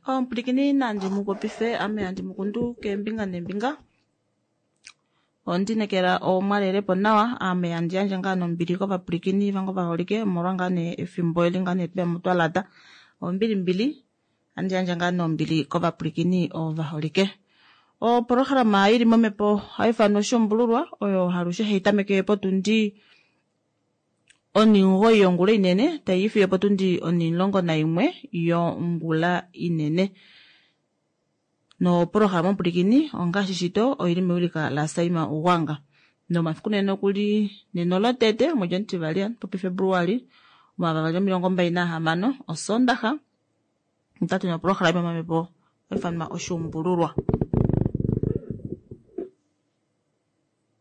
Omupulikini nandi mu popife ame handi mu kundu keembinga neembinga. Ondinekela omwalelepo nawa ame handi yandje ngaa nombili kovapwilikini vange ovaholike omolwa ngaa nee efimbo eli ngaa nee tweyamo twalata. Ombilimbili handi yandje ngaa nombili kovapwilikini ovaholike. Oprograma ili momhepo ohaifanwa oshuumbululwa oyo alushe hai tameke potundi 9 yongula inene tai fiyo potundi 11 yongula inene. Noprograma omupulikini ongaashi shito oili mewilika laSaima Ugwanga. Nomafiku nene okuli nena olotete omwedi omutivali popi Februali 2026 Osondaxa otatu noprograma yomamhepo haifanwa oshuumbululwa.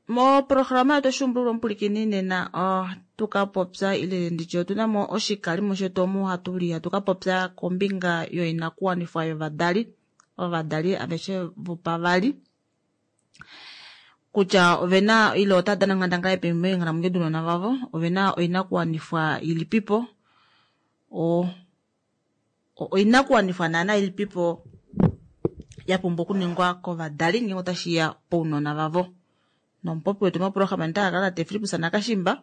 Moprograma yetu oshuumbululwa omupulikini nena ohatu ka popya ile nditye otuna mo oshikalimo shetu omu hatu li hatu ka popya kombinga yoinakuwanifwa yovadali, ovadali aveshe vopavali kutya ovena ile otava dana onghandangala ilipi meenghalamwenyo dounona vavo, ovena oinakuwanifwa ilipipo, oinakuwanifwa naana ilipipo ya pumbwa okuningwa kovadali ngeenge otashiya pounona vavo. Nomupopi wetu moprograma ota kakala tate Fillipus Nakashimba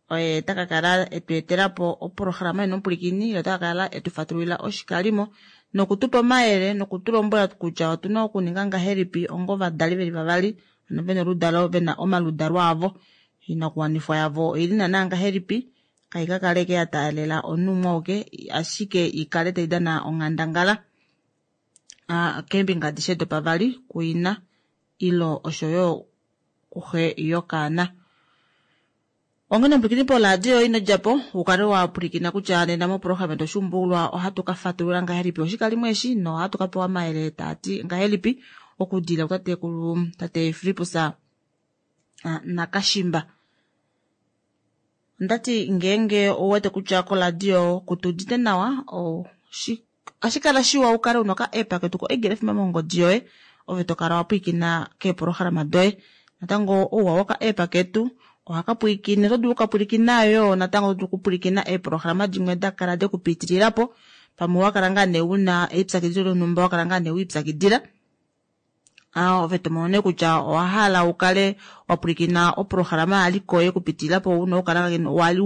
oye taka kala etu etelapo oprograma yeno omupulikini, ye ota kakala etu fatululila oshikalimo nokutupa omayele nokutulombwela kutya otuna okuninga ngahelipi onga ovadali veli vavali ano vena oludalo vena omaludalo avo, oinakuwanifwa yavo oili naana ngahelipi, kai ka kale ke ya taalela omunhu umwe auke ashike ikale tai dana onghandangala keembinga adishe dopavali kuina ilo oshoyo kuxe yokaana. Onghene omupwilikini poladio ino djapo ukale wa pwilikina kutya nena moprograma yetu oshuumbululwa ohatu ka fatulula ngahelipi oshikalimo eshi nohatu ka pewa omayele taati ngahelipi okudilila kutatekulu tate Fillipus Nakashimba. Ondati ngeenge ouwete kutya koladio kutudite nawa ohashi kala shiwa ukale una oka app ketu ko Eagle FM mongodi yoye ove tokala wa pwilikina keeprograma doye. Natango ouwa woka app ketu ohaka pwilikine, oto dulu okapwilikina yoo natango oto dulu okupwilikina eeprograma dimwe da kala dekupitilila po pamwe wakala ngaa nee una elipyakidilo lonhumba wakala ngaa nee wiipyakidila ove tomono nee kutya owahala ukale wapwilikina oprograma yaliko yekupitilila po una okukala wali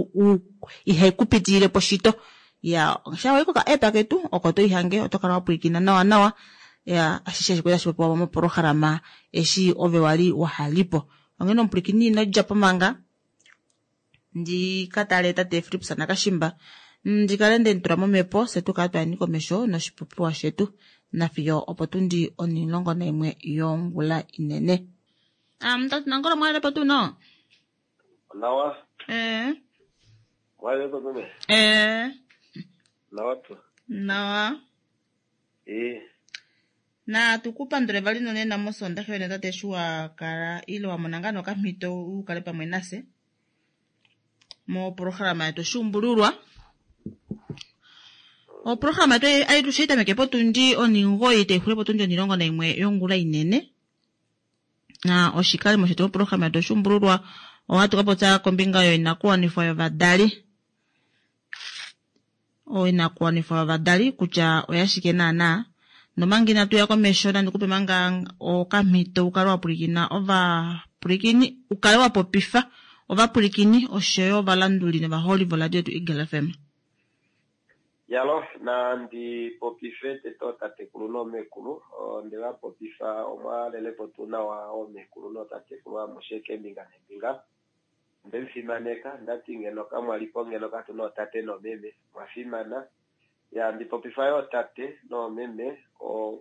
ihaikupitililepo shito. Ya sha wayi koka app ketu oko toihange oto kala wapwilikina nawa nawa ya ashishe eshi tashi popiwa moprograma eshi ove wali wahalipo. Onghene omupwilikini ino djapo manga ndi katale tate Fillipus Nakashimba ndikale ndemutula momhepo fye tukale twayeni komesho noshipopiwa shetu nafiyo opo tundi 11 yongula inene. Tate Nangolo mwalelepo tuu no? Nawa. Mwalelepo meme? Nawa tu. Nawa. Na tukupandule vali nonena mosondaxa yene tate eshi wa kala ile wa mona ngaa nokamhito ukale pamwe nafye moprograma yetu oshuumbululwa. Oprograma yetu alushe itameke potundi 9 taixulu potundi 11 yongula inene. Na oshikalimo shetu moprograma yetu oshuumbululwa ohatu ka popya kombinga yoinakuwanifwa yovadali. Oinakuwanifwa yovadali kutya oyashike naana. Nomanga inatu ya komesho nandi kupe manga okamhito ukale wa pwilikina ovapwilikini ukale wa popifa ovapwilikini oshoyo ovalanduli novaholi voradio yetu Eagle FM. Yalo nandi popife tete otatekulu noomekulu onde va popifa omwalelepo tuu nawa oomekulu nootatekulu amushe keembinga neembinga. Ondemufimaneka ndati ngeno kamwalipo ngeno katuna ootate noomeme mwafimana. Ya ndi popifa yoo tate noomeme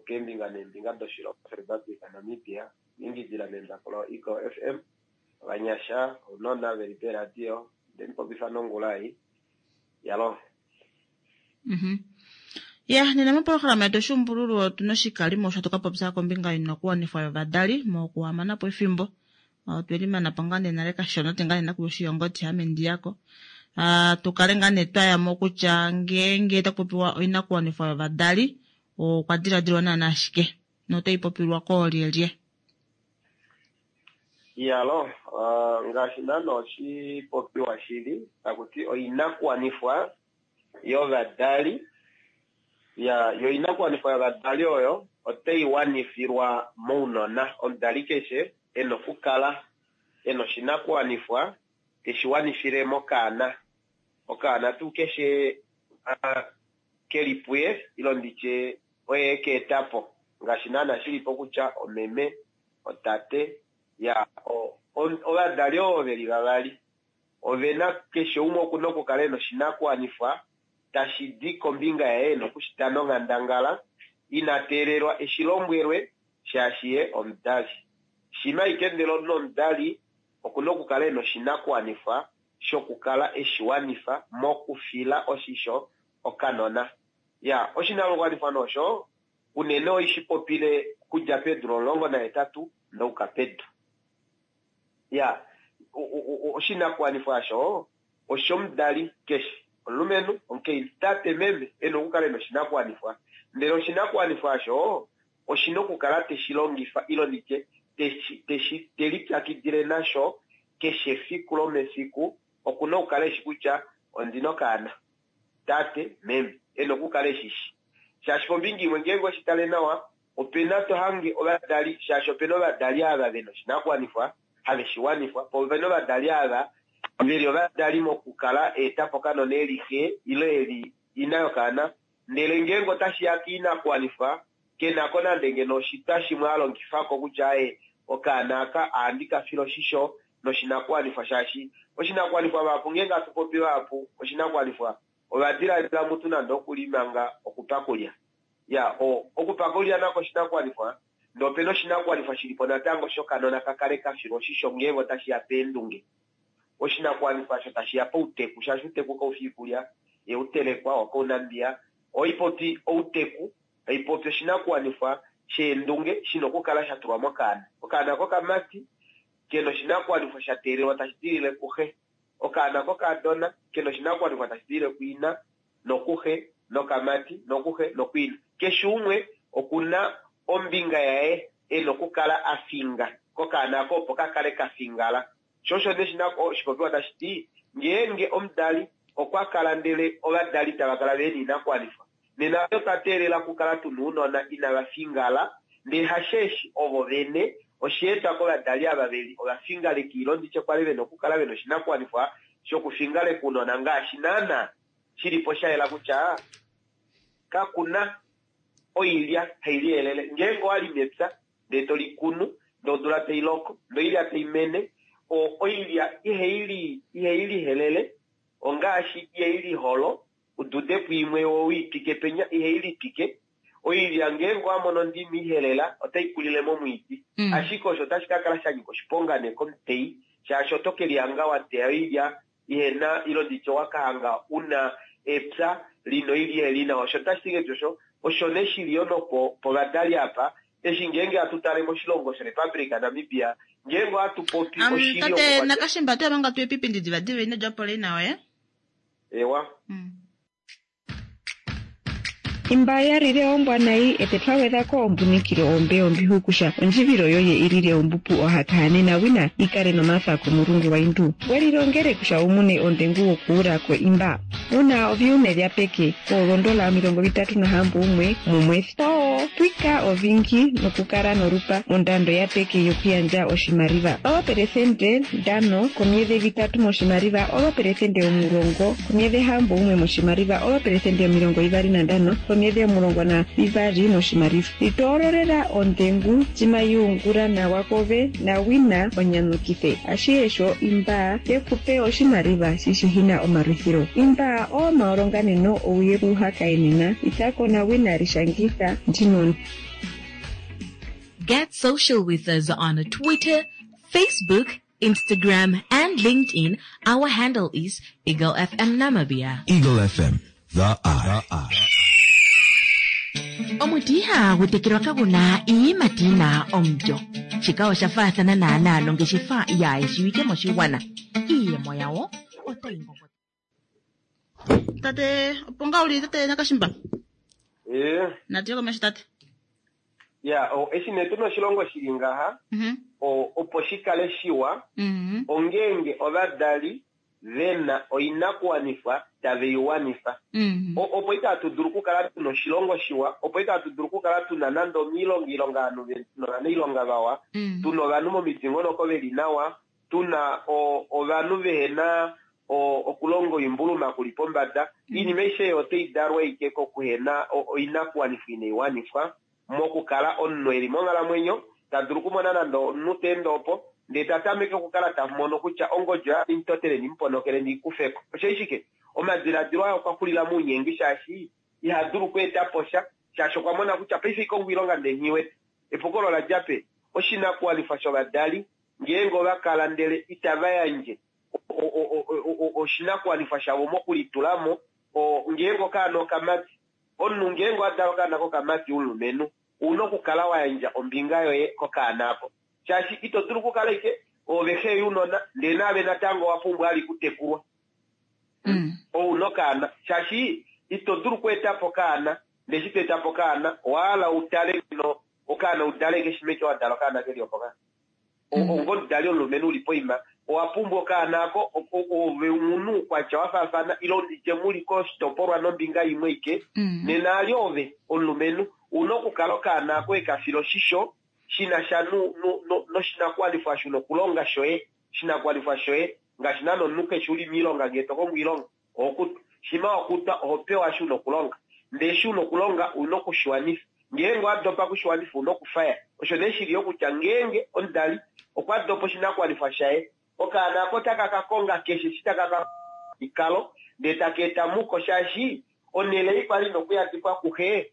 keembinga neembinga doshilongo Republic Namibia ingidila membako lo Eagle FM ovanyasha ounona veli peradio ndemupopifa nongula ei. Yalo. Ya nena moprograma yetu oshuumbululwa otuna oshikalimo osho hatu ka popya kombinga yoinakuwanifwa yovadali mokuhamana po efimbo. Otweli mana po ngaa nee nale kashona te ngaa nee nakuya oshiyongoti ame ndiyako. Tukale ngaa nee twayamo kutya ngeenge taku popiwa oinakuwanifwa yovadali okwa diladilwa naana ashike notai popilwa koolyelye. Yalo, ngaashi naana oshipopiwa shili takuti oinakuwanifwa yovadali. Ya, yo oinakuwanifwa yovadali oyo otai wanifilwa mounona. Omudali keshe e na okukala e na oshinakuwanifwa teshi wanifile mokaana. Okaana tuu keshe ke li puye, ile nditye oye e ka eta po. Ngaashi naana shi li po kutya omeme, otate, ya, ovadali ovo ve li vavali ove na keshe umwe oku na okukala e na oshinakuwanifwa tashi di kombinga yaye e na okushita nonghandangala ina teelelwa eshi lombwelwe shaashi ye omudali. Shima ashike ndele omunhu omudali oku na okukala e na oshinakuwanifwa shokukala eshi wanifa mokufila oshisho okanona. Ya, oshinakuwanifwa nee osho unene oishi popile okudja peedula 18 nouka pedu. Ya, oshinakuwanifwa osho oshomudali keshe, omulumenhu, omukainhu, tate, meme, e na okukala e na oshinakuwanifwa. Ndele oshinakuwanifwa osho oshi na okukala te shi longifa ile nditye teshi te lipyakidile nasho keshe efiku lomefiku. Oku na okukala e shi kutya ondi na okaana, tate, meme, e na okukala e shi shi. Shaashi kombinga imwe ngeenge oshi tale nawa, ope na to hange ovadali, shaashi ope na ovadali ava ve na oshinakuwanifwa have shi wanifwa, po ope na ovadali ava ve li ovadali mokukala a eta po okanona e li xe ile e li ina yokaana, ndele ngeenge otashi ya koinakuwanifwa, ke na ko nande ngeno oshitwa shimwe a longifa ko kutya aye okaana aka ohandi ka file oshisho noshinakuwanifwa, shaashi oshinakuwanifwa vahapu ngeenge hatu popi vahapu oshinakuwanifwa ova diladila mutu nande oku li manga okupakulya. Ya, o, okupakulya nako oshinakuwanifwa, ndee opena oshinakuwanifwa shi li po natango shokanona ka kale ka filwa oshisho ngeenge otashi ya peendunge. Oshinakuwanifwa osho tashi ya pouteku, shaashi outeku kau fi oikulya ye u telekwa wokounambiya. Ohai popi outeku, tai popi oshinakuwanifwa sheendunge shi na okukala sha tulwa mokaana. Okaana kokamati ke na oshinakuwanifwa sha teelelwa tashi dilile kuxe. Okaana kokaadona ke na oshinakuwanifwa tashi dilile kuina nokuxe, nokamati nokuxe nokuina. Keshe umwe oku na ombinga yaye e na okukala a finga kokaana ako opo ka kale ka fingala. Sho osho nee oshipopiwa tashi ti, ngeenge omudali okwa kala ndele ovadali tava kala ve na oinakuwanifwa, nena otwa teelela okukala tu na ounona inava fingala, ndee hasheeshi ovo vene, osha etwa kovadali ava ve li ovafingaleki ilo nditye kwali ve na okukala ve na oshinakuwanifwa shokufingaleka ounona ngaashi naana shi li po sha yela kutya kaku na oilya hai liyelele. Ngeenge owa li mepya ndee to li kunu, ndee odula tai loko, ndee oilya tai mene, oilya ihai lihelele ongaashi ihai liholo, u dude po imwe wo u i twike penya, ihai litwike. Oilya ngeenge owa mono ondimi ihelela, otai kulile momwiidi. Ashike osho otashi ka kala sha nyika oshiponga nee komuteyi, shaashi oto ke lihanga wa teya oilya ihe na, ile nditye owa ka hanga u na epya li na oilya ihe li nawa. Osho otashi ti ngahelipi osho? Osho nee shi li yo nopo povadali apa, eshi ngeenge hatu tale moshilongo shoRepublic Namibia, ngeenge ohatu popi oshili Tate okukwatela Nakashimba, oto ya manga tu epipindi divadiva ino dja po leina yoye. Ewa. Imba ya lile ombwa nayi ete twa gwedha ko ombunikilo ombe ombihukusha ondjivilo yoye i lile ombupu ohakahane na wina i kale nomatha komulungu gwaindu. We lilongele kusha wu mune ondengu wokuula ko imba. Una oviume vya peke koolondola 36 mumwethi. Po pwika ovingi nokukala nolupa mondando ya peke yokuyandja oshimaliva oopelesente 5 komyedhe vitatu moshimaliva oopelesente 10 komyedhe 61 moshimaliva oopelesente 25 komyedhe 12 moshimaliva. Litoololela ondengu cima yuungula nawa kove na wina onyanyukithe. Ashihe sho imba ye ku pe oshimaliva shi shihina omalwithilo. Imba oomaolonganeno ouye kuhakaenena itako na wina lishangitha ndino. Get social with us on Twitter, Facebook, Instagram, and LinkedIn. Our handle is Eagle FM Namibia. Eagle FM, the eye. Omuti ihagu tekelwa kagu na iiyimati yi na omulyo. Shika osha faathana naanaa nongeshefa yaa shiwike moshigwana. Iiyemo yawo otayi ngongota. Tate, opo ngaa uli tate Nakashimba? Ee. Natu ye komesho tate. Ya, o, eshi nee tuna oshilongo shili ngaha, o, opo shi kale shiwa, ongeenge ovadali ve na oinakuwanifwa tave i wanifa. Opo itatu dulu okukala tuna oshilongo shiwa, opo itatu dulu okukala tuna nande omiilonga ilonga ovanhu novanailonga vawa, tuna ovanhu momidingonoko veli nawa, tuna ovanhu vehena okulonga oimbuluma kuli pombada. Iinima aishe oyo otai dalwa ike kokuhena oinakuwanifwa inai wanifwa mokukala omunhu eli monghalamwenyo ta dulu okumona nande omunhu ta ende opo ndee ta tameke okukala ta mono kutya ongodi oyo imutotele ndimuponokele ndiikufeko. Osho ashike omadiladilo aye okwa xulila mounyengi shaashi iha dulu okweeta po sha shaashi okwa mona kutya paife ikongo oilonga ndee nghiwete. Epuko olo ola dja peni? Oshinakuwanifwa shovadali ngeenge ova kala ndele itava yandje oshinakuwanifwa shavo mokulitulamo, ngeenge okaana okamati, omunhu ngeenge owa dala okaana kokamati omulumenhu, ouna okukala wa yandja ombinga yoye kokaana ako. Shaashi ito dulu okukala ike ove xe younona ndee naave natango owa pumbwa ali kutekulwa. Ouna okaana shaashi ito dulu okweeta po okaana ndee eshi to eta po okaana owa hala utale ngeno okaana udale keshe meke wa dala okaana keli opo ka. Onga omudali omulumenhu uli poima owa pumbwa okaana ako ove omunhu oukwatya wa faafana ile nditye muli koshitopolwa nombinga imwe ike nena ali ove omulumenhu una okukala okaana ako weka fila oshisho shina sha noshinakuwanifwa shuna okulonga shoye shinakuwanifwa shoye ngaashi naana omunhu keshe uli miilonga ngee to kongo oilonga oho kutwa shima wa kutwa oho pewa eshi una okulonga ndee eshi una okulonga una okushiwanifa ngeenge owa dopa kushiwanifa una okufaya. Osho nee shili yo kutya ngeenge omudali okwa dopa oshinakuwanifwa shaye okaana ako otaka ka konga keshe eshi taka ka ikalo ndee taka eta muko shaashi onhele ei kwali ina okuyadifwa kuxe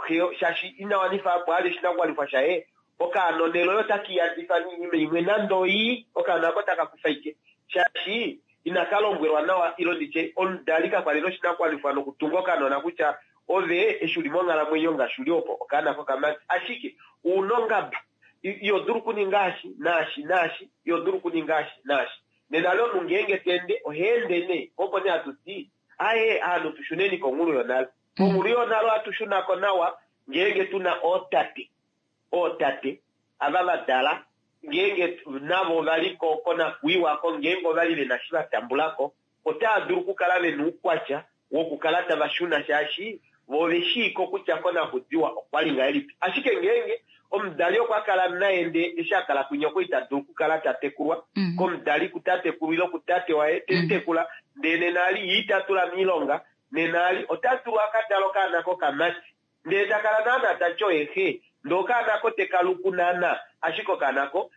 xe shaashi ina wanifa apo ali oshinakuwanifwa shaye okaana onhele oyo otaka iyadifa noinima imwe nande oii okaana ako otaka kufa ike shaashi inaka lombwelwa nawa ile nditye omudali kakwali noshinakuwanifwa nokutunga okanona kutya ove eshi uli monghalamwenyo ngaashi uli opo okaana kokamati ashike una ongaba iho dulu okuninga eshi naashi naashi iho dulu okuninga eshi naashi. Nena le omunhu ngeenge ta ende oha ende nee opo nee hatu ti aye ovanhu tushuneni konghulu yonale. Konghulu yonale ohatu shunako nawa ngeenge tuna ootate ootate ava va dala ngeenge navo ovali konakuiwa ko ngeenge ovali vena eshi va tambulako otava dulu okukala vena oukwatya wokukala tava shuna shaashi vo ove shiiko kutya konakudiwa okwali ngahelipi. Ashike ngeenge omudali okwa kala naye ndee eshi a kala kwinya okwa ita dulu okukala ta tekulwa komudali kutatekulu ile kutate waye temutekula ndee nena ali ye ita tula miilonga nena ali ota dulu aka dale okaana kokamati ndee takala naana tati oye xe ndee okaana ako teka luku naana ashike okaana ako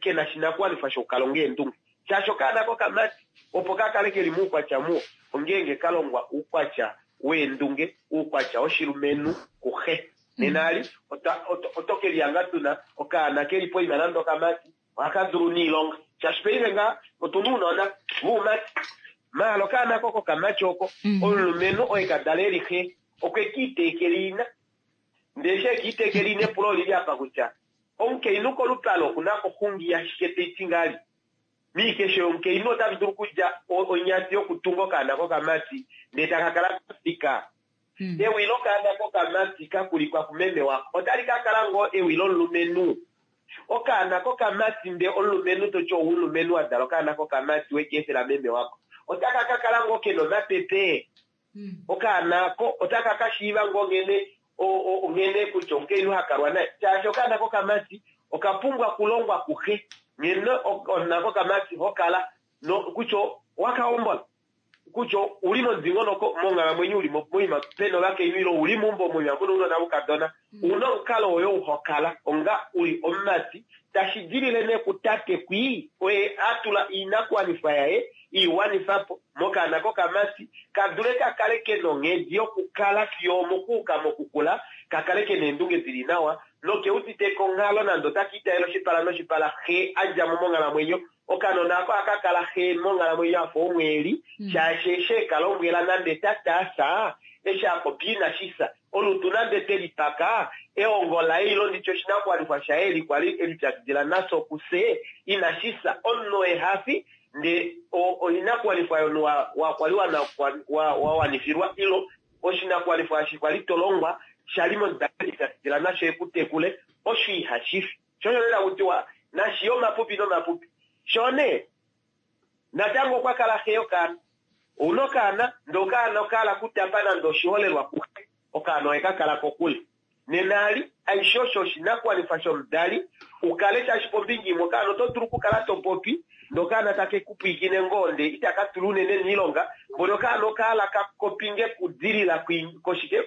kena shinakuwanifwa shokukalonga eendunge shaashi okaana kokamati opo kakale keli moukwatya muwa ongeenge kalongwa oukwatya weendunge oukwatya woshilumenhu kuxe nena ali oto kelihanga tuna okaana keli poima nande okamati ohaka dulu niilonga shaashi paife ngaa otuna uunona voumati maala okaana ko kokamati oko omulumenhu oye kadala eli xe okwe kiiteekela ina ndee eshi ekiiteekela ina epulo olili apa kutya omukainhu kolupale okuna koxungi ashike taiti ngali miikesho yomukainhu otali dulu okudja onyati yokutunga okaana kokamati ndee taka kala kafika ewi lokaana kokamati kakulikwa kumeme wako otali ka kala ngoo ewi lomulumenhu okaana kokamati ndee omulumenhu toti oumulumenhu wa dala okaana kokamati wekeefela meme wako otaka ka kala ngoo kena omapepe okaana ako otaka ka shiiva ngoo nghene nghene kutya omukainhu hakalwa naye shaashi okaana kokamati okapumbwa okulongwa kuxe nghene okaana kokamati hokala kutya owakahombola kutya uli momudingonoko monghalamwenyo uli moima pena ovakainhu ile uli meumbo moima muna ounona voukadona una omukalo woye uhokala onga uli omumati tashi dilile nee kutate kwii oye atula oinakuwanifwa yaye iwanifapo mokaana kokamati kadule kakale kena onghedi yokukala fiyo omokuuka mokukula kakale kena eendunge dili nawa nokeudite konghalo nande otaka itayela oshipala noshipala xe adjamo monghalamwenyo okanona ako ohaka kala xe monghalamwenyo afa omweeli shaashi eshi ekalombwela nande tataasa eshi apopi inashisa olutu nande telipaka ehongo laye ile nditye oshinakuwanifwa shaye eli kwali elipyakidila nasho kufye inashisa omunhu ehafi ndee oinakuwanifwa yomunhu wakwali wawanifilwa ilo oshinakuwanifwa eshi kwali tolongwa shali momudali elipyakidila nasho ekutekule osho ihashifi sho osho lela kutiwa nashiye omapupi nomapupi shoo nee. Natango okwa kala xe yokaana. Ouna okaana, ndee okaana okahala kutapa nande oshiholelwa kuxe, okaana ohe ka kala kokule. Nena ali, aishe osho oshinakuwanifwa shomudali u kale shaashi pombinga imwe okaana oto dulu okukala to popi ndee okaana take ku pwiikine ngoo ndee itaka tula unene miilonga, mboli okaana okahala ka kopinge kudilila koshike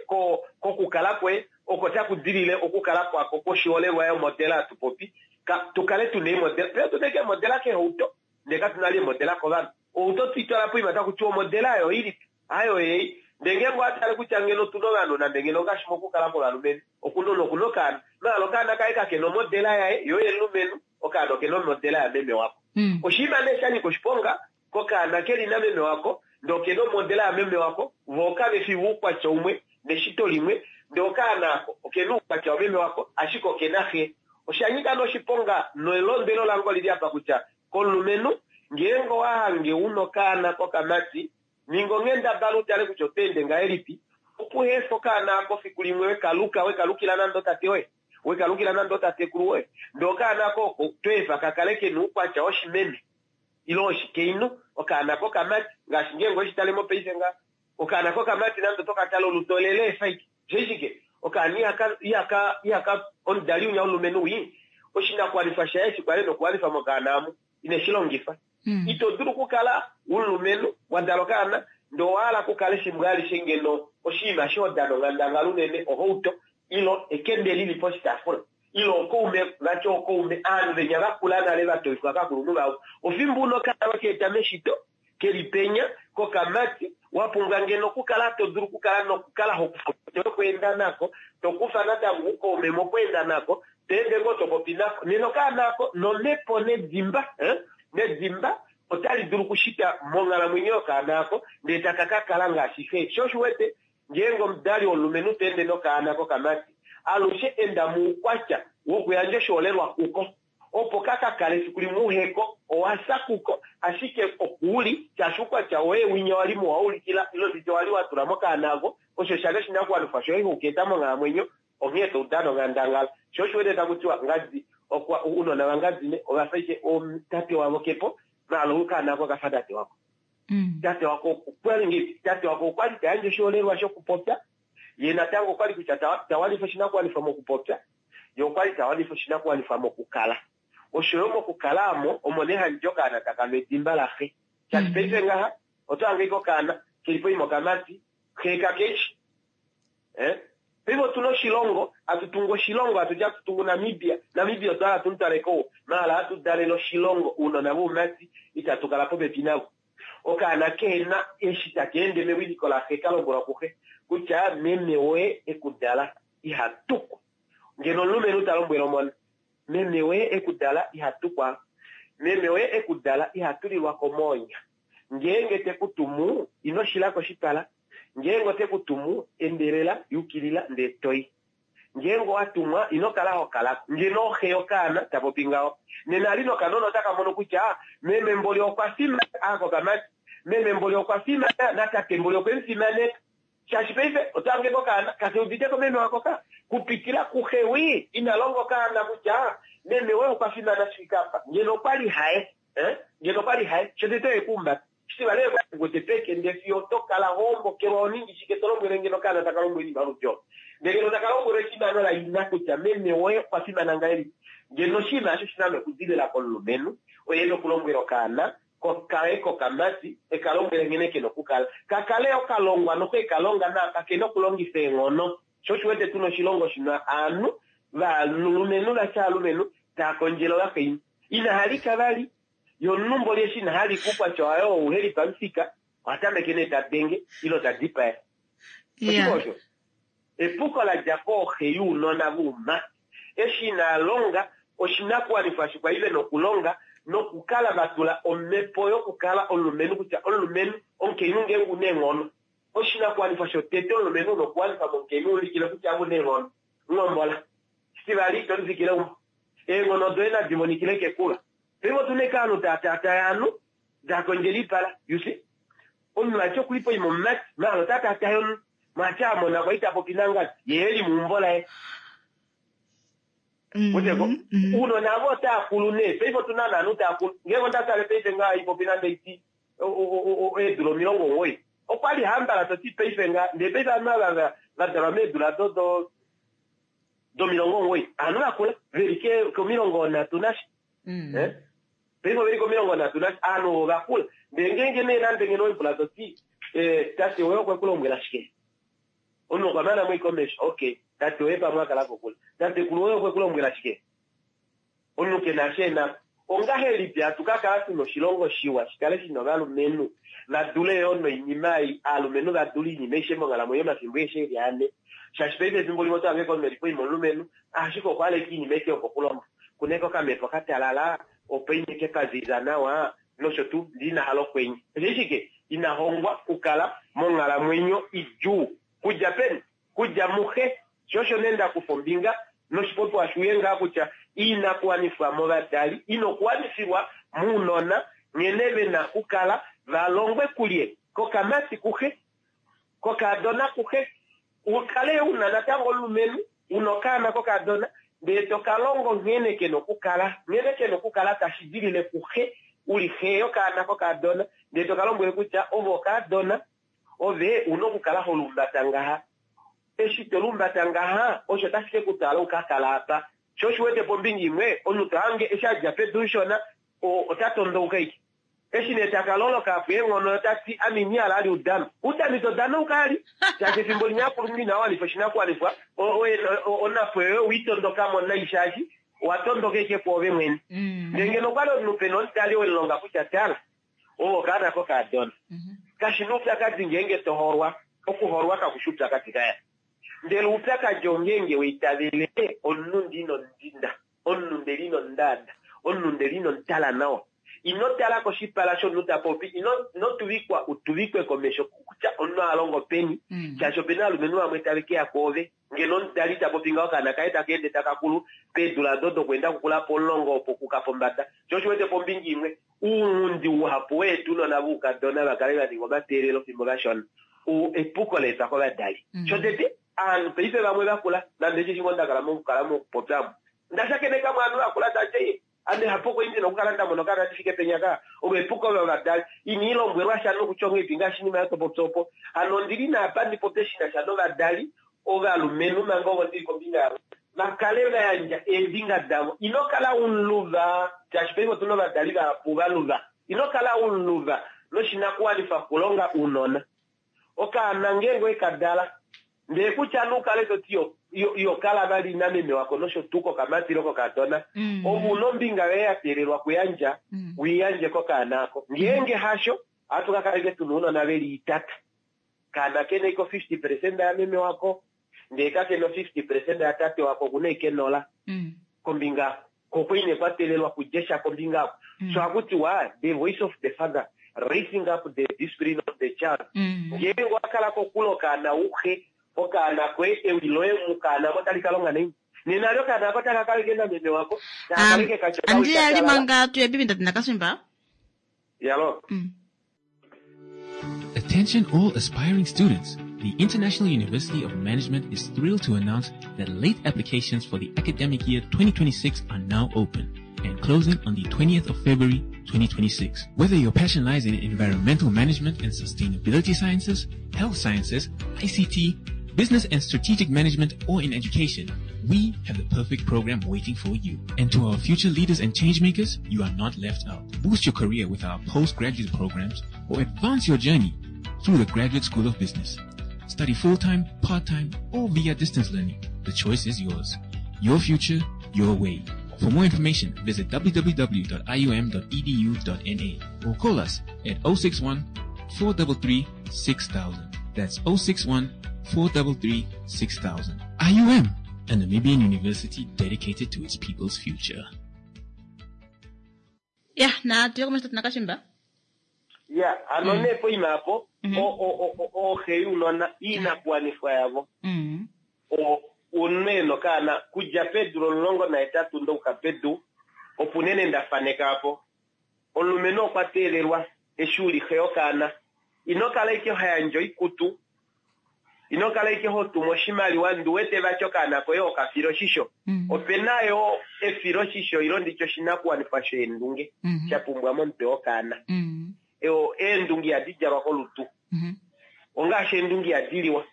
kokukala kwoye oko taku dilile okukala kwako kwoshiholelwa yomodela hatu popi ka tu kale tuna eemodela. Paife otuna ashike eemodela keehauto ndee katuna vali eemodela kovanhu. Outo twitwala poima taku tiwa omodela oyo oilipi? Hayo ei. Ndee ngeenge owa tale kutya ngeno otuna ovanhu nande ngeno ongaashi mokukala kwovalumenhu, okuna omunhu okuna okaana, maala okaana kaye kakena omodela yaye yo yomulumenhu, okaana okena omodela yameme wako. Oshinima nee sha nyika oshiponga kokaana keli nameme wako ndee okena omodela yameme wako, voo kave fi voukwatya umwe neshito limwe, ndee okaana ako okena oukwatya wameme wako ashike okena xe. Osha nyika nee oshiponga nelondwelo lange olili apa kutya komulumenhu ngeenge owa hange una okaana kokamati, ninga onghendabala u tale kutya oto ende ngahelipi opo uha efe okaana ako fiku limwe we ka luka, we ka lukila nande otate woye, we ka lukila nande otatekulu woye, ndee okaana ako oko to efa ka kale ke na oukwatya woshimeme ile woshikainhu, okaana kokamati, ngaashi ngeenge oweshi tale mopaife ngaha, okaana kokamati nande oto ka tale olutu olele efa ashike. Osheshi shike? Okaana ihaka, ihaka, ihaka, omudali winya womulumenhu wii, oshinakuwanifwa shaye eshi kwali e na okuwanifa mokaana amu, ine shi longifa. Ito dulu okukala womulumenhu, wa dala okaana, ndee owa hala okukala efimbo alishe ngeno oshinima eshi ho dana onghandangala unene ohauto, ile ekende li li poshitaafula, ile ookaume, vati ookaume, ovanhu venya va kula nale va toifwa kovakulunhu vavo, ofimbo una okaana we ka eta meshito, ke li penya, kokamati, wa pumbwa ngeno okukala to dulu okukala nokukala ho kufa omhito yokweenda nako, to kufa natango oukaume mokweenda nako, to ende ngoo to popi nako. Nena okaana ako nomhepo nedimba, eh, nedimba otali dulu okushita monghalamwenyo yokaana ako, ndee taka ka kala ngaashi xe. Sho osho u wete, ngeenge omudali womulumenhu ta ende nokaana kokamati, alushe enda moukwatya wokuyandja oshiholelwa kuko. Opo ka ka kale efiku limwe uheko, owa fya kuko, ashike oku li, shaashi oukwatya woye winya wa li muwa ulikila, ile nditye wa li wa tula mokaana ako, osho sha li oshinakuwanifwa shoye oku ka eta monghalamwenyo, onghee to dana onghandangala. Sho osho wete taku tiwa, ngadi, okwa, ounona vangadi ne, ova fa ashike tate wavo ke po, maala okaana ako oka fa tate wako. Tate wako okwa li ngeipi? Tate wako okwa li ta yandje oshiholelwa shokupopya, ye natango okwa li kutya ta, ta wanifa oshinakuwanifwa mokupopya, Ye okwa li ta wanifa oshinakuwanifwa mokukala. Osho yo mokukala amo, omo nee handi ti okaana taka nu edimba laxe. Shaashi paife ngaha, oto hange ashike okaana, ke li poima okamati, xe kake shi. Eh? Paife otu na oshilongo, hatu tungu oshilongo, hatu ti hatu tungu Namibia. Namibia otwa hala tu mu twale kouwa. Maala hatu dalele oshilongo, ounona voumati, itatu kala popepi navo. Okaana kehe na eshi taka ende mewiliko laxe, ka lombwelwa kuxe kutya meme woye e ku dala. iha tukwa. Ngeno omulumenhu ta lombwele omona, Meme woye e ku dala iha tukwa, meme woye e ku dala iha tulilwa ko moonya. Ngeenge te ku tumu, ino shila koshipala, ngeenge ote ku tumu, endelela, yukilila, ndee to i. Ngeenge owa tumwa, ino kala ho kala ko. Ngeno oxe yokaana ta popi ngaho, nena ali nokanona otaka mono kutya meme mboli okwa fimana, a kokamati, meme mboli okwa fimana, natate mboli okwe mu fimaneka. Shaashi paife oto hange kokaana kake udite ko meme wako ka kupitila kuxe wii ina longa okaana kutya meme woye okwa fimana shi fike apa. Ngeno okwali haye eh ngeno okwali haye shotete oye kuumbata. Shitivali oye kwali ekukwete peke ndee fiyo oto kala ho ombokelwa ho ningi shike to lombwele ngeno okaana taka lombwele oinima yoludi olo. Ndee ngeno taka lombwelwa efimano laina kutya meme woye okwa fimana ngahelipi. Ngeno oshinima osho oshina nokudilila komulumenhu oye ena okulombwela okaana Kokaye kokamati, e ka lombwele nghene ke na okukala. Ka kale yo ka longwa noku e ka longa nawa, kake na okulongifa eenghono. Sho osho u wete tu na oshilongo shi na ovanhu valumenhu va tya aalumenhu tava kondjele ovakainhu. Ina halika vali. Ye omunhu mboli eshi ina halika oukwatya waye oo uhe li pamufika, oha tameke nee ta denge ile ta dipaya. Oshike osho? Epuko la dja kooxe younona voumati. Eshi inaa longa oshinakuwanifwa eshi kwa li ve na okulonga nokukala va tula omhepo yokukala omulumenhu kutya omulumenhu, omukainhu ngeenge u na eenghono, oshinakuwanifwa shotete omulumenhu u na okuwanifa momukainhu u ulikile kutya ove u na eenghono. Ngombola. Shitivali, ito lifikile eumbo. Eenghono doye nadi monikile kekula. Paife otu na ashike ovanhu taa taataya ovanhu, taa kondjele oipala. You see? Omunhu vati oku li poima omumati, maala ota taataya omunhu. Mwaati a mona kwali ta popi nangadi, ye e li meumbo laye. Weteko? Uunona avo otaa kulu nee. Paife otu na naanhu taa kulu. Ngeenge onda tale paife ngaha ipopi nande iti eedula 90. Okwa li hambala to ti paife ngaha. Ndele paife ovanhu ava va dalwa meedula do do 90. Ovanhu vakula. Ve li komilongo nhatu nasha. Paife ove li komilongo nhatu nasha. Ovanhu ovo vakula. Ndele ngeenge nee nande ngeno oipula to ti, tate woye okwe ku lombwela shike? Omunhu okwa mana mo komesho. Okay, tate woye pamwe a kala kokule. Tatekulu woye okwe ku lombwela shike? Omunhu ke na sha e na. Ongahelipi hatu ka kala tu na oshilongo shiwa shi kale shi na ovalumenhu va dule yoo noinima ei, aalumenhu va dule oinima aishe monghalamwenyo omafimbo aeshe e li ane. Shaashi paife efimbo limwe oto hange komunhu e li poima omulumenhu, ashike okwa hala ashike oinima aishe yokokulonga. Ku na eke okamhepo ka talala, opo ine ke pa ziza nawa, nosho tuu, ndele ina hala okwenye. Osheshi shike? Ina hongwa okukala monghalamwenyo idjuu. Kudja peni? Kudja muxe. Sho osho nee nda kufa ombinga noshipopiwa shuye ngaa kutya iinakuwanifwa movadali ina okuwanifilwa mounona nghene ve na okukala va longwe kulye kokamati kuxe, kokaadona kuxe. U kale u na natango omulumenhu, u na okaana kokaadona, ndele to ka longo nghene ke na okukala, nghene ke na okukala tashi dilile kuxe, u li xe yokaana kokaadona, ndele to ka lombwele kutya ove okaadona, ove u na okukala ho lumbata ngaha. Eshi to lumbata ngaha, osho otashi ke ku twala u ka kala apa. Sho oshi wete pombinga imwe, omunhu to hange eshi a dja pedu mushona, ota tondouka ashike. Eshi nee taka loloka apa eenghono ota ti, Ame ina hala ali udano. Udano ito danauka ali, shaashi efimbo linya akulunhu inaa wanifa oshinakuwanifwa, onhapo yoye owe i tondoka mo nai shaashi owa tondoka ashike kwoove mwene. Ndele ngeno okwa li omunhu pe na omudali we mu longa kutya tala, ove okaana kokaadona. Kashi na oupyakadi ngeenge to holwa, okuholwa kaku shi oupyakadi kaya. Ndele oupyakadi ongeenge wa itavele omunhu ndi ino mudinda. Omunhu ndele ino ndaada. Omunhu ndele ino mutala nawa. Ino tala koshipala shomunhu ta popi. Ino, ino tuvikwa u tuvikwe komesho kutya omunhu a longo peni, shaashi ope na ovalumenhu vamwe tave ke ya kwoove. Ngeno omudali ta popi ngaho okaana kaye taka ende taka kulu peedula odo dokweenda kukula pomulongo opo kuka pombada. Sho osho wete pombinga imwe, ounghundi uhapu weetu ounona voukadona va kale va ninga omateelelo fimbo vashona, oo epuko la etwa kovadali. Shotete, Aanhu paife vamwe vakula, nande osheshi ngoo nda kala mokukala mokupopya omu, nda shakeneka mo ovanhu vakula tava ti, Ame hapo kwali ndi na okukala nda mona okaana ndi fike penya ka. Olo epuko lovadali. Ina i lombwelwa sha nokutya onghedi ngaashi oshinima oyo to popi opo. Hano ondi li naapa ndi popye shi na sha novadali ovalumenhu manga ovo ndi li kombinga yavo, va kale va yandja eembinga davo. Ino kala u muluva, shaashi paife otu na ovadali vahapu va luva. Ino kala u muluva noshinakuwanifwa okulonga ounona. Okaana ngeenge owe ka dala, ndee kutya nee u kale to ti yo, yo kala vali nameme wako nosho tuu kokamati ile kokadona, ove u na ombinga yoye ya teelelwa okuyandja, u i yandje kokaana ako. Ngeenge hasho, ohatu ka kala ashike tu na ounona ve li itata. Okaana ke na ashike o 50 peresenda yameme wako, ndee kake na o 50 peresenda yatate wako, oku na ashike nola kombinga ko okwa ine kwa teelelwa kudje sha kombinga oko. So ohaku tiwa the voice of the father raising up the discipline of the child. Ngeenge owa kala kokule okaana uhe, okaana koye ewi loye mukaana mo otali ka longa naini? Nena ali okaana ako otaka kala ike nameme wako, taka kala ike katya okawi Andi ka ali talala. manga tuye bibi ndati nakaswimba. Yalo. Attention all aspiring students. The International University of Management is thrilled to announce that late applications for the academic year 2026 are now open and closing on the 20th of February 2026. Whether your passion lies in environmental management and sustainability sciences, health sciences, ICT, business and strategic management, or in education, we have the perfect program waiting for you. And to our future leaders and changemakers, you are not left out. Boost your career with our postgraduate programs or advance your journey through the Graduate School of Business. Study full-time, part-time, or via distance learning. The choice is yours. Your future, your way. For more information, visit www.ium.edu.na or call us at 061 433 6000. That's 061 433 6000. IUM, a Namibian university dedicated to its people's future. Ya, na tuye komesho tinakashimba. Ya, hano nee poima apo, ooxe younona, iinakuwanifwa yavo, omunhu e na okaana kudja peedula 18 ndokuka pedu, opo unene nda faneka apo. Omulumenhu okwa teelelwa eshi u li xe yokaana. Ino kala ashike ho yandje oikutu. Ino kala ike ho tumu oshimaliwa ndi wete vati okaana koye okafila oshisho. Ope na yo efiloshisho ilo nditye oshinakuwanifwa sheendunge sha pumbwa momutwe wokaana. Eendunge ihadi djalwa kolutu. Ongaashi eendunge ihadi liwa.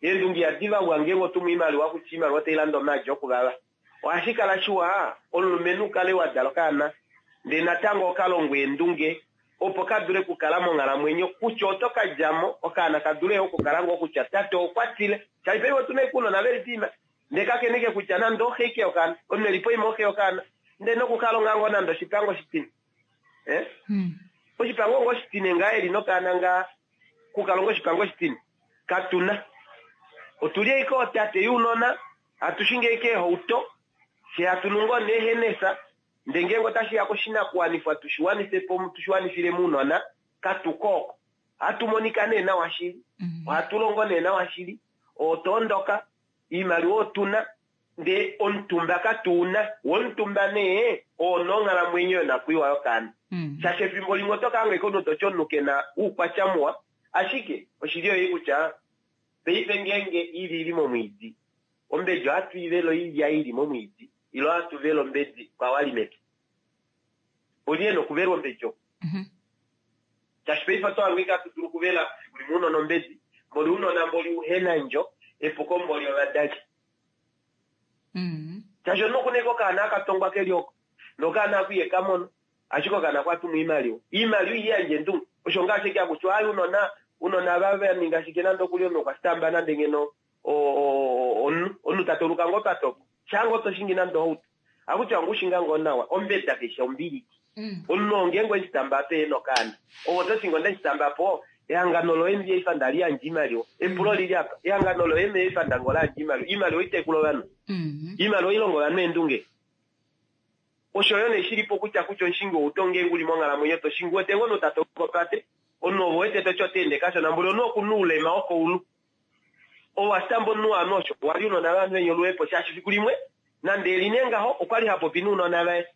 Eendunge ihadi vavwa ngeenge otumu oimaliwa kutya oimaliwa otai lande omaadi okuvava. Ohashi kala shiwa omulumenhu ukale wa dala okaana ndee natango okalongwa eendunge opo ka dule okukala monghalamwenyo kutya oto ka djamo okaana ka dule okukala ngoo kutya tate okwa tile shaashi paife otuna ashike ounona veli poima ndee kakeneke kutya nande oxe ike yokaana omunhu eli poima oxe yokaana ndee nokukalonga ngoo nande oshipango oshitine oshipango ngoo oshitine ngaa eli nokaana ngaa kukalonga oshipango oshitine katuna otuli ashike ootate younona hatushingi ashike eehauto fye hatu nu ngoo neehenesa ndee ngeenge otashiya koshinakuwanifwa tushiwanife po tushiwanifile mounona katuko oko ohatu monika nee nawa shili ohatu longo nee nawa shili otoondoka iimaliwa otuna ndee omutumba katuuna womutumba nee oona onghalamwenyo yonakwiiwa yokaana shaashi efimbo limwe oto kaanga ike omunhu toti omunhu kena uukwatya muwa ashike oshili oyeyi kutya paife ngeenge ili ili momwiidi ombedi ohatu ivele oilya ili momwiidi ilo ohatu vele ombedi kwawali mepya oli ena okuvelwa ombedi oko shaashi paife oto hange ike hatu dulu okuvela fiku limwe unona ombedi mboli unona mboli uhenandjo epuko mboli ovadali shaashi omunhu okuna ike okaana akatongwa keli oko nokaana ako iye kamono ashike okaana kwatuma oimaliwa iimaliwa ihiyandje endunge osho ngaashi eke akutya ayi unona unona va ninga shike nande okuli omunhu okwa stamba nande ngeno omunhu omunhu tatoluka ngoo patopo shaanga otoshingi nande ohauto akutya ongushinga ngoo nawa ombeda keshe ombiliki omunhu ngeenge weshitamba ape ena okaana ovo ototi ngo ndeshitamba po ehangano loye ndiye ndali yandja iimaliwa epulo lili apa ehangano loye meefa ndango layandja iimaliwa iimaliwa itekula ovanhu iimaliwa ilongo ovanhu eendunge osho yo nee shilipo kutya kutya omushingi wouto ngeenge uli monghalamwenyo toshingi wete ngoo notatokopate omunhu ovo wete toti oteende kashona mboli omunhu okuna oulema wokoulu owastamba omunhu waanhu osho wali unona vanhu venye oluhepo shaashi fiku limwe nande eli nee ngaho okwali hapopi nounona vaye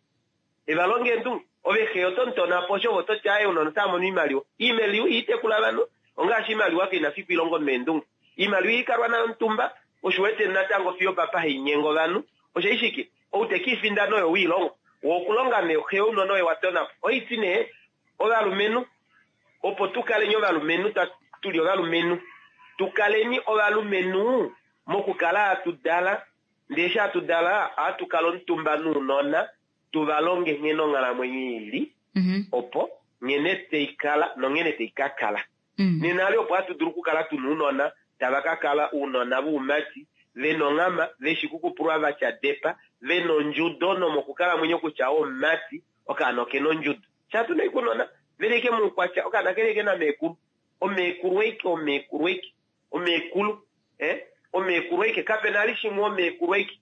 evalonga eendunge ove xe otomutonapo osho ovo toti aye unona otamono iimaliwa iimaliwa iitekula ovanhu ongaashi iimaliwa keina fiku ilongo meendunge iimaliwa iikalwa nayo omutumba osho wete natango fiyo papa hainyenga ovanhu osho ishike ou tekiifindana oyo wiilongo wokulonga nee xe ounona oye watonapo oiti nee ovalumenhu opo tukaleni ovalumenhu tuli ovalumenhu tukaleni ovalumenhu mokukala hatu dala ndee eshi hatu dala ohatu kala omutumba nounona tuvalonge nghene onghalamwenyo ili opo nghene taikala nonghene taikakala nena ali opo hatu dulu okukala tuna ounona tava ka kala ounona voumati vena onghama veshi kukupulwa vatya depa vena ondjudo nomokukalamwenyo kutya omumati okaana okena ondjudo shatuna ikunona veli ike muukwatya okaana keli ike nameekulu omeekulu eike omeekulu eike omeekulu omeekulu eike kapena ali shimwe omeekulu eike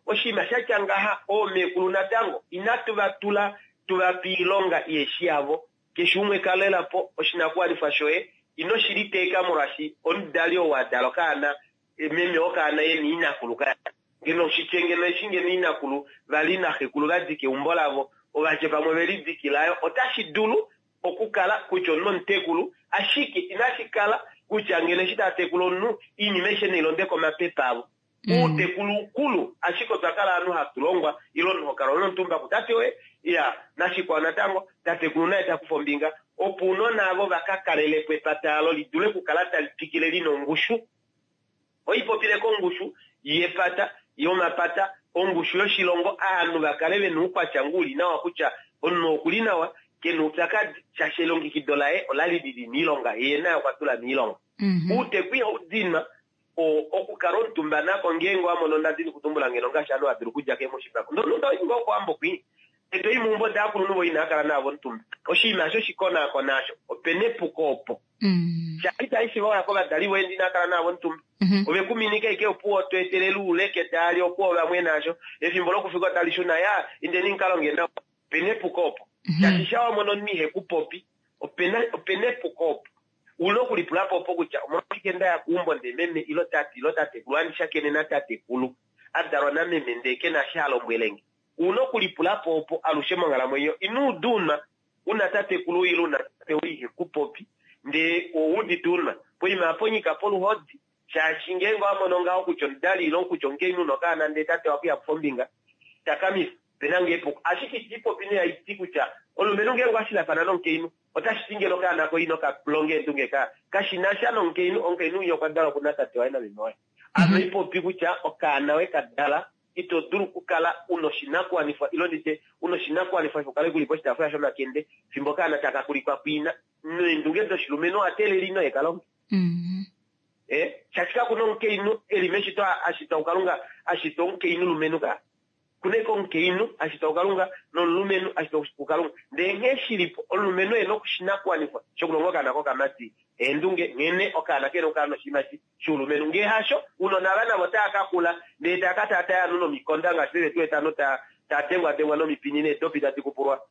oshinima shatya ngaha oomeekulu natango inatu va tula tuvape iilonga iyeshi yavo keshe umwe kalelapo oshinakuwanifwa shoye ino shiliteeka molwaashi omudali ou adala okaana meme wokaana yena inakulu ka ngeno shitye ngeno eshi ngeno inakulu vali naxekulu vadika eumbo lavo ovadje pamwe velidikilayo otashi dulu okukala kutya omunhu omutekulu ashike inashi kala kutya ngeno eshi tatekula omunhu iinima aishe neilonde komapepa avo uutekulu ukulu ashike otwa kala ovanhu hatu longwa ilo omunhu hokala onomutumba kutate woye ya nashikwao natango tatekulu naye takufa ombinga opo unona avo vaka kalelepo epata alo lidule okukala tali twikile lina ongushu oipopile kongushu yepata yomapata ongushu yoshilongo aanhu vakale vena uukwatya ngu uli nawa kutya omunhu okuli nawa kena oupyakadi shaashi elongekido laye olali lili miilonga ye naye okwa tula miilonga uuteku ihau dinwa okukala omutumba nako ngeenge wamono ndadini kutumbula ngeno ngaashi ovanhu vadulu okudja kemoshipako ndoyi ngoo kowambo kwi etoyi meumbo daakulunhu vo inaa kala navo omutumba oshinima asho shikonaakona asho opena epuko opo shaashi itashi waya kovadali voye ndi inaa kala navo omutumba ove kuminika ike opuwo to etelele uuleke taali opuwo vamwe nasho efimbo lokufika tali shuna ya indeni mukalonge nawa opena epuko opo shaashi sha wamono omunhu ihekupopi opena epuko opo una okulipulapo opo kutya omolwashike ndaya kuumbo ndee meme ilo tate ilo tatekulu andishakene natatekulu adalwa nameme ndee kena shi alombwelenge una okulipulapo opo alushe monghalamwenyo ino udunwa una tatekulu ile una tate ihekupopi ndee ouudite unwa poima ponyika poluhodi. Shaashi ngeenge owa mono ngaho kutya omudali ile kutya omukainhu nokaana ndee tate wakuya kufa ombinga, takamifa, opena ngoo epuko. Ashike iti popi nee haiti kutya omulumenhu ngeenge okwa shilafana nomukainhu, otashi ti ngeno okaana koye ino ka longa eendunge ka kashi na sha nomukainhu, omukainhu winya okwa dalwa kuna tate waye nameme waye. Ame ipopi kutya okaana we ka dala ito dulu okukala u na oshinakuwanifwa ilo nditye u na oshinakuwanifwa shokukala uli poshitaafula shomakende fimbo okaana taka kulikwa kuina. Neendunge doshilumenhu owa teelela ino eka longe. Eh, shaashi kaku na omukainhu e li meshito a shitwa kuKalunga a shitwa omukainhu lumenhu ka. Kuna eke omukainhu a shitwa kuKalunga nomulumenhu a shitwa kuKalunga. Ndele nghee shi li po, omulumenhu e na oshinakuwanifwa shokulonga okaana kokamati eendunge nghene okaana ke na okukala noshiimati shoulumenhu. Ngee hasho, ounona ava navo otava ka kula ndele tava ka taataya ovanhu nomikonda ngaashi veve tu wete ovanhu ta taa dengwadengwa nomipini needopi tadi kupulwa.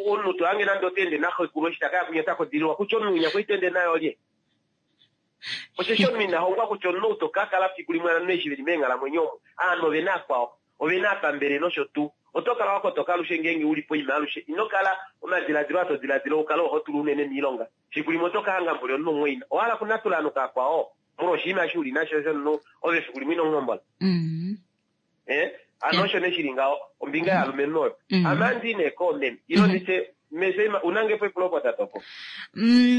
Omunhu to hange nande ota ende naxekulu eshi ta ka ya kwinya ota kodililwa kutya omunhu winya kwali to ende naye olye. Osheshi omunhu ina hongwa kutya omunhu ou to ka kala fiku limwe ovanhu eshi veli meenghalamwenyo omu, ovanhu ove na akwao, ove na apambele nosho tuu. Oto kala wa kotoka alushe ngeenge u li poima alushe. Ino kala omadiladilo aa to diladila u kale oho tula unene miilonga. Fiku limwe oto ka hanga mboli omunhu mumwaina. Owa hala okunatula ovanhu kaakwao molwa oshinima eshi u li nasho shomunhu ove fiku limwe ino mu hombola? Eh? Ano osho nee shi li ngaho, ombinga yaalumenhu oyo. Ame ohandi i nee koomeme. Ile nditye, Mesho, u na nge po epulo opo tate opo?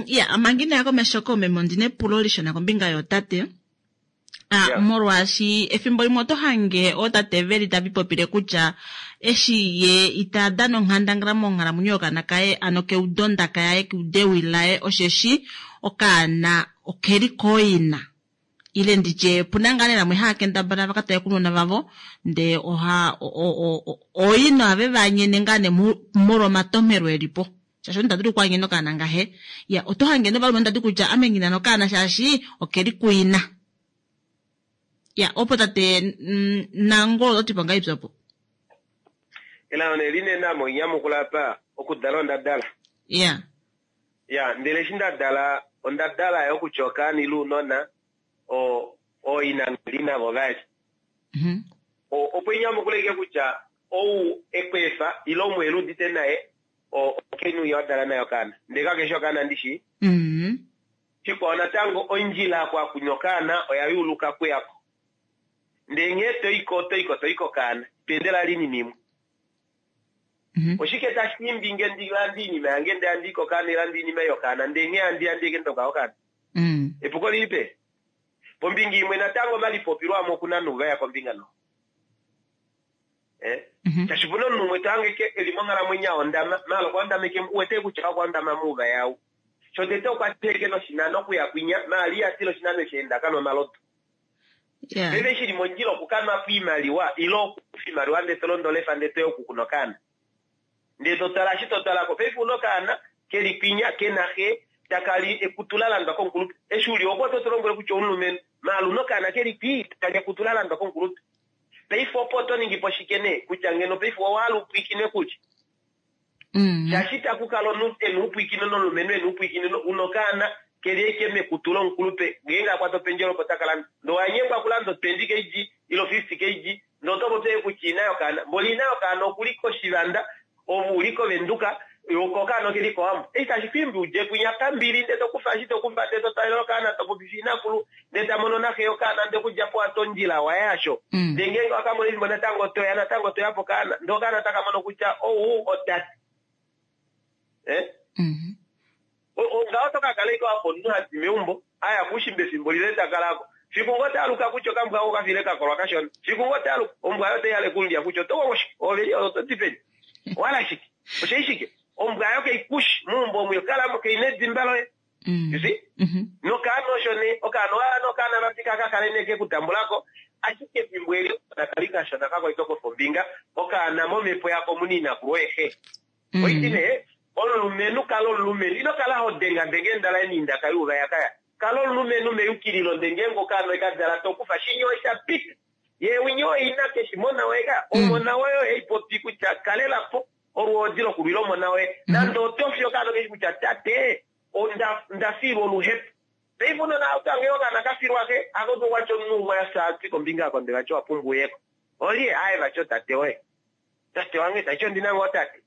Ya, manga inaya komesho koomeme ondi na epulo lishona kombinga yootate. Ah, yeah. Molwaashi efimbo limwe oto hange ootate ve li tava ipopile kutya eshi ye ita dana onghandangala monghalamwenyo yokaana kaye, ano keudo ondaka yaye, keudo ewi laye, osheshi okaana okeli kooina. Ile nditye opu na ngaa nee vamwe hava kendabala va ka tale kounona vavo ndee oha ooina ohave va nyene ngaa nee molwa omatomhelo e li po. Shaashi omunhu ta dulu okwaanyena okaana ngahe. Ya, oto hange novalumenhu tati kutya ame nghi na nokaana shaashi okeli kuina. Ya, opo tate Nangolo oto ti po ngahelipi opo? Elao nee linene ame oinyamukula apa, okudala onda dala. Ya. Ya, ndele eshi nda dala, onda dala yo kutya okaana ile ounona, o, ooina nghi li navo vali. O, opo inyamukula ike kutya ou e ku efa ile omuheli udite naye, omukainhu winya wa dala naye okaana. Ndele kakeshi okaana ndi shii. Shikwao natango, ondjila oku akunya okaana oya yuuluka kuyako. Ndele nghee to i ko, oto i ko to i kokaana. Ito endele vali oinima imwe. Oshike tashi imbi nge ndi lande oinima yange ndele handi i kokaana ile lande oinima ei yokaana ndele nghee handi ya ndi eke ndoka okaana? Epuko lilipi? Pombinga imwe natango omalipopilo amwe oku na nuuvaya kombinga no. Eh? Shaashi opuna omunhu umwe to hange ke eli monghalamwenyo a hondama, maala okwa hondama eke u wete kutya okwa hondama muuvaya ou. Shotete okwa tila eke noshinano okuya kwinya, maala iha tila oshinano eshi enda akanwa omalodu. Paife shi li mondjila okukanwa po iimaliwa ile okukufa iimaliwa ndele to londo olefa ndele toya oku kuna okaana. Ndele to tala eshi to tala ko paife una okaana keli kwinya kena xe taka li ekutu la landwa komukulupe. Eshi uli oko oto tu lombwele kutya oumulumenhu maala una okaana keli kwii taka li ekutu la landwa komukulupe. Paife opo oto ningi po shike nee kutya ngeno paife owa hala upwiikine kulye? Shaashi itaku kala omunhu e na oupwiikino nomulumenhu e na oupwiikino una okaana ke li ashike mekutu lomukulupe ngeenge a kwata opendjela opo taka landa. Ndee owa nyengwa okulanda o 20 kg ile o 50 kg ndee oto popi ashike kutya ina yokaana. Mboli ina yokaana oku li koshivanda ove u li koVenduka ko okaana oke li kOwambo. Eshi tashi ku imbi u dje kwinya pambili ndee to kufa eshi to kufa ndee to twalele okaana to popifa inakulu ndee ta mono naxe yokaana ndee okudja po wa ti ondjila waye hasho. Ndee ngeenge wa ka mona efimbo natango to ya natango to ya pokaana ndee okaana taka mono kutya ou otate. Eh? Ngaho oto ka kala ashike wa fa omunhu ha di meumbo, a ya koushimba efimbo lile ta kala ko. Fiku ngoo ta aluka kutya okambwa ako okafile ka kolwa kashona. Fiku ngoo ta aluka, ombwa ayo otai hala oku mu lya kutya oto kongo shike? Ove li oto di peni? Owa hala shike? Osha shike? Ombwa ayo kai ku shi. Meumbo omu yo kala mo, kai na edimba loye. You see? Nokaana osho nee, okaana owa hala nee okaana vati ka ka kale nee ke ku tambula ko, ashike efimbo eli okaana ka li kashona ka kwatwa kofombinga, okaana momhepo yako omu na inakulu oye xe. Oiti nee, omulumenhu kala omulumenhu. Ino kala ho dengadenga eendala eni indaka yuuvayakaya. Kala omulumenhu meyukililo nde ngeenge okaana oye ka dala to kufa shinya osha pita. Ye winya oye ina ke shi mona woye ka. Omona woye oye ipopi kutya kalela po olwoodi lokulwila omona woye. Nande oto fi okaana okeshi kutya tate onda nda filwa oluhepo. Paife unona otange okaana ka filwa xe ako kwatya omunhu umwe afya ati kombinga yakonde vati owa pumbwa uyeko. Olye? Aaye vati otate woye. Tate wange taiti ondi na ngoo tate?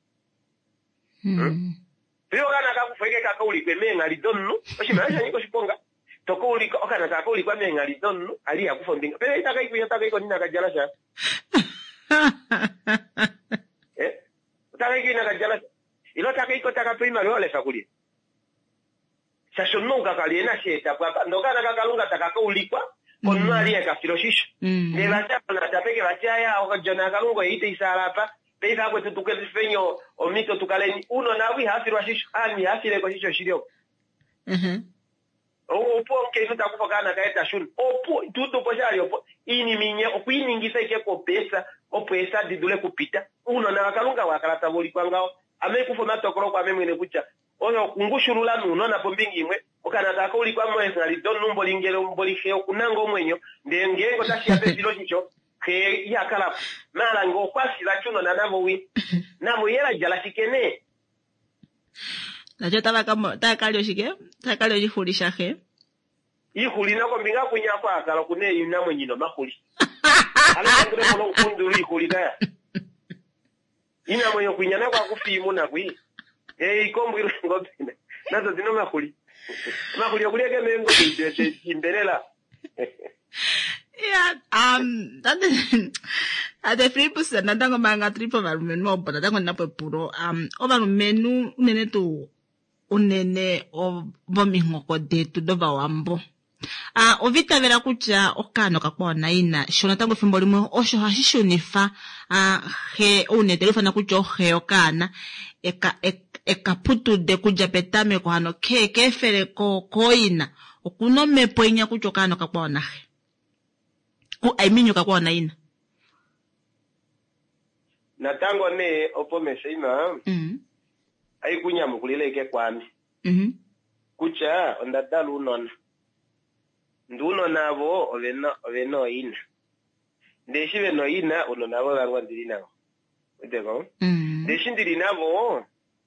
Fiyo okaana ka kufwa eke ka ka ulikwe meenghali domunhu, oshinima osho sha nyika oshiponga. Tokaulika okaana taka kaulikwa meenghali domunhu ali iha kufa ombinga. Pele itaka i kwinya otaka i konina ka djala sha. Eh? Otaka i kwinya ka djala sha. Ile otaka i ko taka pewa oimaliwa olefa kulye. Shaashi omunhu ou kakali e na sheeta po apa. Ndee okaana kaKalunga taka ka ulikwa komunhu ali e ka fila oshisho. Ndee vati ava natapeke vati aya odjona yaKalunga oye itai saala apa. Paife akwetu tukefeni omhito tukaleni. Ounona avo ihava filwa oshisho. Aanhu ihava fileko oshisho shili opo. Opo omukainhu ta kufa okaana kaye ta shuna. Opo tuutupo shali opo iinima inye okwiiningisa ike kopesa opo eesa di dule kupita. Ounona vaKalunga wa kala tava ulikwa ngaho. Ame kufa omatokolo kwaame mwene kutya oyo okungushulula nounona pombinga imwe. Okaana taka ulikwa moenghali domunhu mboli ngele mboli xe okunanga omwenyo. Ndee ngeenge otashi ya pefiloshisho xe iha kala po. Maala ngee okwa fi vati ounona navo wi. Navo ye la djala shike nee? Nacho otava ka lya oshike? Otava ka lya oshixuli shaxe. Iixuli nokombinga kwinya kwaakala okuna iinamwenyo ina omaxuli. Ano tandulepo nomukundu lwiixuli kaya. Iinamwenyo kwinya nako akufa iimuna kwi. Iikombo ile eengobe nazo dina omaxuli. Omaxuli okulya ke meengobe imbelela. Ya, tate tate Filippus natango manga tuli povalumenhu opo natango ndina po epulo. Ovalumenhu unene tuu unene vomihoko detu dovawambo. Ova itavela kutya okaana okakwao naina sho natango efimbo limwe osho hashi shunifa xe oune te lifana kutya oxe yokaana eka putude kudja petameko hano ke keefele kooina. Okuna omhepo inya kutya okaana okakwao naxe. I mean okakwao naina. Natango nee opo mesheima ai kunyamukulile ike kwaame. Kutya onda dala ounona. Ndee ounona avo ovena ooina. Ndee eshi vena ooina ounona avo vange ondili navo. Udeko? Ndee eshi ndili navo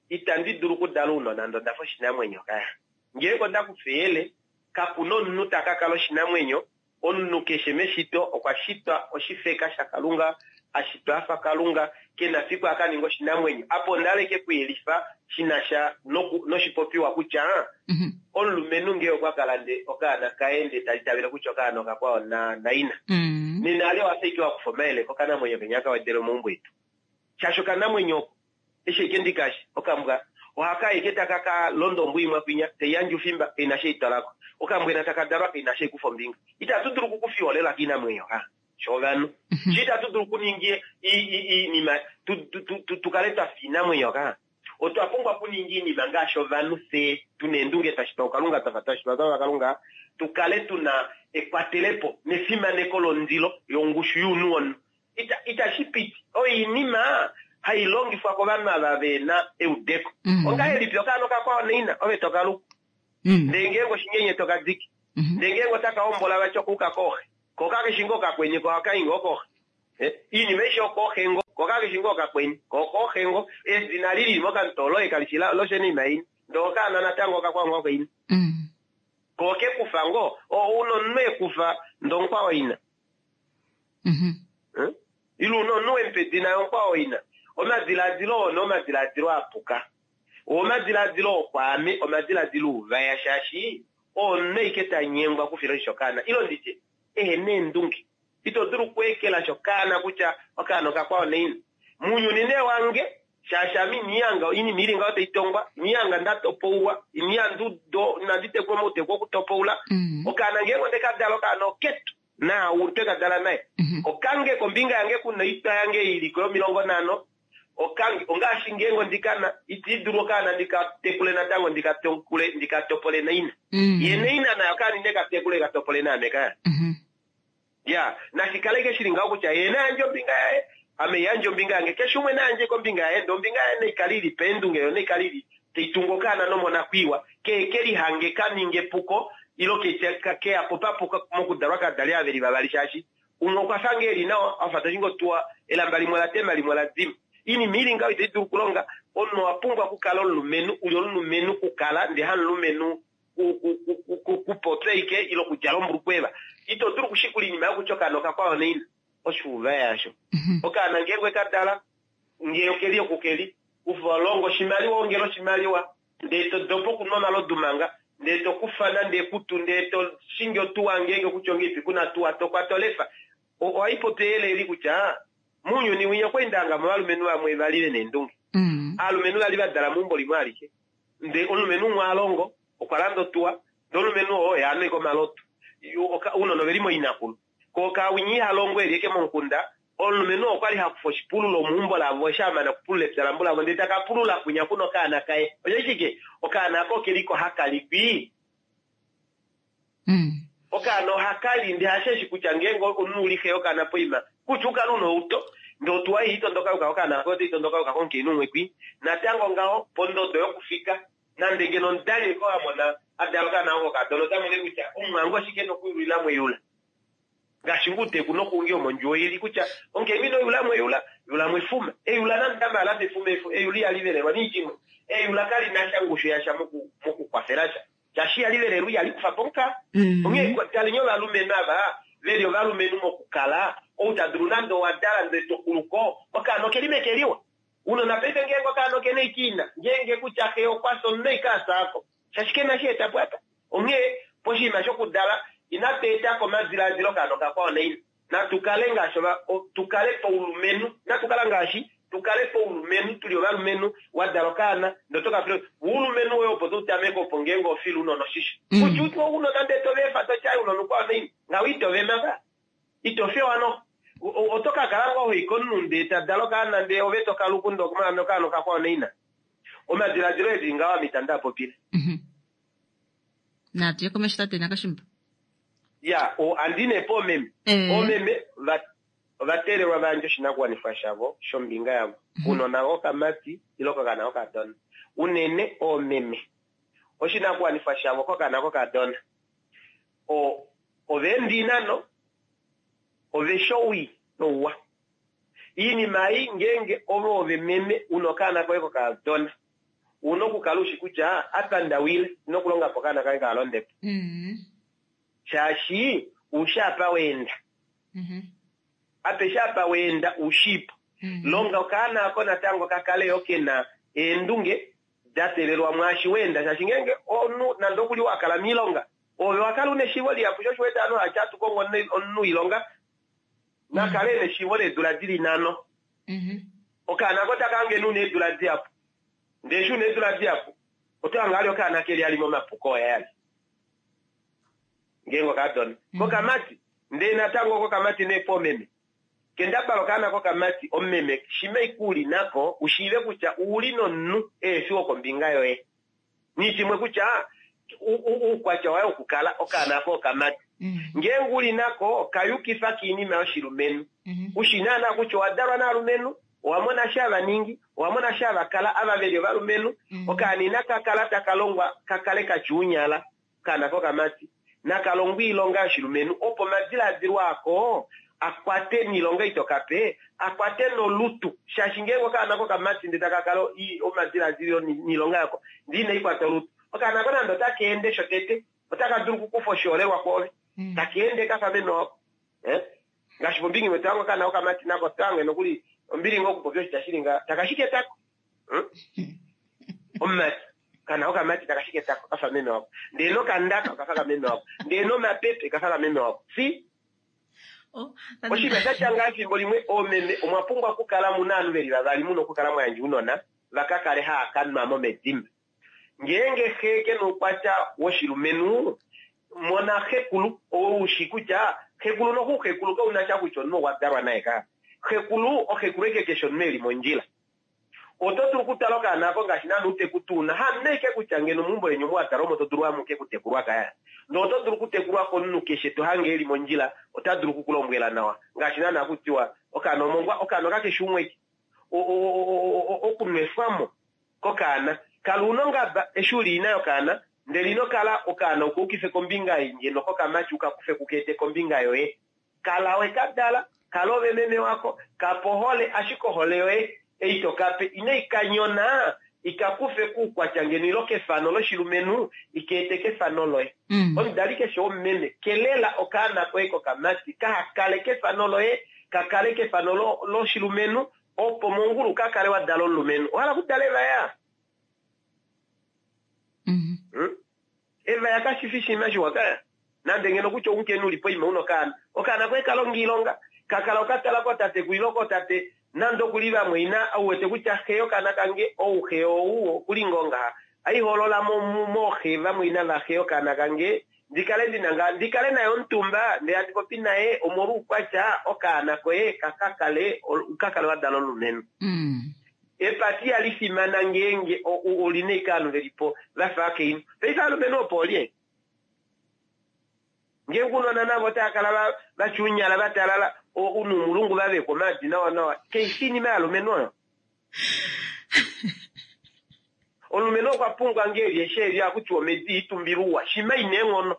itandi dulu okudala ounona ndee ondafa oshinamwenyo kaya. Ngeenge onda kufa eyele kakuna omunhu taka kala oshinamwenyo. Omunhu keshe meshito okwa shitwa oshifeka shaKalunga, a shitwa afa Kalunga, ke na fiku a ka ninga oshinamwenyo. Apa onda hala kuyelifa shi na sha noshipopiwa kutya omulumenhu ngee okwa kala nde okaana kaye nde tali tavele kutya okaana okakwao naina. Nena ale owa fa wa kufa omayele kokanamwenyo kenya ka wedele omaumbo etu. Shaashi okanamwenyo oko eshi eke ndikashi okambwa ohaka eke taka ka londa ombwa imwe kwinya teiyandje ufimba kaina she itwalako. Okambwena taka dalwa kaina she ikufa ombinga. Itatu dulu okukufa iholela kiinamwenyo ha shovanhu. Shi itatu dulu okuninga iinima tukale twafa iinamwenyo ka. Otwa pumbwa okuninga iinima ngaashi ovanhu fye tuna eendunge twashitwa kuKalunga twafa twashitwa twafa Kalunga tukale tuna ekwatelepo nefimaneko londilo yongushu younhu womunhu. Itashi piti. Oinima hai longifwa kovanhu ava vena eudeko. Ongahelipi okaana okakwao naina ove tokaluku. Ndee ngeenge oshinyenye tokadiki. Ndee ngeenge otaka hombola vati okuuka kooxe. Ko kakeshi ngoo kakweni ko ohaka i ngoo kooxe. Iinima aishe okooxe ngoo. Ko kakeshi ngoo kakweni. Ko okooxe ngoo. Edina lili mokamutoo kalishi loshenima ini. Ndee okaana natango okakwao ngoo koina. Ko okekufa ngoo. Ouna omunhu ekufa ndee omukwao ina. Ile una omunhu wemupa edina yomukwao ina. Omadiladilo oo nee omadiladilo apuka. Oo omadiladilo okwaame omadiladilo uvaya shaashi omunhu ike ta nyengwa okufila oshisho okaana. Ile nditye ehena eendunge. Ito dulu okweekela okaana kutya okaana okakwao naina. Muunyuni nee wange shaashi ame inihanga oinima ili ngaho taitongwa, inihanga ndatopoulwa, inandi tekulwa mouteku wokutopoula. Okaana ngeenge ondeka dala okaana oketu. Naau twe ka dala naye. Okange kombinga yange kuna oitwa yange iliko yo50. Okange ongaashi ngeenge ondikana iti dulu okaana ndika tekule natango ndika tekule ndika topole naina. Ye naina nayo okaana ine ka tekule ka topole naame kaya. Ya, nashikale ike shili ngaho kutya ye nayandje ombinga yaye, ame yandje ombinga yange, keshe umwe nayandje kombinga yaye, ndee ombinga yaye naikale ili paendunge yo naikale ili taitungu okaana nomonakwiiwa, ke kelihange ka ninge epuko ilo keya po papuka mokudalwa kadali aveli vavali shaashi umwe okwa fa ngee eli nawa afa tashi ngo tuwa elamba limwe la tema limwe la dima. Iinima ili ngaho itai dulu okulonga. Omunhu owa pumbwa okukala omulumenhu, uli omulumenhu kukala ndee hamulumenhu kupopya ike ile okudjala ombulukweva. Ito dulu okushikula iinima yokutya okaana okakwao naina. Oshuuva yasho. Okaana ngeenge weka dala ngee okeli oku keli, kufa longa oshimaliwa ongela oshimaliwa ndee to dopa okunwa omalodu manga. Ndee to kufa nande ekutu ndee to shingi otuwa ngeenge kutya ongeipi kuna tuwa to kwata olefa. Ohai popi eyele eli kutya mounyuni winya okwa endanga mo ovalumenhu vamwe vali ve na eendunge. Aalumenhu vali va dala meumbo limwe alike. Ndee omulumenhu umwe a longo okwa landa otuwa ndee omulumenhu oo oye a nweka omalodu. Ounona oveli moinakulu. Ko okawinya iha longo eli eke momukunda, omulumenhu oo okwali ha kufa oshipululo meumbo lavo eshi a mana okupulula epya lambulavo ndele taka pulula kwinya kuna okaana kaye. Osho shike? Okaana ako okeliko haka li kwii. Okaana ohaka li ndee hasheshi kutya ngeenge omunhu uli xe yokaana poima kutya ukale una outo ndee otuwa ei itondoka yuka kokaana koye otai tondoka yuka komukainhu umwe kwii. Natango ngaho pondodo yokufika nande ngeno omudali eko a mona a dala okaana oko okadona ota mone kutya omumwange oshike nokuyulila mweyula. Ngaashi nguu teku nokuungi omondjuwo ili kutya omukainhu ino yula mweyula, yula mwefuma. Eyula nande amala mefuma eyula ihali velelwa niitya imwe. Eyula kali na sha ngushu yasha moku mokukwafela sha. Shaashi ihali velelwa ihali kufa po omukaga. Onghee taleni ovalumenhu ava ve li ovalumenhu mokukala, ou ta dulu nande owa dala ndele to kulu ko, okaana okeli meke liwa. Unona paife ngeenge okaana okena eike ina, ngeenge kutya xe okwa fya omunhu eike a fya ko. Shaashi kena shi eta po apa. Onghee poshinima shokudala inatu eta ko omadilaadilo okaana okakwao naina. Natu kale ngaashi ova, tu kale paulumenhu. Inatu kala ngaashi, tu kale paulumenhu, tu li ovalumenhu, wa dala okaana, ndele oto ka fila oulumenhu woye opo to tameke opo ngeenge oho file ounona oshisho. Kutya utwe ounona ndele to va efa to ti ai ounona ukwao naina. Ngaho ito vema ka. Ito fewa noho. Oto ka kala ngoo ho i komunhu ndee ta dala okaana ndee ove to ka luku ndee okaana okakwao naina. Omadiladilo eli ngaho ame itandi a popile. Natu ye komesho tate Nakashimba. Ya, o, andi ne po oomeme. Eh. Oomeme va, ova teelelwa va yandje oshinakuwanifwa shavo shombinga yavo. Kounona vokamati ile kokana kokadona. Unene oomeme. Oshinakuwanifwa shavo kokana kokadona. O, ova enda oinano, ove shi owii nouwa. Iinima ei ngeenge ove ove meme una okaana koye kokadona, Ouna okukala ushi kutya apa nda wile ndina okulonga po okaana kange kaha londe po. Shaashi ushi apa wa enda. Apeshe apa wa enda ushiipo. Longa okaana ako natango ka kale yo kena eendunge da telelwa mwaashi wa enda shaashi ngeenge omunhu nande okuli wa kala miilonga ove wa kala una eshiivo lihapu sho osho wete ovanhu hati hatu kongo omunhu woilonga na kale ena eshiivo leedula dili nhano. Okaana ako otaka hange una eedula dihapu. Ndee eshi una eedula dihapu oto hange ali okaana keli ali momapuko oye ali. Ngeenge okadona. Kokamati, ndee natango kokamati nee poomeme. Kendabala okaana kokamati omumeme shima ashike uli nako u shiive kutya ouli nomunhu ehefi wokombinga yoye. Nishimwe kutya oukwatya waye wokukala okaana ako okamati. Ngeenge uli nako ka yukifa kiinima yoshilumenhu. U shi naana kutya owa dalwa naalumenhu, owa mona eshi hava ningi, owa mona eshi hava kala ava ve li ovalumenhu. Okaana inaka kala taka longwa ka kale ka tya ounyala, okaana kokamati naka longwe oilonga yoshilumenhu opo omadilaadilo ako a kwate niilonga ito ka pe, a kwate nolutu shaashi ngeenge okaana kokamati ndee taka kala omadilaadilo niilonga yako ndee inai kwata olutu, okaana ako nande otaka ende shotete otaka dulu okukufa oshiholelwa kwoove, taka ende kafa meme wako. Eh? Ngaashi pombinga imwe to hange okaana kokamati nako to hange nokuli ombili ngoo okupopya oshitya shili ngaha, taka shike etako. Hmm? Omumati. Okaana kokamati taka shike etako kafa meme wako. Ndee nokandaka okafa kameme wako. Ndee nomapepe kafa kameme wako. See? Oh, Oshinima sha tya ngaha efimbo limwe oomeme omwa pumbwa okukala mu na ovanhu ve li vavali mu na okukala mwa yandja ounona va ka kale haa ka nwa mo medimba. Ngeenge xe ke na oukwatya woshilumenhu, mona xekulu oo u shi kutya xekulu noxuxekulu kau na sha kutya omunhu okwa dalwa naye ka. Xekulu oxekulu ashike keshe omunhu e li mondjila. Oto dulu okutala okaana ako ngaashi naana uuteku tu na, hamunhu ashike kutya ngeno meumbo leni omu wa dalwa omo to dulu amuke okutekulwa kaya. Ndele oto dulu okutekulwa komunhu keshe to hange e li mondjila, ota dulu oku ku lombwela nawa ngaashi naana haku tiwa okaana omongwa, okaana okakeshe umwe ashike. Okunwefwa mo kokaana. Kala una ongaba eshi uli ina yokaana, ndele ino kala okaana uka ukife kombinga ei ngeno kokamati uka kufe kuka ete kombinga yoye. Kala we ka dala, kala ove meme wako, ka pa ohole, ashike ohole yoye ei to ka pe inai ka nyona i ka kufe kuukwatya ngeno ilo kefano loshilumenhu i ka ete kefano loye. Omudali keshe womumeme, kelela okaana koye kokamati kaha kale kefano loye, ka kale kefano loshilumenhu, opo mongulu ka kale wa dala omulumenhu. Owa hala okudala evaya? Evaya kashi fi oshinima shiwa kaya. Nande ngeno kutya omukainhu uli poima una okaana. Okaana koye kalonga oilonga, kakala okatala kootatekulu ile kootate, nande okuli vamwaina, ou wete kutya xe yokaana kange, ou xe ou okuli ngoo ngaha. Aiholola mo mooxe vamwaina vaxe yokaana kange, ndi kale ndina ngaa, ndi kale naye omutumba, ndee handi popi naye omolwoukwatya okaana koye kaka kale, ka kale wa dala omulumenhu. Epata ihali fimana ngeenge oli na ashike ovanhu ve li po va fa akainhu. Paife ovalumenhu opo olye? Ngeenge ounona navo otava kala va tyuunyala va talala noumulungu va vekwa omaadi nawa nawa, kai fi oinima yovalumenhu oyo? Omulumenhu okwa pumbwa ngee eli eshi eli ohaku tiwa omedi itumbilwa uwa, shima ina eenghono.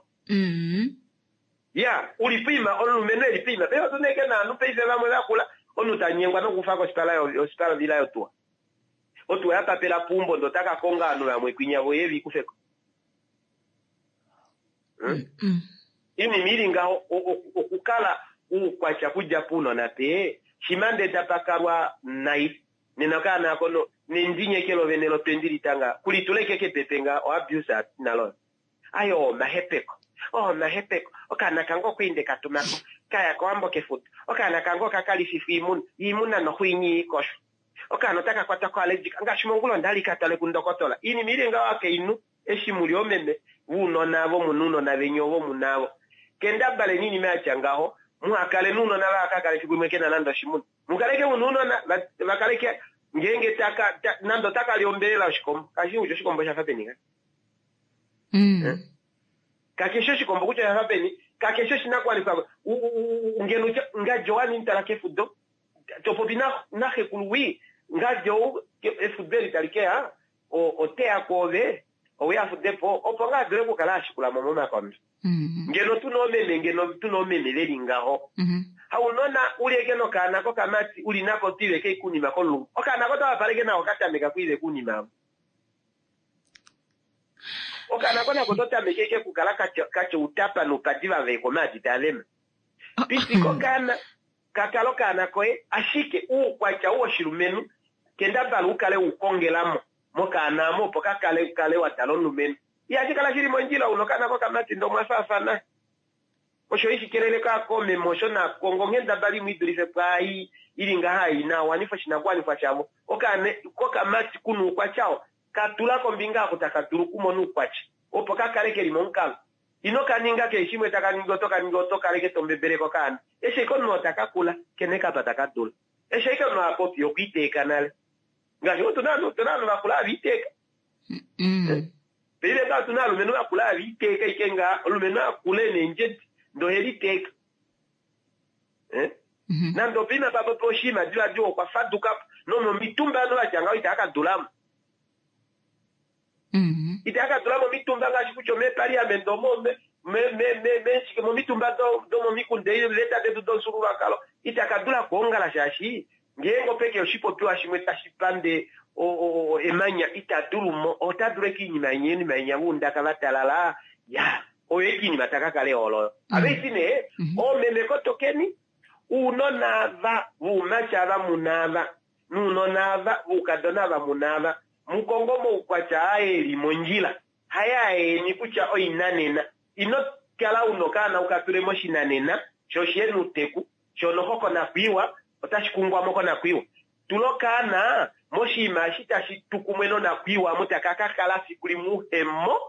Ya, uli poima, omulumenhu eli poima. Paife otu na ashike naanhu paife vamwe vakula, omunhu ta nyengwa nokufa koshipala oshipala ovila yotuwa. Otuwa ya papela puumbo ndee ota ka konga ovanhu vamwe kwinya vo ye vi kufeko. Iinima ili ngaho okukala uukwatya kudja puunona pee, shima ndee tapa kalwa nai, nena okaana ako no nendinyeke lovene lotwendi litanga kulitula eke kepepe nga o abuse nalo. Aye oo omahepeko. Oo omahepeko. Okaana kange okwa nde ka tuma ko. Ka ya kOwambo kefuta. Okaana kange oka ka lififwa iimuna. Iimuna noxo inyi ikoshwa. Okaana otaka kwatwa ko allergic. Ngaashi mongula onda li ka twale kundokotola. Iinima ili ngaho akainhu eshi muli oomeme vounona avo muna ounona veni ovo muna avo. Kendabaleni iinima yatya ngaho. Muha kale nounona vaha ka kale fiku limwe kena nande oshimuna. Mukaleke muna ounona va kaleke ngeenge taka nande otaka li ombelela yoshikombo. Kashi kutya oshikombo osha fa peni nga. Mm. Kakeshi oshikombo kutya osha fa peni, kakeshi oshinakuwanifwa ngeno utya nga Johan intala kefudo to popi naxekulu wii nga Jo efudo eli tali keya oteya kwoove owe a fude po opo ngaa dule okukala a shikula mo momakondo. Mm-hmm. Ngeno tuna oomeme ngeno tuna oomeme veli ngaho. Mm-hmm. Haunona uli eke nokaana kokamati uli nako twiiveke ikunima komulungu. Okaana ko tawapaleke nako katameka kwiiveka uunima avo. Okaana ko nako oto tameke ike okukala katya outapa noupadi va vekwa omaadi taa vema. Pitika okaana ka kale okaana koye, ashike uukwatya ou woshilumenhu kendabala u kale u kongela mo mokaana amo opo ka kale u kale wa dala omulumenhu. Ihashi kala shi li mondjila una okaana kokamati ndee omwa faafana. Osho ishi kelele koomeme osho nakongo onghendabala imwe i dulife pwaai i li ngaha ina wanifa oshinakuwanifwa shavo. Okaana kokamati kuna uukwatya oo, ka tula kombinga oko taka dulu okumona uukwatya opo ka kale ke li momukalo. Ino ka ninga keshe shimwe taka ningi oto ka ningi oto kaleke to mbebeleke okaana. Eshi ashike omunhu oo taka kula, kene kapa taka dula. Eshi ashike omunhu a popi okwa iteeka nale. Ngaashi otu na ovanhu vakula hava iteeka. Paife ngaha otuna ovalumenhu vakula hava iteeka ashike ngaha, omulumenhu akula ena eendjedi ndee ohe liteeka. Nande opoima pa popi oshinima divadiva okwa faduka po. Nomomitumba ovanhu vatya ngaho itava ka dula mo. Itava ka dula momitumba ngaashi kutya omeepaliamente omo, momitumba domomikunda eeveta detu domufyuululwakalo ita ka dula okwoongala shaashi ngeenge opeke oshipopiwa shimwe tashi pande emanya ita dulu mo, ota dulu eke iinima inya iinima inya voundaka va talala ya oyo eke iinima ta ka kala eholo oyo. Ave iti nee oomeme kotokeni uunona ava voumati ava muna ava nuunona ava voukadona ava muna ava mukongo omaukwatya aa eli mondjila haye aeni kutya oinanena. Ino kala una okaana uka tule moshinanena sho oshihena outeku sho noho konakwiiwa otashi kungwa mo konakwiiwa. Tula okaana moshinima eshi tashi tu kumwe nonakwiiwa omo taka ka kala fiku limwe uhemo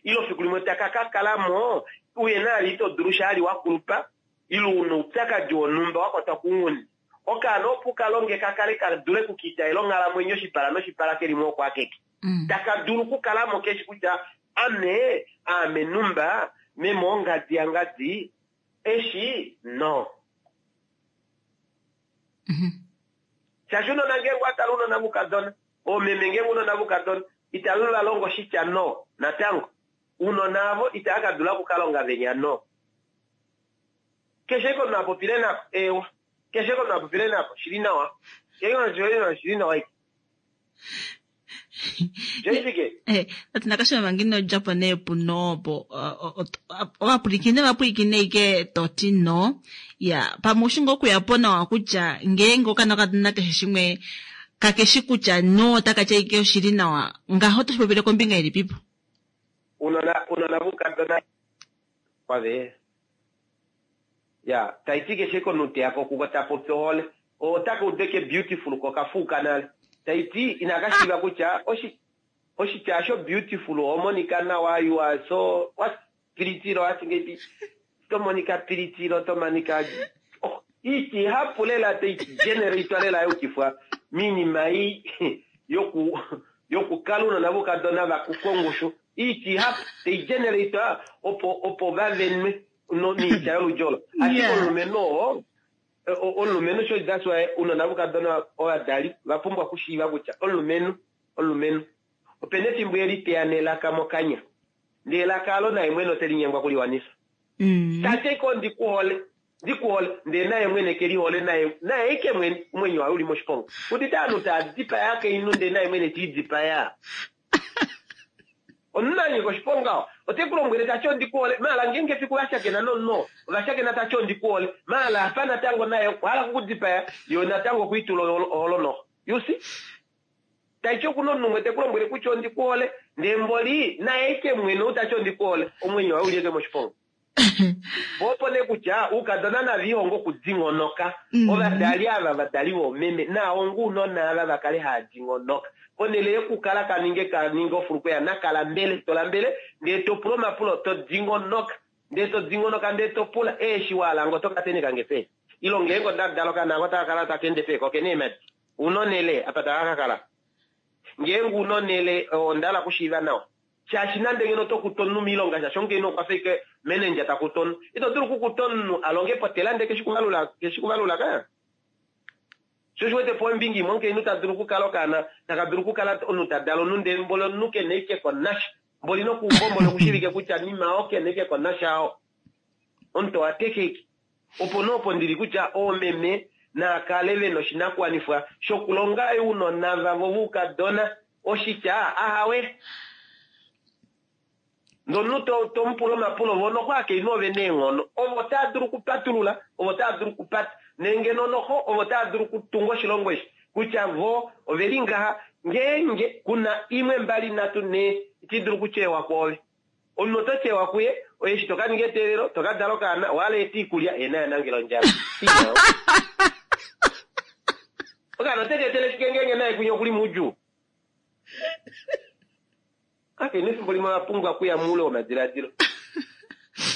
ile fiku limwe taka ka kala mo uye nali ito dulu shaali wa kulupa ile una oupyakadi wonhumba wa kwatwa kounghundi. Okaana opo uka longe ka kale ka dule okukiitaela onghalamwenyo oshipala noshipala keli mo oko akeke. Taka dulu okukala mo keshi kutya ame aame numba meme ongadi yangadi eshi no. Shaashi unona ngeenge wa tala unona vukadona, oomeme ngeenge unona vukadona itava va longo oshitya no natango. Unona avo itava ka dula okukalonga venya no. Keshe komunhu a popile nako, eewa. Keshe komunhu a popile nako, shili nawa. Keshe komunhu shili nawa ike. Ati nakashima ngino djapo nee puno opo ovapwilikine va pwilikine ike toti no ya pamwe ushi ngoo okuya po nawa kutya ngeenge okaana okadona keshe shimwe kakeshi kutya no otaka tya ike oshili nawa ngaho otoshi popile kombinga ilipipo? Unona unona voukadona kwave ya taiti keshe komunhu teya ko kuko ta popi ohole otaka udeke beautiful ko kafuuka nale taiti inaka shiiva kutya oshi oshitya sho beautiful oho monika nawa you are so what pilitilo wati ngeipi to monika pilitilo to monika oh, iiti ihapu lela tai generatwa lela yukifwa miinima ei yoku yokukala unona voukadona va kufwa ongushu iiti ihapu tai generatwa opo opo va venwe no niitya yoludji olo ashike omulumenhu oo omulumenhu sho that's why unona voukadona ovadali va pumbwa okushiiva kutya omulumenhu omulumenhu opena efimbo eli teya nelaka mokanya ndee elaka alo naye mwene ote linyengwa kuliwanifa mm. tate ko ndi kuhole ndi kuhole ndee naye mwene ke lihole naye naye ike mwene omwenyo waye uli moshiponga udite aanhu taa dipaya akainhu ndee naye mwene tiidipaya omunhu a nyika oshiponga oo ote ku lombwele ta ti ondi ku hole maala ngeenge efiku va shakena nomunhu oo ova shakena ta ti ondi ku hole maala apa natango naye okwa hala okukudipaya yo natango okwiitula oholo noho you see taiti okuna omunhu umwe te ku lombwele kutya ondi ku hole ndee mboli naye eke mwene ou ta ti ondi ku hole omwenyo waye uli eke moshiponga po opo nee kutya oukadona nava ihonge okudingonoka mm. ovadali ava vadali voomeme naahonga ounona ava va kale haa dingonoka ponhele yokukala ka ninge ka ninge ofulukweya nakala mbele to lambele ndee to pula omapulo to dingonoka ndee to dingonoka ndee to pula eeshi waala ngo to ka teneka nge peni ilo ngeenge onda dala okaana ako otaka kala taka ende peni ko kena eemhadi una onhele apa taka ka kala ngeenge una onhele onda hala okushiiva nawa shaashi nande ngeno oto kutu omunhu miilonga shaashi omukainhu okwa fa ike manager ta kutu omunhu ito dulu okukuta omunhu a longe potela ndee keshi kuvalula keshi kuvalula ka sho osho wete po ombinga imwe omukainhu ta dulu okukala okaana taka dulu okukala omunhu ta dala omunhu ndee mboli omunhu kena ike ko nasha mboli nokuumbo mboli okushivike kutya nima oo kena ike ko nasha oo omuntu owa tekeke Opo nee opo ndili kutya oomeme naa kale ve na oshinakuwanifwa shokulonga ounona vavo voukadona oshitya ahawe. Ndee omunhu to, to mu pula omapulo, vo noxo akainhu ove na eenghono. Ovo taa dulu okupatulula, ovo taa dulu okupata, nengeno noxo ovo taa dulu okutunga oshilongo eshi, kutya vo ove li ngaha, ngeenge ku na imwe, mbali, nhatu, nhee, iti dulu okutyewa kwoove. Omunhu oto tyewa kuye, oye eshi to ka ninga eteelelo, to ka dala okaana, owa hala eta iikulya, ye naye a nangela ondjala. See now. Okaana ote ka etele shike ngeenge naye kwinya okuli moudjuu? Akainhu efimbo limwe ova pumbwa okuya moule womadiladilo.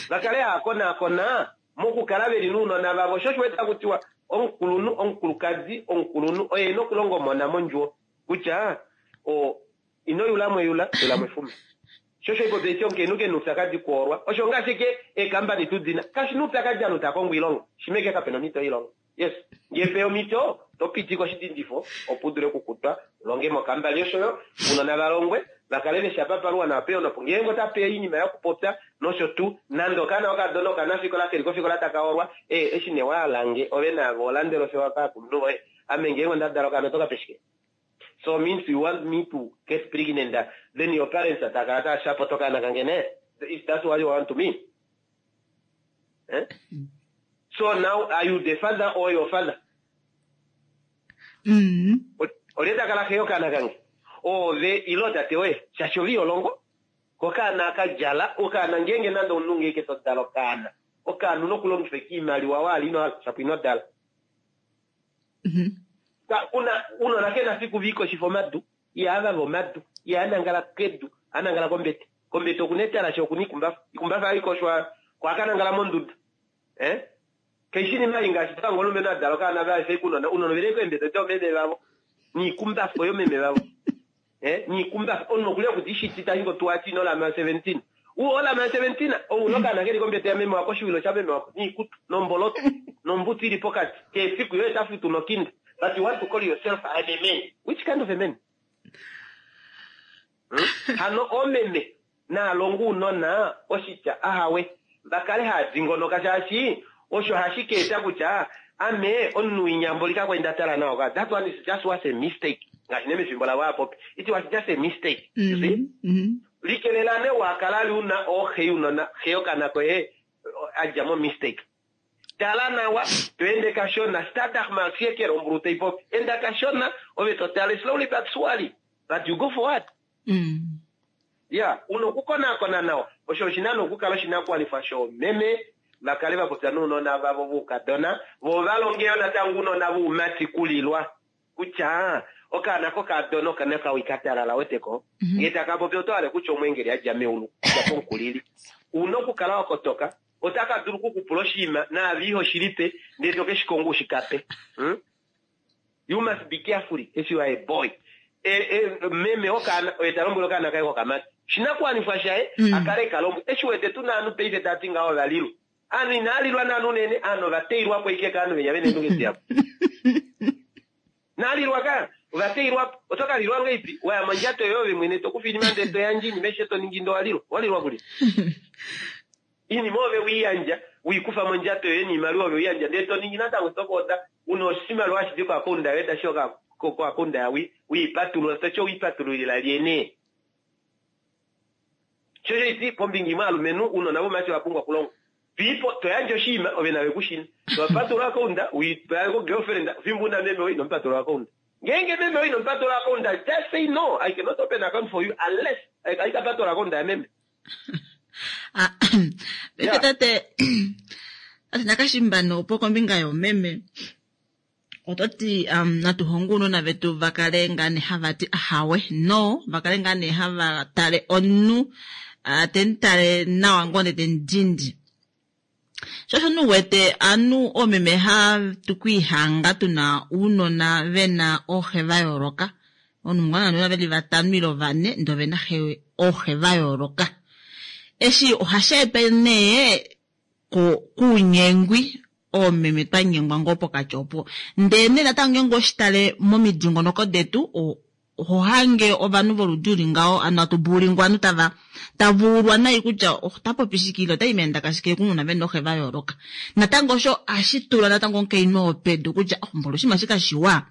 Va kale hava konaakona mokukala ve li nounona vavo. Sho osho wete taku tiwa omukulunhu, omukulukadi, omukulunhu oye e na okulonga omona mondjuwo kutya o, Ino yula mwe yula, yula mwe fuma. Sho osho ipopi eti omukainhu ke na oupyakadi kuolwa. Osho ngaashi eke eekambani tu dina. Kashi na oupyakadi ovanhu tava kongo oilonga. Shimha eke kape na omhito yoilonga. Yes. Ngee peya omhito, to pitika oshidindifo opo u dule okukutwa u longe mokambani osho yo ounona va longwe va kale ve shi apa paluwa nawa peya onopo ngeenge ota peya oinima yokupopya nosho tuu. Nande okaana okadona okanafikola keli kofikola taka olwa, ee eshi nee wa halange ove naave oho landele ofewa kaakulunhu voye. Ame ngeenge onda dala okaana oto ka pe shike? So means you want me to get pregnant then your parents tava kala tava support okaana kange ne? If that's what you want to me? Eh? So now are you the father or your father? Mm. Olye ta kala xe yokaana kange? Oove ile tate woye? Shaashi ove iho longo. Kokaana ka djala okaana ngeenge nande omunhu ngeenge to dala okaana okaana una okulongifa iimaliwa waala ino hala shapo ino dala. Una unona kena fiku viikoshifa omadu, ihaa vava omadu, ihaa nangala kedu, oha nangala kombete. Kombete okuna etalashe okuna ikumbafa. Ikumbafa hai koshwa ko ohaka nangala monduda. Eh? Kaishi inima ei ngaashi tango omulumenhu a dala okaana va efa unona, unona oveli keembete doomeme vavo niikumbafa yomeme vavo. Eh? Niikumbafa omunhu okuli okuti ishiti tashi ngo tuati ino lama 17. U olama 17 ou una okaana keli kombete yameme wako oshiwilo shameme wako niikutu nomboloto nombutu ili pokati kehe efiku yo ota futu nokinda but you want to call yourself I'm a man. Which kind of a man? Hmm? Hano oomeme naalonga uunona oshitya ahawe va kale haa dingonoka shaashi osho hashi ka eta kutya ame omunhu winya mboli kakwali nda tala nawa ka that one is just was a mistake ngaashi nee mefimbo lavo aapopi it was just a mistake you see mm -hmm. likelela nee wa kala ali una ooxe younona xe yokana koye a dja mo mistake tala nawa to ende kashona stadig maar zeker ombulu tai popi enda kashona ove to tale slowly but surely but you go forward mm. Ya, una okukonakona nawa. Osho oshi na nee okukala oshinakuwanifwa shoomeme va kale va popya nounona vavo voukadona, vo va longe yo natango ounona voumati kulilwa kutya okaana kokadona oka na okawi ka talala, wete ko? Ngee taka popi oto hale kutya omweengeli a dja meulu, okudja pomukulili. U na okukala wa kotoka, otaka dulu oku ku pula oshinima naave iho shi lipe, ndele to ke shi konga u shi ka pe. Hmm? You must be carefully if you are a boy. E, e, meme wokaana oye ta lombwele okaana kaye kokamati oshinakuwanifwa shaye mm. a kale ka lombwe. Eshi wete tu na ovanhu paife tava ti ngaho ova lilwa. Ovanhu inaa lilwa naanhu unene, ovanhu ova teilwa po ike kaanhu venya vena eendunge dihapu. Inaa lilwa ka, ova teilwa po. Oto ka lilwa ngahelipi? Wa ya mondjato yoye ove mwene to kufa oinima ndele to yandje oinima aishe to ningi ndele owa lilwa. Owa lilwa kulye? Iinima ove we i yandja, we i kufa mondjato yoye niimaliwa ove we i yandja ndele to ningi natango to ka oda u na oshimaliwa hashi di koakaunda yoye tashi ya koakaunda ya we i patulula, to ti owe i patululila lye nee? Sho osho iti kombinga imwe aalumenhu uunona vomumati owa pumbwa okulongwa. Piipo to yandje oshinima ove nave ku shina. To patulula akaunda we i pa ko girlfriend fimbo una meme woye ino mu patulula akaunda. Ngeenge meme woye ino mu patulula akaunda just say no I cannot open account for you unless I ka patulula akaunda ya meme. Ah, paife tate tate Nakashimbano opo kombinga yoomeme oto ti um, natu honge ounona vetu va kale ngaa nee hava ti ahawe no va kale ngaa nee hava tale omunhu uh, te mu tale nawa ngoo ndee te mu dindi sho osho nu wete anu oomeme hatu kwiihanga tuna uunona vena ooxe va yooloka omunhu mungana ounona veli vatano ile vane ndee ovena xe ooxe va yooloka eshi ohashi etwa nee kuunyengwi oomeme twa nyengwa ngoo pokati opo ndee nee natango ngeenge oshitale momidingonoko detu Oho hange ovanhu voludi uli ngaho, ano hatu bulingwa ovanhu tava tava ulwa nai kutya ota popi shike ile ota i meendaka shike kununa ve nooxe va yooloka. Natango osho ohashi tula natango omukainhu oo pedu kutya oh, mboli oshinima eshi kashiwa.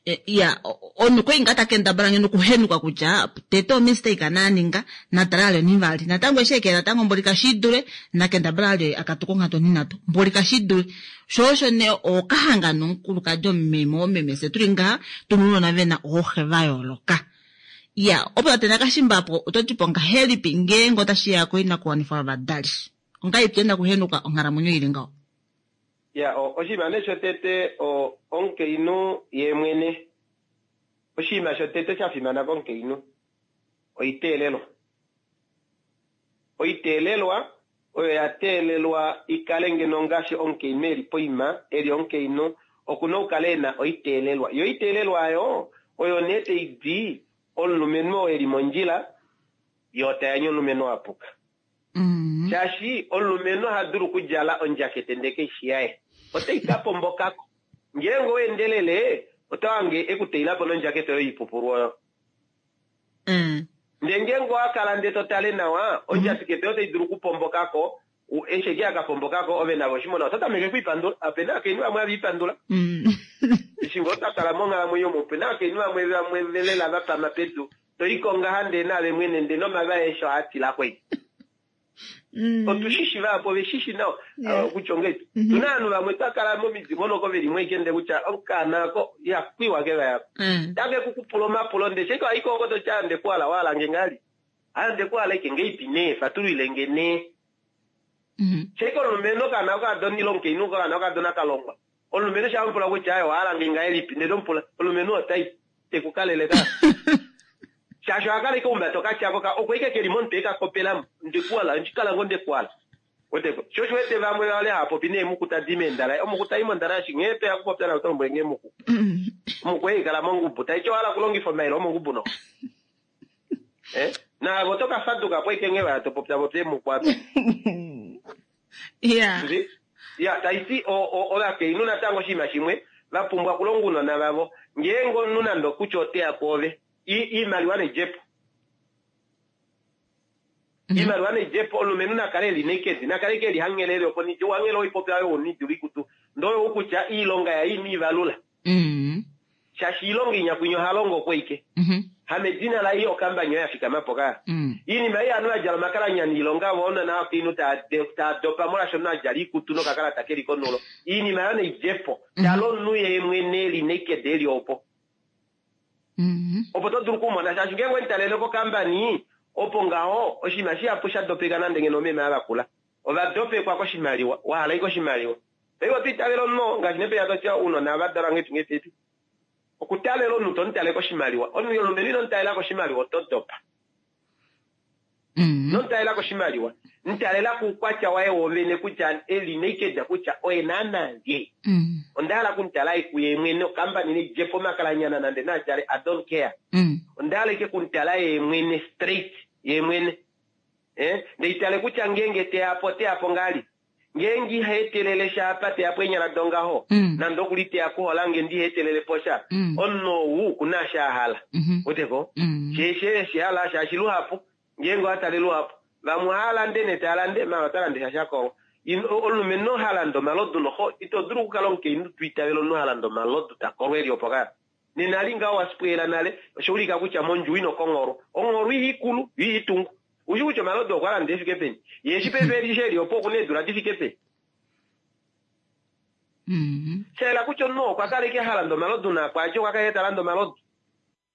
E, ya omunhu okwa li ngaa ta kendabala ngeno okuhenuka kutya tete omistake a ninga natale ale onivali natango eshi ekela natango mboli kashi dule na kendabala ale a katuke onghatu onhinhatu mboli kashi dule Sho osho nee okahanga nomukulukadi omumeme oomeme fye tuli ngaha tuna ounona vena ooxe va yooloka. Iya, opo tate Nakashimbapo oto ti po ngahelipi ngeenge otashi ya koinakuwanifwa yovadali? Ongahelipi tuna okuhenuka onghalamwenyo ili ngaho? Iya, oshinima nee shotete omukainhu yee mwene, oshinima shotete sha fimana komukainhu oiteelelwa. Oiteelelwa oyo ya teelelwa i kale ngeno ngaashi omukainhu e li poima, e li omukainhu, oku na okukala e na oiteelelwa. Yo oiteelelwa oyo oyo nee tai di omulumenhu oo e li mondjila, ye ota yanye omulumenhu oo a puka. Shaashi omulumenhu oha dulu okudjala ondjakete ndele kai shi yaye, otai ka pomboka ko. Ngeenge owa endelele, oto hange e ku teila po nondjakete oyo ipupulu oyo. Mm. Ndee ngeenge owa kala ndee to tale nawa, ondjatikete oyo otai dulu okupomboka ko, eshi eke ya ka pomboka ko, ove nave oshimona oto tameke okwiipandula. Ope na ovakainhu vamwe have ipandula. Mm. Eshi ngoo twa kala monghalamwenyo omu, ope na ovakainhu vamwe vamwe lela va pama pedu, to i ko ngaha ndee naave mwene ndee nomava eesho ohaa tila ko eke. Mm. Otu shi shi vahapu ove shi shi nawa kutya ongahelipi. Mm-hmm. Tuna ovanhu vamwe twa kala momidingonoko ve li mweike ndee kutya okaana ako ihakwiwa ke vayako. Mm. Take ku kupula omapulo ndee sheke wayi ko oko to ti ande kuhala wahala nge ngali. Ande kuhala ike ngeipi nee fatulwile nge nee. Mm-hmm. Sheke omulumenhu okaana okakadona ile omukainhu okaana okakadona ka longwa. Omulumenhu sha mupula kutya aye owahala nge ngahelipi ndee to mupula omulumenhu otai te ku kalele ka. Shaashi oha kala ike umbata okatyako ka oko ike keli momutwe eka kopelamo. Ndekuala, ndikala ngo ndekuala. Weteko. Sho osho wete vamwe vale hava popi neemuku tadi meendalaye. Omuku tai mondalaye shi nghee toya kupopya naye oto lombwele nghee muku. Omuku ei kala mongubu. Tai ti owa hala okulongifa omayele omongubu no. Eh? Naave oto ka faduka po ike nghee waya to popya popya eemuku apa. Yeah. Ya, tai ti ovakainhu natango oshinima shimwe va pumbwa okulonga ounona vavo. Ngeenge omunhu nande okutya ote ya kwoove, iimaliwa ne dje po. Mhm. Iimaliwa ne dje po, omulumenhu na kale e li naked, na kale ke li hanghelele opo nidje, wanghele oipopya oyo unidula ikutu. Ndee oyo kutya iilonga yaye ino i valula. Mm. Shaashi iilonga inyakwinya oha longo okweike. Mhm. Hamedina laye okambani oyo ya fikama po ka. Mm. Iinima ei ovanhu va djala omakalanyana iilonga vo ounona vakainhu tava dopa molwaashi omunhu a djala iikutu nokakalata ke li konulo. Iinima oyo nai dje po. Mhm. Tala omunhu ye mwene e li naked e li opo. Mhm. Opo to dulu okumona shaashi ngeenge omutalele kokambani opo ngaho oshinima shihapu sha dopeka nande ngeno omeme ava kula ova dopekwa koshimaliwa wahala ike oshimaliwa. Paife oto itavele omunhu ngaashi nepenya totya ounona va dalwa ngepi okutalela omunhu tomutale koshimaliwa omunhu omulumenhu ino mutalela koshimaliwa oto dopa. Ino mutalela koshimaliwa mutalela kuukwatya waye wovene kutya eli naked kutya oye naana lye. Onda hala okumutala kuye mwene okambani neidjepo omakalanyana nande naadjale I don't care. Onda hala ike okumutala ye mwene straight ye mwene. Ndeitale kutya ngeenge teyapo teyapo ngali. Ngeenge ihaetelele sha apa teyapo eenyala dongaho nande okuli teya kuhola nge ndihaetelele po sha omunhu ou okuna eshi a hala. Weteko? She hala shaashi luhapu ngeenge owatale luhapu vamwe ohava lande nee tava lande maala ota lande sha shakolwa. Omulumenhu ha lande omalodu noxo ito dulu okukala omukainhu twiitavela omunhu ha lande omalodu takolwa eli opo kaya. Nena ali ngaho wasipweela nale oshaulika kutya mondjuwo ino kongholwa. Ongholwa ihaikulu yo ihaitungu. Ushi kutya omalodu okwa landa efike peni. Ye eshi paife eli eli opo okuna eedula difike peni. Shayela kutya omunhu okwa kala ike ha landa omalodu naakwaadje okwa kala ike ta landa omalodu.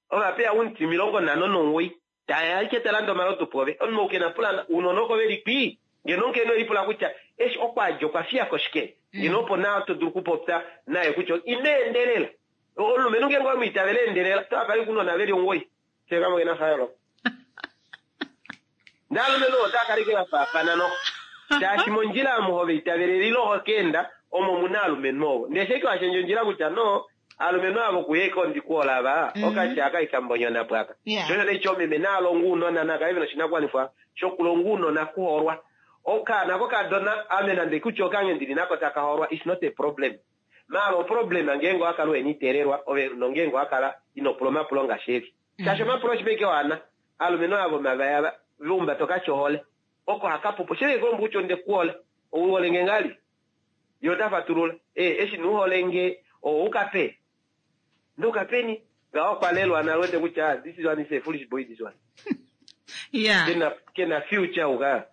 Ovapeya omuti 59 taya ike ta landa omalodu pove. Omunhu ou kena pulana ounona oko veli kwii. Ngeno omukainhu elipula kutya eshi okwaadja okwa fiyako shike. Ngeno opo naa to dulu okupopya naye kutya ino endelela. Omulumenhu ngeenge owemwiitavela endelela otava kala ounona veli 9. Shekamo kena fayooloka. Ndee alumenhu otava kala ike vafaafana noxo. Shaashi mondjila omo hove itavelele ile ho keenda omo muna alumenhu ovo. Ndee sheike washendja ondjila kutya no alumenhu avo kuye ike ondikuola ava okatya aka ikambonyona pwaka. Shosho neityo omeme naalonga ounona nakale vena oshinakuwanifwa shokulonga ounona kuholwa. Okaana kokadona ame nande kutya okange ndili nako taka holwa is not a problem. Maala oproblema ngeenge owakala uhena iteelelwa ove nongeenge owakala ino pula omapulo ngaashi eli. Shaashi omapulo oshipeke waana alumenhu ava vomavaya va umbata okatya ohole oko hakapupu. Shili kolombo kutya onde kuhole ouhole nge ngali ye ota fatulula eshi nuhole nge oukape ndokapeni ngaho okwa lelwa nale wete kutya this one is a foolish boy this one. Yeah. Kena future uka.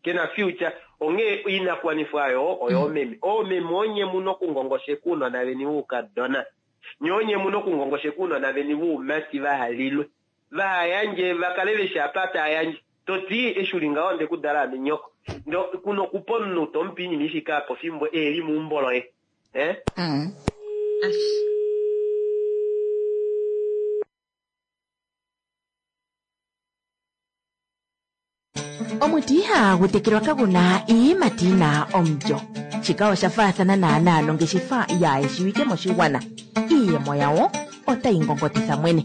Kena future onghee oinakuwanifwa ayo oyo omeme. Oomeme onye muno okungongosheka ounona veni voukadona. Nye onye muno okungongosheka ounona veni voumati vahalilwe. Vahayandje vakale veshi apa tayandje. Toti eshi uli ngaho onde kudala ame nyoko. Ndo kuno okupa omunhu tomupe oinima ifike apa fimbo eli meumbo loye. Omuti ihagu tekelwa kaguna iiyimati yina omulyo. Shika osha faathana naanaa nongeshefa yaayeshiwike moshigwana. Iiyemo yawo otayi ngongotitha mwene.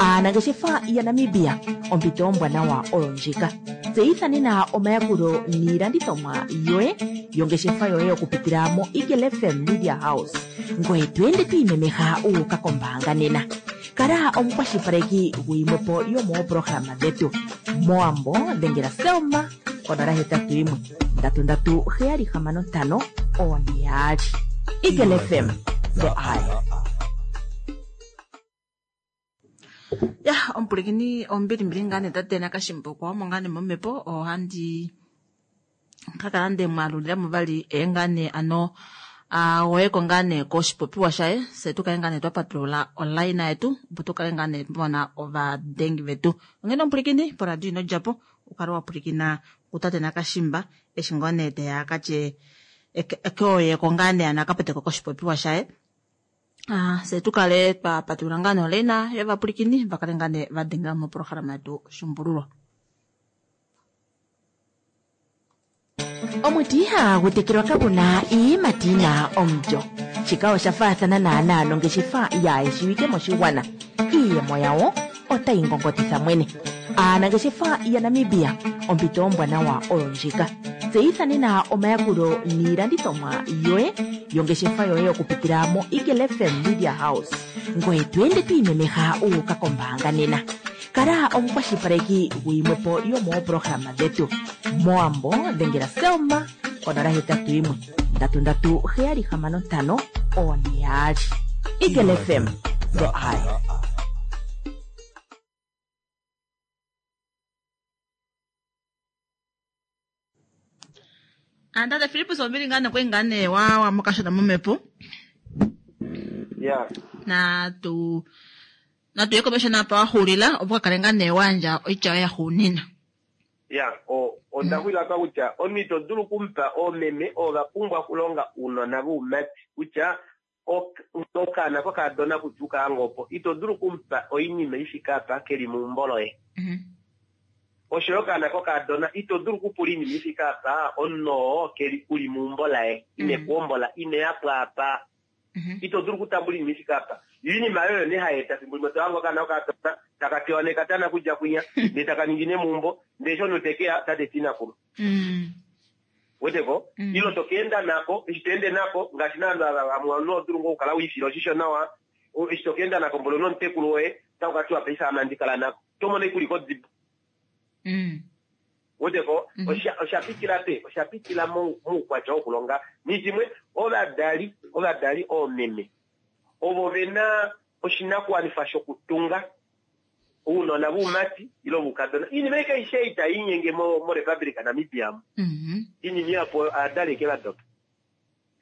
Aanangeshefa yaNamibia ompito ombwanawa oyo ndjika. Tseyitha nena omayakulo niilandithomwa yoye yongeshefa yoye okupitila mo Eagle FM Media House. Ngoye to ende to imemeha uuka kombaanga nena. Kala omukwashilipaleki guyimwepo yomoopolohalama dhetu. Mowambo dhengela Selma 081 337 6542. Eagle FM, the eye. Ya, omupulikini ombilimbili ngaa nee tate Nakashimbokwa omo ngaa nee momhepo ohandi kakala nde mwalulila mo vali ngaa nee ano agoyeko ngaa nee koshipopiwa shaye se tukale ngaa nee twa patulula online yetu opo tukale ngaa nee twamona ovadengi vetu. Onghene omupulikini poradio ino djapo ukale wa pulikina kutate Nakashimba eshi ngoo nee teya akatye keoyeko ngaa nee ano akapoteko koshipopiwa shaye. Se tukale twa patulula ngaa nee online yovapulikini vakale ngaa nee vadengela moprograma yetu Shimbululwa. Omuti ihagu tekelwa kaguna iiyimati yina omulyo. Shika osha faathana naanaa nongeshefa yaayeshiwike moshigwana. Iiyemo yawo otayi ngongotitha mwene. Aanangeshefa yaNamibia ompito ombwanawa oyo ndjika. Tseyitha nena omayakulo niilandithomwa yoye yongeshefa yoye okupitila mo Eagle FM Media House. Ngoye to ende to imemeha uuka kombaanga nena. Kala omukwashilipaleki guyimwepo yomoopolohalama dhetu. Mowambo dhengela Selma 081 337 6542. Eagle FM, the eye. Tate Filippus ombili ngaa nee ngaa nee wa mokashona momhepo. Yeah. Natu Natu ye komesho napa wa xulila opo ka kale ngaa nee wa yandja oitya yoye yaxuuninwa. Ya, onda xulila apa kutya omunhu ito dulu okumupa oomeme ovo va pumbwa okulonga ounona voumati kutya okaana kokadona kutya ukaange opo ito dulu okumupa oinima ifike apa keli meumbo loye. Osho yo okaana kokadona ito dulu okupula oinima ifike apa omunhu oo keli uli meumbo laye ine kuhombola ine ya pwaapa. Ito dulu okutambula oinima ifike apa. Yo oinima oyo nee hai eta fimbo limwe to hange okaana kokadona taka tewa nekatana kudja kwinya ndee taka ningine meumbo ndee eshi omunhu te ke ya ota teti inakulu. Weteko? Ile to ka enda nako, eshi to ende nako, ngaashi naanhu ava vamwe omunhu oho dulu ngoo okukala wiifila oshisho nawa, eshi to ka enda nako mboli onomutekulu woye, otaku ka tiwa paife ame handi kala nako. Oto mono ashike uli kodibo. Weteko? Osha pitila pe? Osha pitila moukwatya wokulonga. Nishimwe, ovadali, ovadali oomeme, ovo ve na oshinakuwanifwa shokutunga ounona voumati ile voukadona. Oinima ei kaishe ei tai linyenge moRepublic Namibia mu. Oinima ihapu ovadali eke va dopa.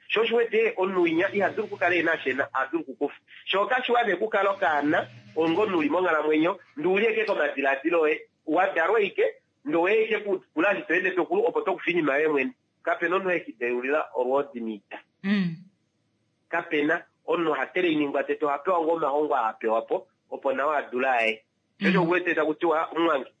Sho osho wete omunhu winya iha dulu okukala e na osho e na, oha dulu okukufa. Sho kashiwa nee okukala okaana onga omunhu uli monghalamwenyo ndee uli eke komadilaadilo oye. Wa dalwa ashike ndee oweya ashike kukula eshi to ende to kulu opo to kufa oinima yoye mwene. Kapena omunhu heki deulila olwoodi miita. Kapena omunhu ha trainingwa tete oha pewa ngoo omahongo aa a pewa po opo nawa a dule aye. Sho osho uwete taku tiwa omumwange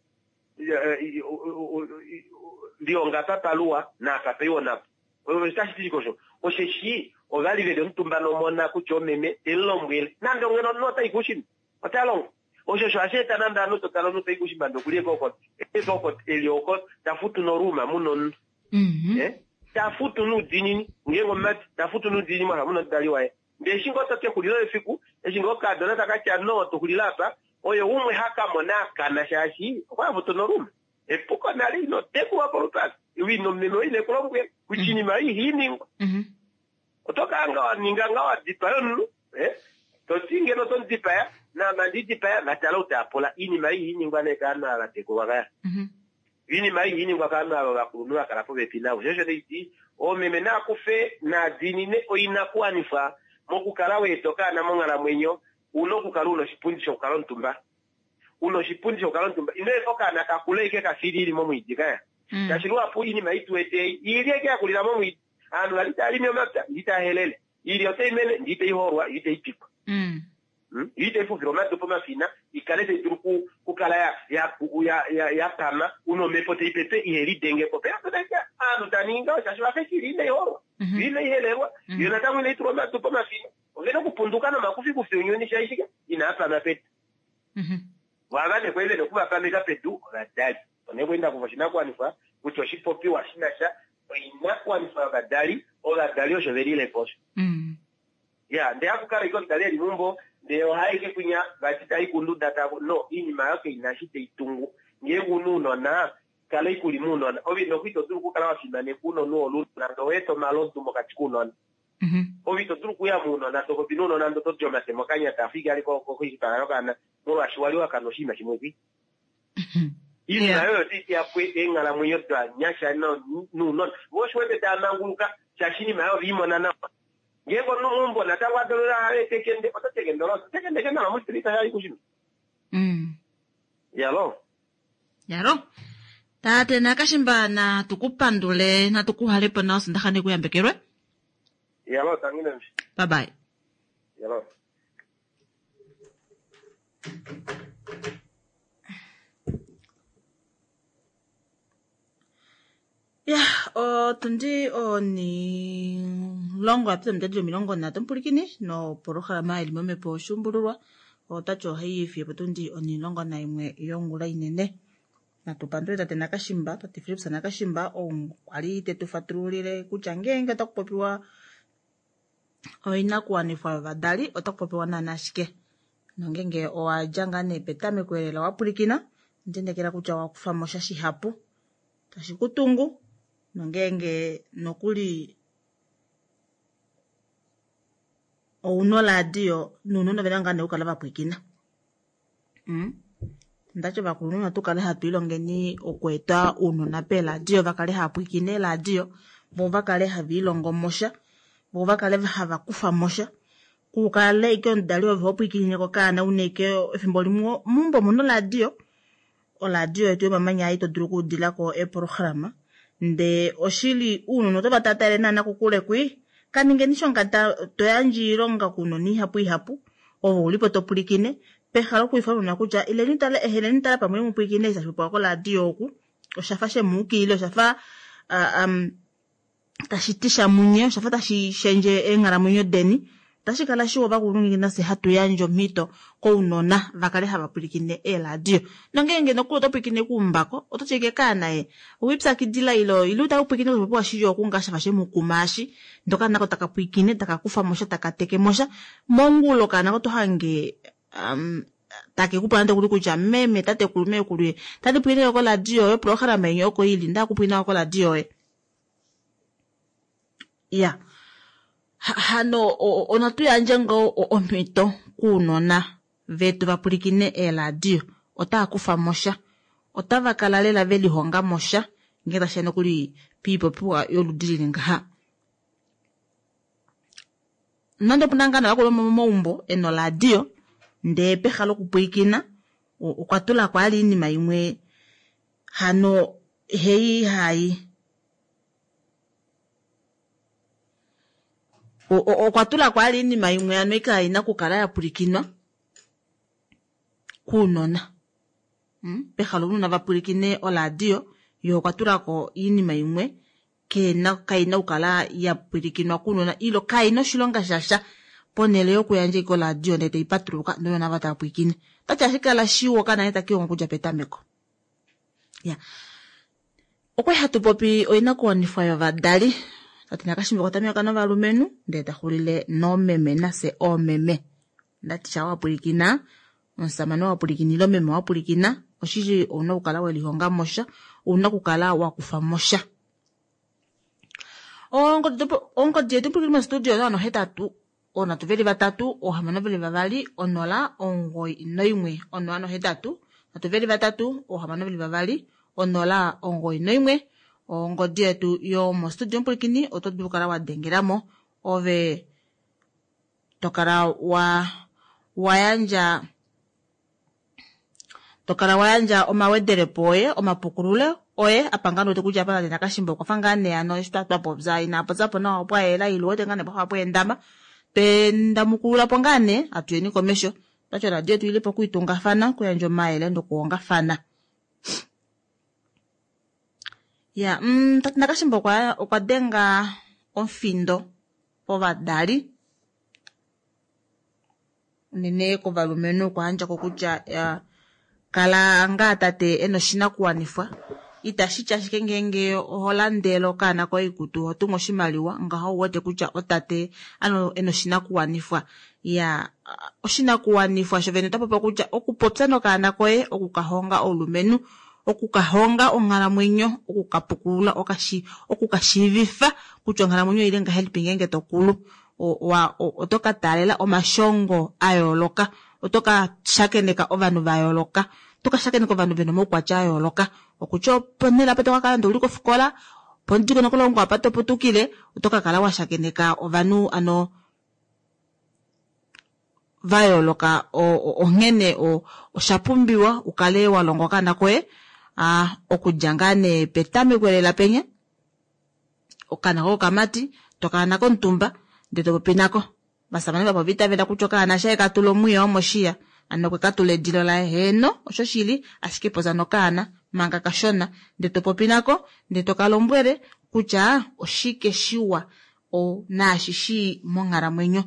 lihonga apa paluwa naapa paiwa onapo. Otashi ti shike osho? Osheshi ova li ve li omutumba nomona kutya omeme te mu lombwele nande ongeno omunhu otai kuushimba ota longo. Osho osho hashi eta nande ovanhu to tala omunhu tai kuushimba ndee okuli eke oko eli oko ta futu noruuma mu na omunhu. Ta futu noudiinini ngeenge omumati ta futu noudiinini mwafa muna omudali waye. Ndee eshi ngoo to kexulilo lefiku eshi ngoo okaadona taka tya no to xulile apa oye umwe ha ka mona akana shaashi okwa futu noruuma. Epuko nale ino tekulwa polupale ino meme oye ine ku lombwela kutya iinima oyo ihai ningwa. Oto kala nga wa ninga nga wa dipaya omunhu to ti ngeno oto mu dipaya naame andi dipaya va tala ou taa pula. Iinima oyo ihai ningwa nee kaanhu ava va tekulwa kaya. Iinima ei ihai ningwa kaanhu ava ovakulunhu va kala popepi navo. Sho osho taiti oomeme naa kufe naa diinine oinakuwanifwa mokukala wa eta okaana monghalamwenyo. Una okukala una oshipundi shokukala omutumba. Una oshipundi shokukala omutumba. Ino efa okaana ka kule ashike ka fili ili momwiidi kaya. Shaashi luhapu oinima ei tu wete ei, ili ashike ya kulila momwiidi. Ovanhu vali tava limi omapya, ndee tava helele. Ili otai mene, ndee tai hoolwa, ndee tai pikwa. Yo itai fufila omadu pomafina, i kale tai dulu okukala ya pama, una omhepo tai pepe ihe lidenge po. Pena ovanhu tava ningi ngaho shaashi ovafa eshi ili inai holwa, yo inai helelwa, yo natango inai tulwa omadu pomafina. Ovena okupunduka nomakufikufi ounyuni shaashi shike? Inaa pama pedu. Vo ava nee kwali vena okuvapameka pedu ovadali. Opo nee kwali nda kufa oshinakuwanifwa kutya oshipopiwa shi na sha oinakuwanifwa yovadali, ovadali osho ve lile po osho. Ya, ndee haku kala ashike omudali eli meumbo, ndee oha ashike kwinya vati tai kunduda ta no, iinima ayo kaina eshi tai tungu. Ngeenge una ounona, kala ashike uli mounona. Ove noku ito dulu okukala wa fimaneka ounona u hole ounona ndee owa eta omalodu mokati kounona. Ove ito dulu okuya mounona to popi nounona ndee oto di omate mokanya taa fiki ali koshipala yokaana molwaashi wali wa kanwa oshinima shimwe kwi. Iinima oyo otai teya po eenghalamwenyo dovanyasha nounona. Vo osho wete tava manguluka shaashi iinima oyo ove i mona nawa. Ngeenge omunhu meumbo natango a dula a etekende, oto tekende olo, tekende ke nawa moshipilita shayi kushima. Yalo. Yalo. Tate Nakashimba natu ku pandule, natu ku hale po nawa Osondaxa ne ku yambekelwe. Yalo, tangi nami. Bye bye. Yalo. Ya, otundi onilongo yapita omutadi 30 omupulikini nopolohalama ili momhepo oshuumbululwa otati ohai ifi potundi 11 yongula inene. Natu pandule tate Nakashimba, tate Philips Nakashimba ou kwali te tu fatululile kutya ngeenge otaku popiwa oinakuwanifwa yovadali otaku popiwa naana ashike. Nongeenge owa dja ngaa nee petameko elela wa pwilikina, ndendekela kutya owa kufa mo sha shihapu tashi ku tungu, nongeenge nokuli ouna oladio nounona ovena ngaa nee okukala va pwilikina. Ndati ovakulunhu natu kale hatu ilongeni okweeta ounona peeladio va kale hava pwilikine eeladio, vo va kale hava ilongo mo sha, vo va kale hava kufa mo sha. Kukale ike omudali ove ho pwikinine kokaana una ike efimbo limwe meumbo omuna oradio, oradio yetu yomamanya ei to dulu okuudilako eeprograma ndee oshili ounona oto va taataele naana kokule kwii kaningeni shongata to yandje oilonga kounona ihapu ihapu ove ulipo to pwilikine peha lokwiifana ounona kutya ileni tale eheleni tala pamwe mupwilikine eshi tashi popiwa koradio oku oshafa shemuukilila oshafa tashi ti sha munye oshafa tashi shendje eenghalamwenyo deni. Otashi kala shiwa ovakulunhu ngeenge nafye hatu yandje omhito kounona va kale hava pwilikine eeradio. Nongeenge nokuli oto pwilikine kuumbako, oto ti ashike kaana ye owipyakidila ile ile utale upwilikine koshipopiwa shili oku ngaa shafa shemukuma eshi ndee okaana nako taka pwilikine taka kufa mo sha taka teke mo sha. Mongula okaana oto hange take ku pula nande okuli kutya meme tatekulu meekulu ye tandi pwilikine koradio yoye oprograma yeni oko ili nda kupwilikina koradio yoye. Ya hano onatu yandje ngoo omhito kounona vetu va pwilikine eeradio otava kufa mo sha otava kala lela ve lihonga mo sha ngee tashiya nokuli poipopiwa yoludi lili ngaha. Nande opuna ngaa navakulu momaumbo ena oradio ndee peha lokupwilikina okwa tulako ali oinima imwe hano hei hai okwa tulako ali oinima imwe ano ikaina okukala ya pwilikinwa kuunona. Peha lounona va pwilikine oradio ye okwa tulako oinima imwe kena kaina okukala ya pwilikinwa kuunona ilo kaina oshilonga shasha ponhele yokuyandja ashike oradio ndee taipatuluka ndee ounona ava tava pwilikine. Otati ohashi kala shiwa okaana nghee takilongo okudja petameko. Ya okwali hatu popi oinakuwanifwa yovadali tati nakashimba okwa tameka novalumenhu ndee taxulile noomeme nafye oomeme. Ndati sha wapwilikina omusamane wapwilikina ile meme wapwilikina oshili ouna okukala welihonga mosha ouna okukala wakufa mosha. Ongodi yetu pwilikini mostudio oyo 8 oonhatu veli vatatu oohamano veli vavali 0 91 0 8 nhatu veli vatatu oohamano veli vavali 0 91 ongodi yetu yomostudio mupwilikini oto dulu okukala wa dengelamo ove tokala wa wayandja tokala wayandja omawedelepo oye omapukululo oye apa ngaa wete kutya apa nakashimba okwafa ngaa nee ano eshi twapopya ina popyapo nawa opwa yela ile wete ngaa nee pwafa pweendama twendamukululapo ngaa nee atuyeni komesho twati oradio yetu ilipo okuitungafana okuyandja omayele nokuhongafana. Ya tati nakashimba okwa denga omufindo povadali unene kovalumenhu okwa yandjako kutya kala ngaa tate ena oshinakuwanifwa itashi ti ashike ngeenge oho landele okaana koye oikutu oho tumu oshimaliwa ngaho ouwete kutya otate ano ena oshinakuwanifwa. Ya oshinakuwanifwa shovene ota popiwa kutya okupopya nokaana koye okukahonga oulumenhu okukahonga onghalamwenyo okukapukulula okukashiivifa kutya onghalamwenyo oili ngahelipi ngeenge tokulu oto ka taalela omashongo a yooloka oto ka shakeneka ovanhu va yooloka oto ka shakeneka ovanhu vena omaukwatya a yooloka okutya ponhele apa to ka kala nande ouli kofikola pomudingonokolongo apa to putukile oto ka kala wa shakeneka ovanhu ano va yooloka onghene osha pumbiwa ukale wa longa okaana koye okudja ngaa nee petameko lela penya okaana koye okamati tokala nako omutumba ndee topopi nako. Ovasamane vapo ova itavela kutya okaana shaye ka tula omwiya womoshiya ano okwe ka tula edilo laye heeno osho shili ashike popya nokaana manga kashona ndee topopi nako ndee toka lombwele kutya oshike shiwa naashi shii monghalamwenyo.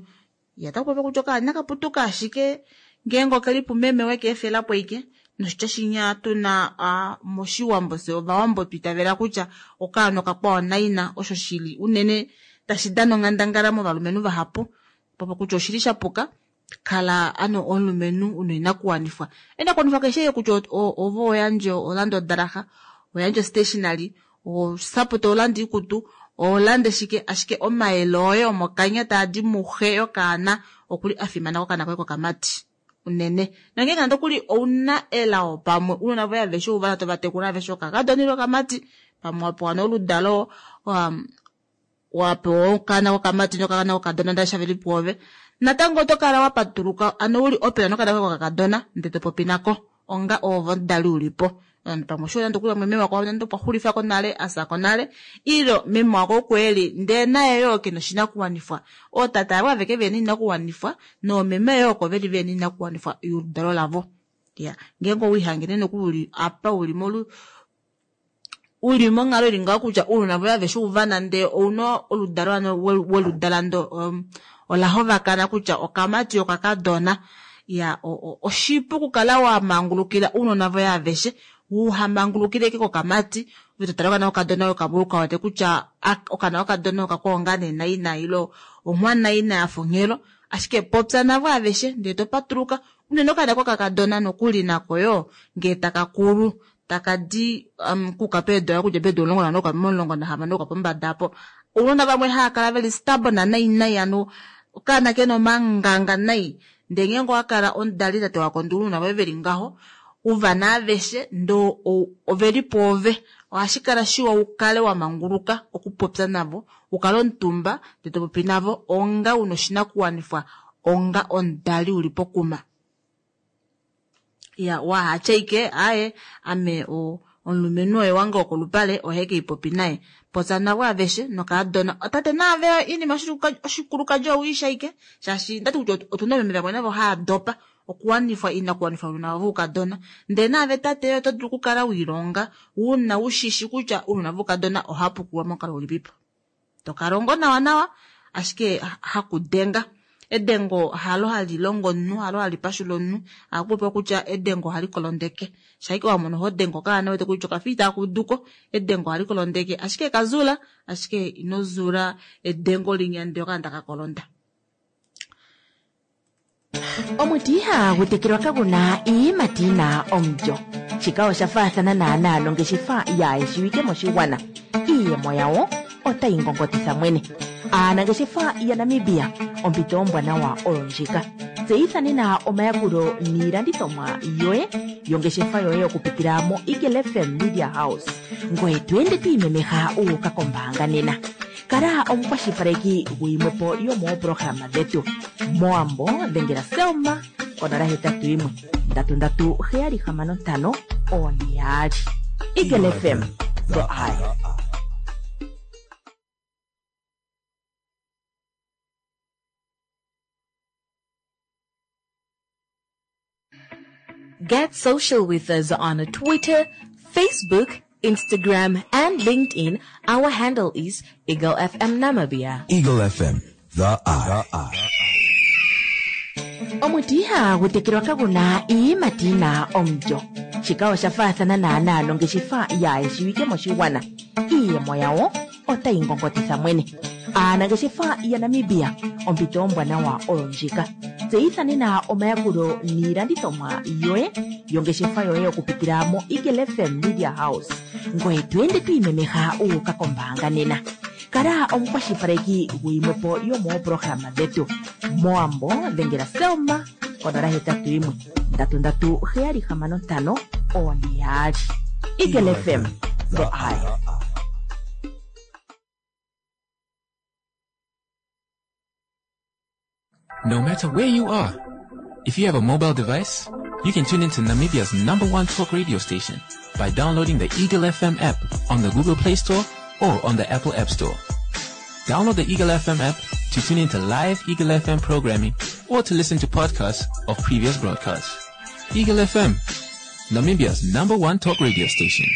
Ya otaku popi kutya okaana inaka ashike ngeenge okeli pumeme weke efelapo ike noshitya shinya tuna moshiwambo fye ovawambo twiitavela kutya okaana okakwawo naina osho shili unene tashi dana onghandangala movalumenhu vahapu popo kutya oshili shapuka kala ano omulumenhu una oinakuwanifwa oinakuwanifwa keshe kutya ove oyandje olande odalaxa oyandje stationary osapota olande oikutu olande shike ashike omayele oye omokanya taadi muxe yokaana okuli afimana kokaana koye kokamati unene nongeenge nande okuli ouna elao pamwe unona voye aveshe uvana tovatekula aveshe okakadona ile okamati pamwe wapewa nee oludalo. Wapewa okaana kokamati nokaana kokadona ndele shaveli pwoove, natango oto kala wa patuluka ano uli open nokaana koye kokakadona ndele to popi nako onga oove omudali ulipo. Pamwe osho nande okuli pamwe meme wako nande okwa xulifako nale, afyako nale, ile meme wako oko eli ndee naye yoo kena oshinakuwanifwa. Ootate avo aveke vena oinakuwanifwa noomeme yoo oko veli vena oinakuwanifwa yoludalo lavo. Ya, ngeenge owiihangene nokuli uli apa uli molu uli monghalo ili ngaho kutya ounona voye aveshe uvana ndee ouna oludalo ano weludala ndo ola hovakana kutya okamati okakadona. Ya, oshipu okukala wa mangulukila ounona voye aveshe, uhamangulukile eke kokamati, ove to tale okana kokadona okabuluka wete kutya okana kokadona okakwaonga nee naina ile onghwana ina ya fonghelo, ashike popya navo aveshe ndee to patuluka unene okana kokakadona nokuli nako yoo ngee taka kulu taka di kuka peedula okudja peedula 14 momulongo nahamano okuka pombada apo. Ounona vamwe hava kala veli stubborn nai nai, ano okaana kena omanganga nai, ndee ngeenge owakala omudali tate wakondula ounona voye veli ngaho, uvana aveshe ndoo oveli pwoove, ohashi kala shiwa ukale wa manguluka okupopya navo, ukale omutumba ndee to popi navo onga una oshinakuwanifwa onga omudali uli pokuma. Ya, wahatya ike aaye ame omulumenhu oye wange wokolupale ohe keipopi naye. Popya navo aveshe nokaadona. Tate naave oinima oshikulukadi owiisha ike, shaashi ndati kutya otuna oomeme vamwe navo hava dopa okuwanifwa inakuwanifwa ounona vavo voukadona. Ndee naave tate oto dulu okukala wiilonga una ushishi kutya ounona voukadona ohava pukululwa momukalo ulipipo. Tokalongo nawa nawa ashike hakudenga. Edengo halo hali longo omunhu, halo hali pashula omunhu. Ohaku popiwa kutya edengo ohali kolondeke. Shaike wamona ho dengo okaana wete kutya okafa itaka uduko, edengo ohali kolondeke. Ashike kazula, ashike ino zula edengo linya ndee okaana taka kolonda. Omuti ihagu tekelwa kaguna iiyimati yina omulyo. Shika osha faathana naanaa nongeshefa yaayeshiwike moshigwana. Iiyemo yawo otayi ngongotitha mwene. Aanangeshefa yaNamibia, ompito ombwanawa oyo ndjika. Tseyitha nena omayakulo niilandithomwa yoye yongeshefa yoye okupitila mo Eagle FM Media House. Ngoye to ende to imemeha u uka kombaanga nena. Kala omukwashilipaleki guyimwepo yomoopolohalama dhetu. Mowambo dhengela Selma konola hetatu yimwe ndatu ndatu heyali hamano ntano one yaali. Eagle FM, the eye. Get social with us on Twitter, Facebook, Instagram, and LinkedIn. Our handle is Eagle FM Namibia. Eagle FM, the eye. Omuti ihagu tekelwa kaguna iiyimati yina omulyo. Shika osha faathana naanaa nongeshefa yaayeshiwike moshigwana. Iiyemo yawo otayi ngongotitha mwene. Aanangeshefa yaNamibia, ompito ombwanawa oyo ndjika. Tseyitha nena omayakulo niilandithomwa yoye yongeshefa yoye okupitila mo Eagle FM Media House. Ngoye to ende to imemeha u uka kombaanga nena. Kala omukwashilipaleki guyimwepo yomoopolohalama dhetu. Mowambo dhengela Selma konola hetatu yimwe ndatu ndatu heyali hamano ntano one yaali. Eagle FM, the eye. No matter where you are, if you have a mobile device, you can tune into Namibia's number one talk radio station by downloading the Eagle FM app on the Google Play Store or on the Apple App Store. Download the Eagle FM app to tune into live Eagle FM programming or to listen to podcasts of previous broadcasts. Eagle FM, Namibia's number one talk radio station.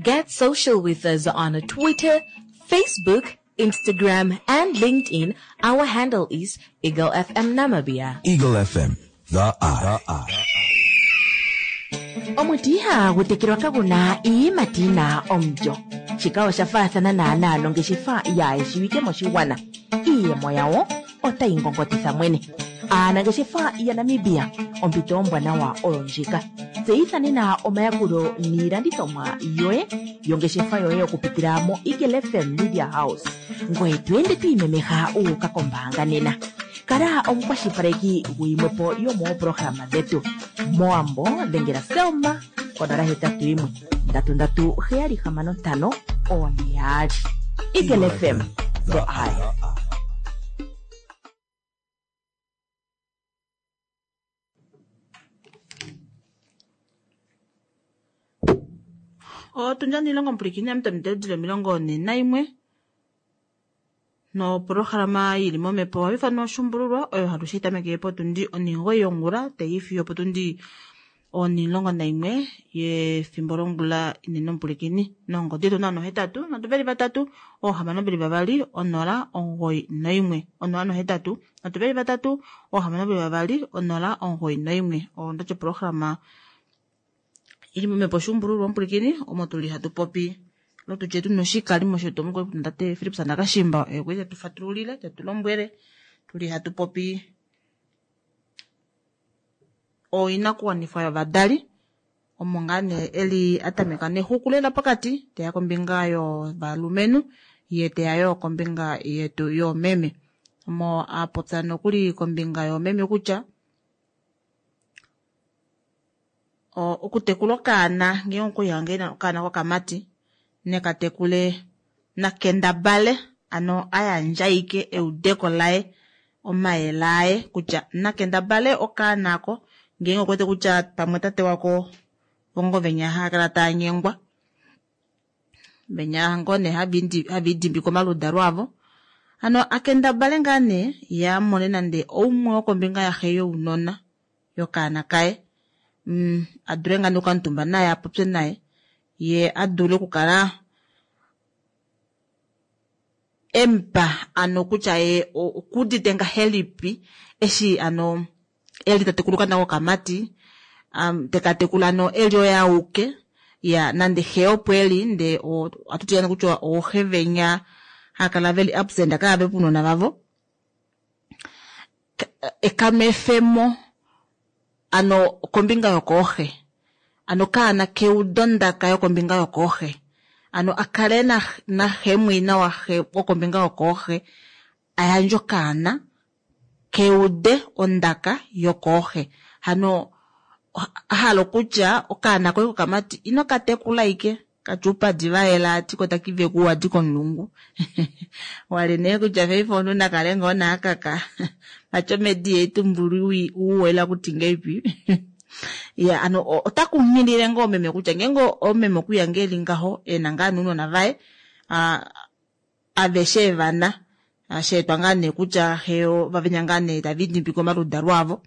Get social with us on Twitter, Facebook, Instagram, and LinkedIn. Our handle is Eagle FM Namibia. Eagle FM, the eye. Omuti ihagu tekelwa kaguna iiyimati yina omulyo. Shika osha faathana naanaa nongeshefa yaayeshiwike moshigwana. Iiyemo yawo otayi ngongotitha mwene. Aanangeshefa yaNamibia, ompito ombwanawa oyo ndjika. Tseyitha nena omayakulo niilandithomwa yoye yongeshefa yoye okupitila mo Eagle FM Media House. Ngoye to ende to imemeha u uka kombaanga nena. Kala omukwashilipaleki guyimwepo yomoopolohalama dhetu. Mowambo dhengela Selma konola hetatu yimwe ndatu ndatu heyali hamano ntano one yaali. Eagle FM, the eye. Otundja niilongo omupulikini amutamite dili 41 nopolohalama yili momhepo ohayi ithanwa oshuumbululwa oyo halushe tameke potundi 9 yongula tayi fiyo potundi 11 yefimbo longula inene omupulikini nongodi yetu 08 3 622 091 083 3 622 091 ondachi opolohalama ili momhepo oshuumbululwa omupulikini omo tuli hatu popi lotutye tuna oshikalimo shetu omukwali tate Philips Nakashimba oye kwali tetu fatululile tetu lombwele tuli hatu popi oinakuwanifwa yovadali omo ngaa nee eli atameka nexuku lela pokati teya kombinga yovalumenhu ye teya yo kombinga yetu yoomeme omo apopya nokuli kombinga yoomeme kutya okutekula okaana ngee okuya ngee okaana kokamati nekatekule nakendabale ano ayandjaike eudeko laye omayele aye kutya nakendabale okaana ako ngeenge okuwete kutya pamwe tate wako vongo venya haakala taanyengwa venya ngoo nee haviidimbike omaludalo avo ano akendabale ngaa nee ye amone nande oumwe wokombinga yaxe younona yokaana kaye adule ngaa nee okukamutumba naye apopye naye ye adule okukala emupa ano kutya ye okuudite ngahelipi eshi ano eli tatekula okaana kokamati tekatekula ano eli oye auke ya nande xe opo eli ndee ohatu ti kutya ooxe venya haakala veli absent kaave puunona vavo ekamefemo ano kombinga yokooxe ano kaana keudo ndaka yokombinga yokooxe ano akale naxemwina waxe wokombinga yokooxe ayandje okaana keude ondaka yokooxe hano ahala okutya okaana koye kokamati ino katekula ike katya oupadi vayela ati ko takiveku wadi komulungu wali nee kutya paife omunhu nakale ngoo naakaka vati omedi yeitumbulu uwela kuti ngeipi ya ano ota kunghilile ngoo meme kutya ngeenge omeme okuya ngee eli ngaho ena ngaa nounona vaye aveshe evana sheetwa ngaa nee kutya xe vavenya ngaa nee taviidimbike omaludalo avo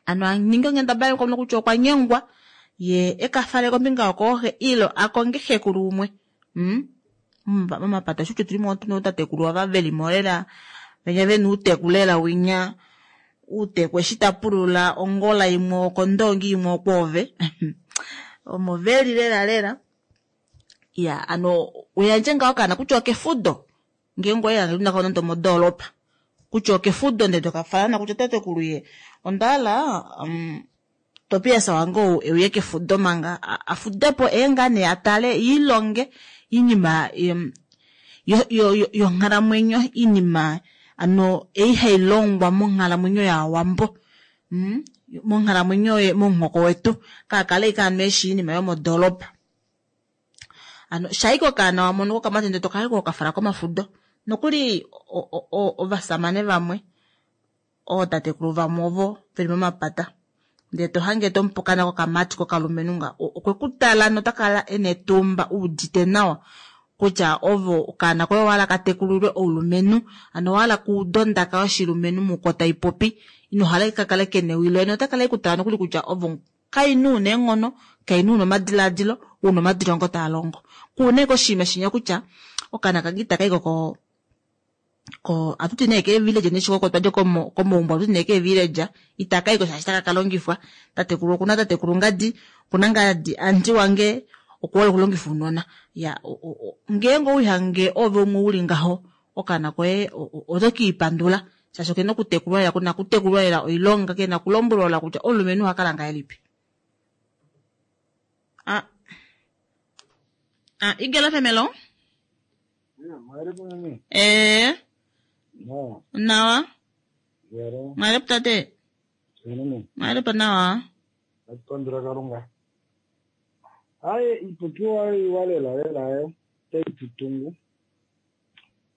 ano aninge onghendabala yokumona kutya okwa nyengwa ye ekafale kombinga yokooxe ilo akonge xekulu umwe momapata shutya otuli mo tuna ootatekulu ava velimo lela venya vena uuteku lela winya uuteku eshi tapulula ongola imwe okondongi imwe okwoove omo veli lela lela ya ano uyandje ngaho okaana kutya okefudo ngeenge oye nako nande omodoolopa kutya okefudo ndee tokafala kutya tatekulu ye ondahala Tobias wange ou euye kefudo manga afudepo eenga nee atale iilonge iinima yonghalamwenyo iinima ano ei hailongwa monghalamwenyo yaawambo monghalamwenyo momuhoko wetu kaakale ike ano eshi iinima yomodoolopa ano shaike okaana wamono kokamati ndee tokaye kokafala komafudo nokuli ovasamane vamwe ootatekulu vamwe ovo veli momapata ndee tohange tomupe okaana kokamati kokalumenhu nga okwekutala notakala ena etumba uudite nawa kutya ovo okaana koye owahala katekulilwe oulumenhu ano owahala kuuda ondaka yoshilumenhu muko taipopi inohala kakale kena ewi loye notakala ekutala nokuli kutya ovo kainhu una eenghono kainhu una omadilaadilo una omadilongo taalongo kuuna ashike oshinima shinya kutya okaana kange itakayi ko atuti nee keevillage neshikoko twadja komaumbo atuti nee keevillage itakaiko shaashi taka kalongifwa tatekulu okuna tatekulu ngadi okuna ngadi anti wange okuhole okulongifa ounona ya ngeenge owihange ove umwe uli ngaho okaana koye oto kiipandula shaashi okena okutekulwa lela kuna okutekulwa lela oilonga kena okulombwelwa kutya omulumenhu ohakala ngahelipi. Igelo femelo nawa mwalepo tate mwalepo nawa atipandula kalunga aye ipopiwa iwa lela lela ayo otai tutungu.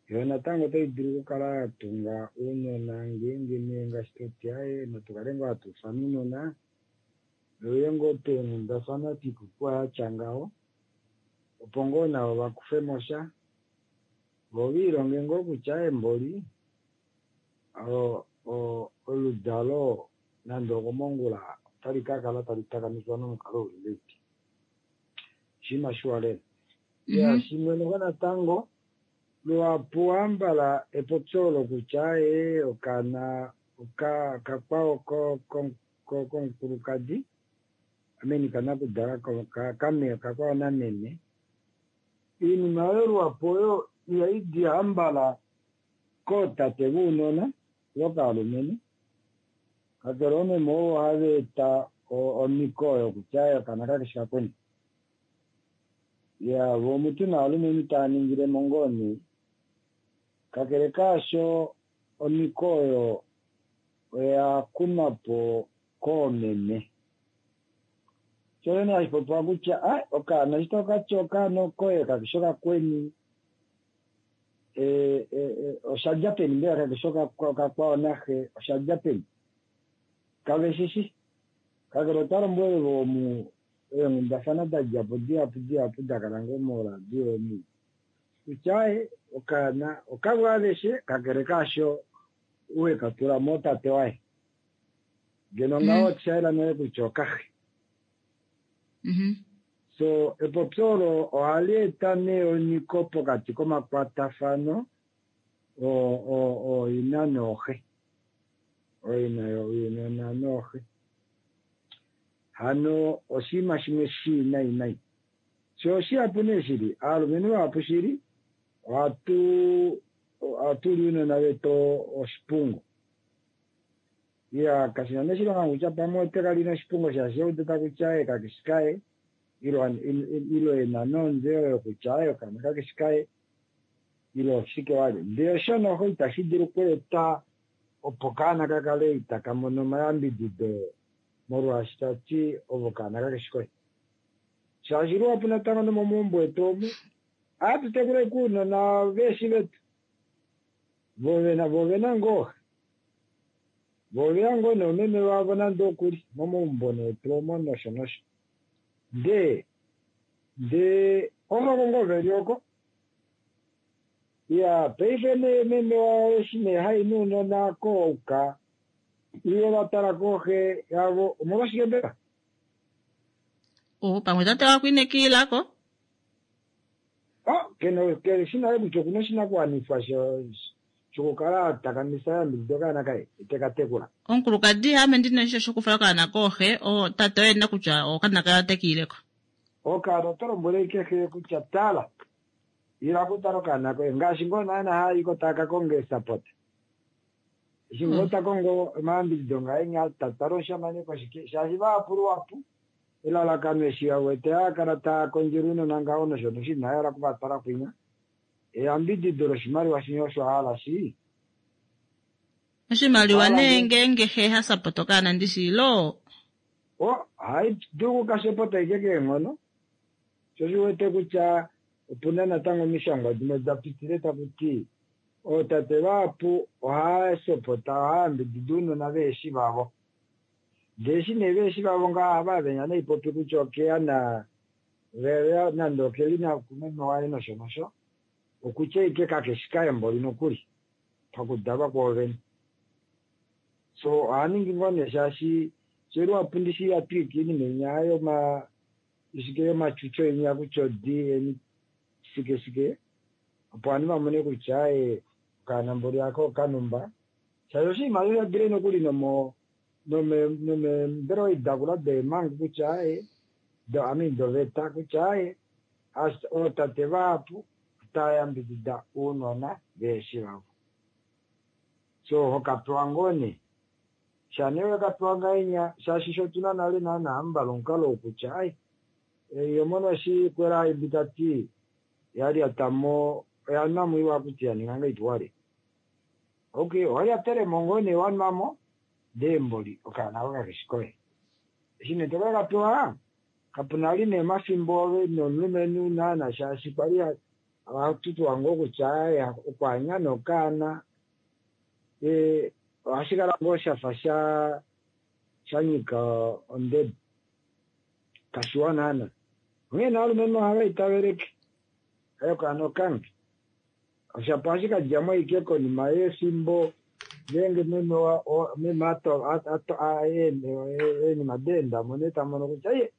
Yo natango otai dulu okukala ya tunga ounona ngeenge nee ngaashi toti aaye natukale ngoo hatu ufana ounona veuye ngoo peenghundafana twiipopiwa yatya ngaho opo ngoo navo vakufemo sha vo viilonge ngoo kutya aaye mboli oludalo nande okomongula otali kakala tali takamifwa nomukalo uli ngahelipi. Oshinima shiwa lela. Ya shimwe noho natango luhapu hambala epopyo olo kutya ee okaana okakwao komukulukadi ameni kanakudala kakwao nameme. Iinima oyo luhapu oyo ihai di hambala kootate vounona vokaalumenhu kakele oomeme ovo hava eta omiko oyo kutya okaana kakeshi kakweni. Ya vo omutu naalumenhu tava ningilemo ngoo nee. Kakele kaasho omiko oyo oya kunwa po koomeme. Sho nee hashi popiwa kutya okaana eshi tokati okaana okoye kakeshi okakweni oshadja peni mbela kakeshi okakwao naxe oshadja peni? Kave shishi. Kakele otwa lombwele omu eenghundafana da djapo dihapu dihapu dakala ngoo moradio omu kutya okaana okavo aveshe kakele kaasho uwe katula mo tate waye. Ngeno ngaho oshayela nale kutya okaxe. So epopyo olo ohali eta nee onyiko pokati komakwatafano ooina nooxe. Ooina younona nooxe. Hano oshinima shimwe shii nai nai. Sho oshihapu nee shili, aalumenhu vahapu shili ohatu li ounona vetu oshipungo. Iya kashina nee shilonga kutya pamwe ote kali noshipungo shaashi eudita kutya kakeshi kaye ilo ena nonze oyo kutya okaana kakeshi kaye ilo shike wali. Ndele osho noho itashi dulu okweeta opo kaana kakale itaka mono omayambidido molwaashi tati ovo kaana kakeshi koye. Shaashi luhapu natango nomomaumbo etu omu ohatu tekula ounona veeshi vetu. Vo vena ngoo vo veya ngoo noomeme vavo nande okuli momaumbo netu omo nosho nosho. Ndee ovako ngoo veli oko. Iya paife nee meme wawo eshi nee hai nounona kouka iye vatala kooxe yavo omolwashike mbela? Pamwe tate wako inekiilako? Kene shina kutya okuna oshinakuwanifwa shokukala takamisa yambidido okaana kaye teka tekula. Omukulukadi ame ndina osho shokufala okaana kooxe tate oye ena kutya okaana kaye otekiileko. Okaana oto lombwele kehe kutya tala ila kutala okaana koye ngaashi ngoo naana haayiko taka konga esapota. Eshi ngoo ta kongo omayambidido ngaenya tatala oshamane koshike shaashi vahapu luhapu elalakano eshi awete haakala taa kondjele ounona ngaho nosho nosho ina hala okuvatwala kwinya. Eyambidido loshimaliwa shinya osho ahala shi. Oshimaliwa nee ngeenge xe ha sapota okaana ndishi ilo? Ohai dulu okukashepota ike keenghono. Sho shi wete kutya opuna natango omishangwa dimwe da pitile taku ti ootate vahapu ohaya sopota ohaya yambidida ounona veeshi vavo. Ndee eshi nee veeshi vavo ngaha ohava venya naipopi kutya okeya na nande okeli nakumeme waye nosho nosho okutya ike kakeshi kaye mboli nokuli pakudalwa kwoovene. So ohaningi ngoo nee shaashi fye luhapu ndishi yatwiika iinima inya yoma shike yomatyutyo inya kutya odi eni shike shike opo ovanhu vamone kutya okaana mboli ako okanumba. Shaashi oshinima osho shadile nokuli nomeembelewa idakula deemangu kutya doveta kutya ootate vahapu otava yambidida ounona veeshi vavo. So hokapewa ngoo nee. Sha nee wekapewa ngahenya shaashi sho tuna nale naana hambala omukalo wokutya yomono eshi kwela haimbi tati yalyatamo oya nwamo iwa kuti yaninga ngahelipi wale. Okay, owalyatelemo ngoo nee wanwamo ndee mboli okaana ako kakeshi koye. Eshi nee tokakapewa kapuna ali nee omafimbo ove nomulumenhu naana shaashi kwali Ohatu ngoo kutya okwaanya nokaana ohashi kala ngoo shafa sha nyika ondebe kashiwa naana. Onghee naalumenhu ohava itaveleke okaana okange oshapo ohashi kadjamo ashike konima yefimbo ngeenge meme eenima deendamo nee tamono kutya iye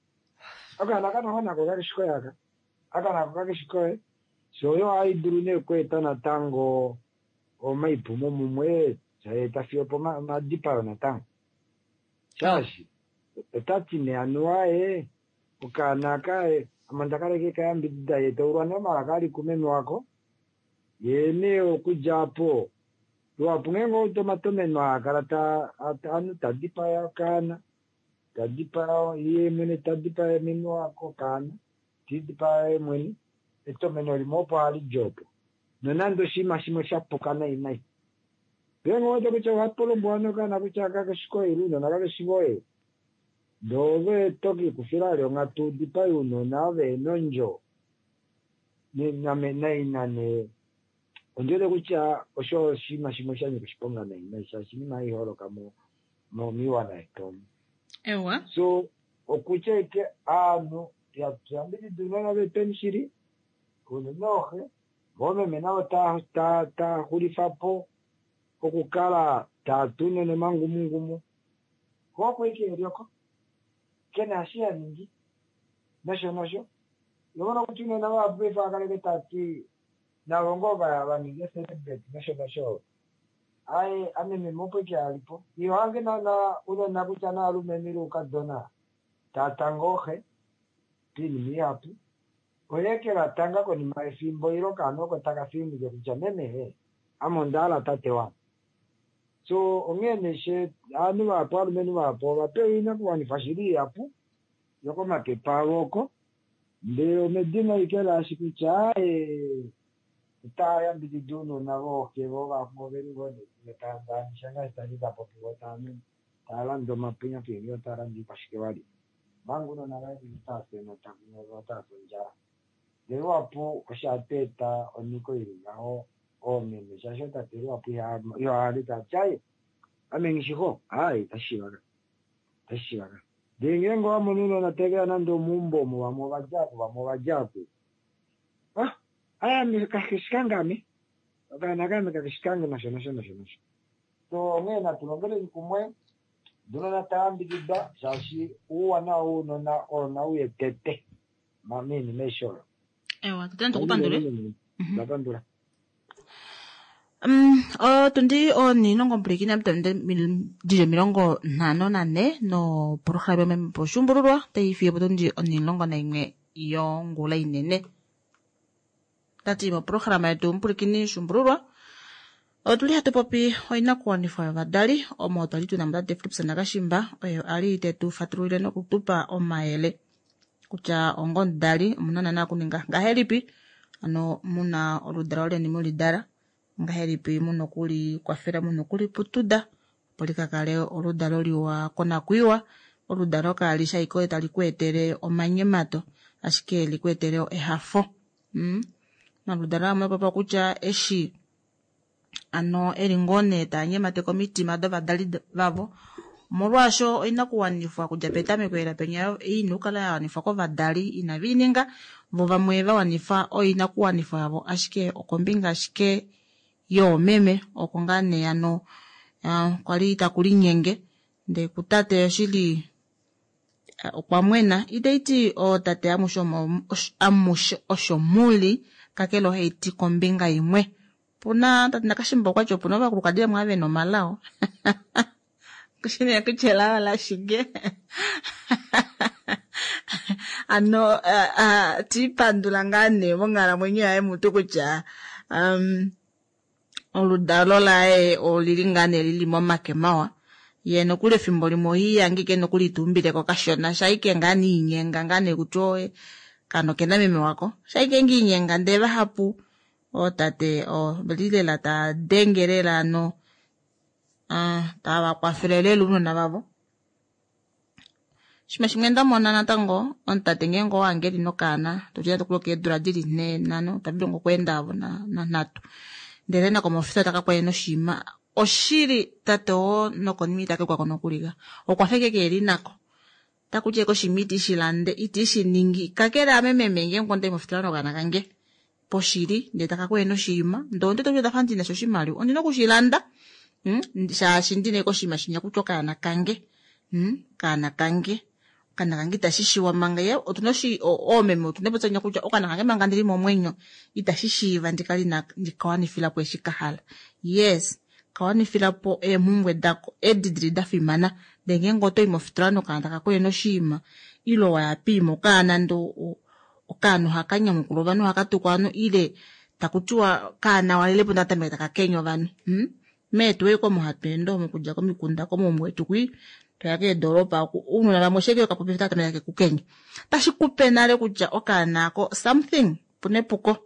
okaana kanongo nako kakeshi koye aka aka nako kakeshi koye. So oyo ohayi dulu nee okweeta natango omaipumo mumwe tayeeta fiyo pomadipayo natango. Shaashi otati nee anuwa ye okaana aka ame onda kala ashike kayambidida ye taulwa nee omalaka ali kumeme wako ye nee okudja apo luhapu ngeenge outa omatomeno aa kala ovanhu tadipaya okaana tadipaya ye mwene tadipaya meme wako okaana tidipaya ye mwene etomeno limwe opo hali di opo nonande oshinima shimwe shapuka nai nai. Ngeenge owete kutya ohapo lombwelwa nokaana kutya kakeshi koye ile ounona kakeshi voye ndee ove tokikufila vali onghatu udipaye ounona ove nondjo naina nee ondiwete kutya osho oshinima shimwe sha nyika oshiponga nai nai shaashi oinima hai holoka momiiwana yetu omu. Ewa. So okutya ashike aanhu tuyambidida ounona vetweni shili unene ooxe voomeme navo taaxulifapo okukala taatu unene omangumungumu ko oko ashike elioko kena eshi haningi nosho nosho. Ihomono kutya unene vahapu paife ohakaleke tati navo ngoo vaninge celebrate nosho nosho aye ame meme opo ashike alipo ihohange naana unona kutya naalumenhu ile oukadona taatanga ooxe poinima ihapu oye kevatanga konima yefimbo ile okaana oko taka fininike kutya meme ame onda hala tate wange. So onghee nee ovanhu vahapu aalumenhu vahapu ovapewa oinakuwanifwa shili ihapu yokomapepe avo oko ndele omedina ashike laashi kutya otava yambidida ounona vooxe vo vamwe oveli ngoo nee tava ngaashi tali tapopiwa tava lande omapunya otava lande oikwashike vali omanga ounona vaye otava fi enota otava fi ondjala. Ndele luhapu osho hatu eta onyiko ili ngaho oomeme shaashi ootate luhapu ihahale tati aye ame nghishixo aaye itashi shiiva ka. Ndele ngeenge owamono ounona taveya nande omeumbo omo vamwe ovadja oku vamwe ovadja oku aye ame kakeshi kange ame okaana kaame kakeshi kange nosho nosho nosho nosho. So onghee natu longeleni kumwe ounona tayambidida shaashi ouwanawa wounona oo nauye tete moinima aishe oyo. Ewa, tete natukupandule. Ndapandula. Otundi onilongo dili 54 nopolohalama yomeme Oshuumbululwa tayi fiyo potundi 11 yongula inene. Tati mopolohalama yetu Mupulikini Shuumbululwa otuli hatu popi oinakuwanifwa yovadali omo twali tuna tate Philipson Nakashimba oyo ali tetu fatululile nokutupa omayele kutya onga omudali omuna naana okuninga ngahelipi ano muna oludalo leni mulidala ngahelipi muna okulikwafela muna okuliputuda opo likakale oludalo liwa konakwiiwa oludalo kaali ashike tali ku etele omanyemato ashike liku etele ehafo. Omaludalo amwe opapa kutya eshi ano eli ngoo nee taa nyemateke omitima dovadali vavo omolwaasho oinakuwanifwa kudja petameko ela penya ina okukala ya wanifwa kovadali inave i ninga vo vamwe va wanifa oinakuwanifwa yavo ashike okombinga ashike yoomeme oko ngaa nee ano kwali taku linyenge ndee kutate oshili okwa mwena itaiti ootate amushe osho muli kakele ohaiti kombinga imwe. Puna tate Nakashimba okwati opuna ovakulukadi vamwe ava vena omalao kushine kutya elao lashike ano tiipandula ngaa nee monghalamwenyo yaye mutu kutya oludalo laye olili ngaa nee lili momake mawa ye nokuli efimbo limwe ohiiyange ike nokuli tuumbileko kashona shaike ngaa niinyenga ngaa nee kutya oye kano kena meme wako shaike ngiinyenga ndee vahapu ootate oveli lela taa denge lela ano tava kwafele lela ounona vavo. Shimwe shimwe nda mona natango, omutate ngeenge owange li nokaana, toti nande okuli okeedula dili 4, 5, tava dulu okweenda avo na 3. Ndele nako mofitola taka kwaye noshiima. Oshili tate oo nokonima ita kekwako nokulika. Okwa fa eke keeli nako. Takuti eke oshiima iti shi lande, iti shi ningi. Kakele ame meme ngeenge ondai mofitola nokaana kange poshili, ndele taka kwaye noshiima, ndee ondete kutya ndafa ndina sha oshimaliwa, ondina okushilanda. Shaashi ndina eke oshiima shinya kutya okaana kange. Okaana kange. Okaana kange itashi shiwa manga ye, otuna oomeme otuna epopyo kutya okaana kange manga ndili momwenyo itashi shiiva ndikale ina ndikawanifilapo eshi kahala. Yes, kawanifilapo eemhumbwe dako edi dili da fimana. Ndee ngeenge otoyi mofitola nokaana taka kweye noshiima, ile waya piima okaana ndo okaana ohaka nyamukula ovanhu, ohaka tukwa ovanhu, ile takutiwa kaana walelepo ndee okatameka taka kenya ovanhu. Meetu ei komo hatu ende omo okudja komikunda komaumbo etu kwii, toya keedoropa oku, ounona vamwe osheke okapopi otaka tameka kekukenya. Tashi kupe nale kutya okaana ako something, opuna epuko.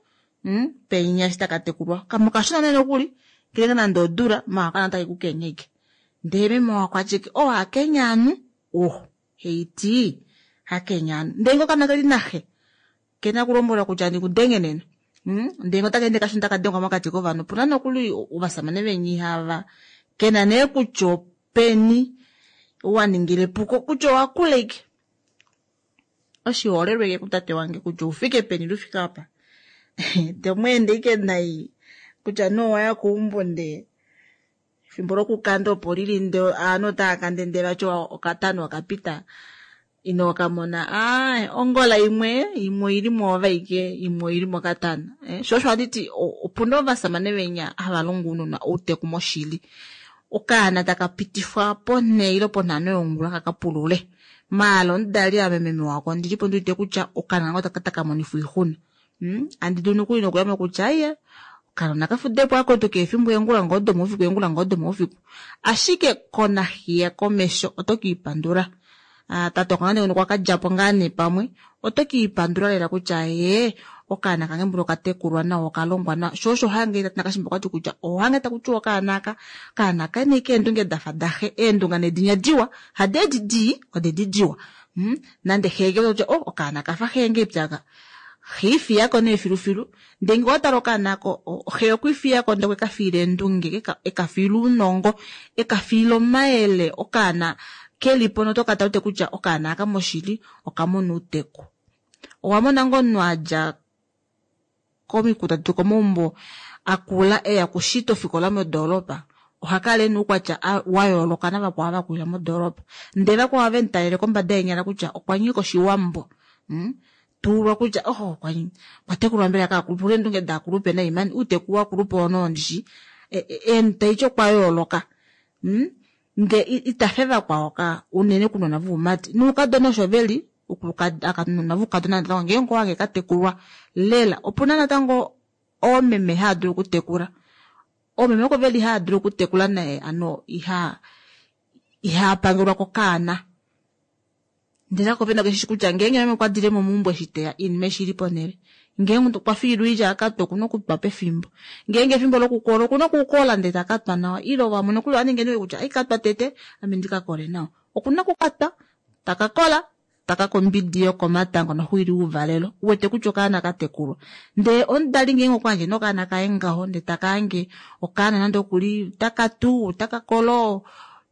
Penya eshi taka tekulwa. Kamwe okashona nee nokuli, kelenge nande odula, maala okaana otake kukenya ike. Ndee meme wakwatye, oh, hakenya anu? Oh, heiti, hakenya anu. Ndee ngee okaana keli naxe, kena kulombwelwa kutya ndikudenge nena. Ndee ngee otaka ende kashona otaka dengwa mokati kovanhu. Opuna nokuli ovasamane veni ihava kena nee kutya openi wa ningile epuko, kutya owakula ike. Oshiholelwa ike kutate wange kutya oufike peni lufike apa. Tomweende ike nai kutya nee owaya keumbo ndee efimbo lokukanda opo lili ndee ovanhu otava kande ndee vati okatano okapita ino kamona. Aai, ongola imwe, imwe oili mwoove aike, imwe oili mokatana. Sho osho handiti opuna ovasamane venya hava longo ounona outeku moshili. Okaana taka pitifwa ponhe ile ponhano yongula kaka pulule. Maala omudali ame meme wako ndilipo ndiwete kutya okaana kange otaka taka monifwa oixuna. Andi dulu nokuli nokuyama kutya aiye, okanona kafudepo akotoka efimbo eengula ngoo domoufiku, eengula ngoo domoufiku. Ashike konahiya komesho oto kiipandula. Tate okanga nee okwa kadjapo ngaa nee pamwe, oto kiipandula lela kutya ee, okaana kange mbula okatekulwa nawa, okalongwa nawa. Sho osho hange tate Nakashimba okwati kutya ohange taku tiwa okaana aka, okaana kene keendunge dafa daxe, eendunga nedinya diwa, hadi edi dii, odedi diwa. Nande xe ke kutya, oh, okaana kafa xe nge ipyaka. Xe ifiyako nee filufilu. Ndee ngee owatala okaana ako, xe okwiifiyako ndee okwe kafiila eendunge, ekafiila ounongo, ekafiila omayele, okaana kelipo notoka tala kutya okaana aka moshili okamona outeku. Owamona ngoo omunhu adja komikunda detu komaumbo akula eya kushita ofikola modoolopa, ohakala ena oukwatya wa yooloka navakwao ava vakulila modoolopa. Ndee vakwao ohave mutalele kombada yeenyala kutya okwa nyika oshiwambo. Tuulwa kutya oho, okwa tekulwa mbela kaakulupe, okuna eendunge daakulupe naimani, outeku wakulupe ono ndishi, taiti okwa yooloka. Ndee itafe vakwao ka, unene kunona voumati. Noukadona osho veli, akanona voukadona natango ngeenge owange katekulwa lela. Opuna natango oomeme hava dulu okutekula. Oomeme oko veli hava dulu okutekula naye, ano iha pangelwa kokaana. Ndele ako vena keshishi kutya ngeenge meme okwa dile mo meumbo eshi teya oinima eshi ili ponhele. Ngeenge okwa fiilwa oilya akatwa okuna okutwa pefimbo. Ngeenge efimbo lokukola okuna okukola ndele taka twa nawa. Ile vamwe nokuli ova ninga kutya ai katwa tete ame ndika kole nawa. Okuna okukatwa, taka kola, taka kombidi yokomatango noxuili ouvalelo. Uwete kutya okaana katekulwa. Ndee omudali ngeenge okwa yandje nokaana kaye ngaho ndee taka hange okaana nande okuli taka tu, taka kolo,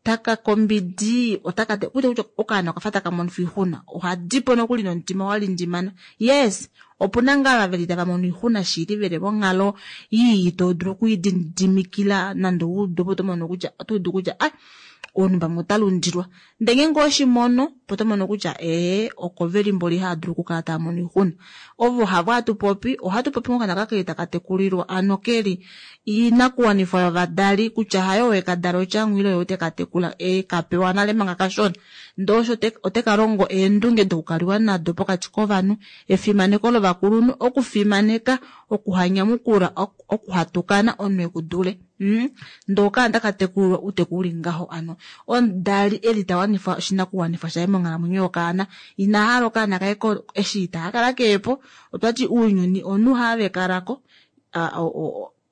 taka kombidi, otaka te, kutya kutya okaana okafa taka mono oixuna. Ohadipo nokuli nomutima wa lindimana. Yes, opuna ngaa veli tava mono oixuna shili veli monghalo ii to dulu okwiididimikila nande oudu opo to mono kutya, oto udu kutya, ah, omunhu pamwe ota lundilwa. Ndee ngeenge oshimono, opo to mono kutya, ee, oko veli mboli hava dulu okukala tava mono oixuna. Ovo havo hatu popi, ohatu popi ngokana kakeli taka tekulilwa, ano keli inakuwanifwa yovadali kutya hayo wekadala otyangu ile oyo teka tekula, e kapewa nale manga kashona. Ndee osho oteka longo eendunge dokukaliwa nado pokati kovanhu, efimaneko lovakulunhu, okufimaneka, okuhanyamukula, okuhatukana omunhu ekudule. Ndee okaana taka tekulwa outeku uli ngaho ano omudali eli tawanifwa oshinakuwanifwa shaye monghalamwenyo yokaana, ina hala okaana kaye eshi ita kala keepo. Otwati ounyuni omunhu haave kalako,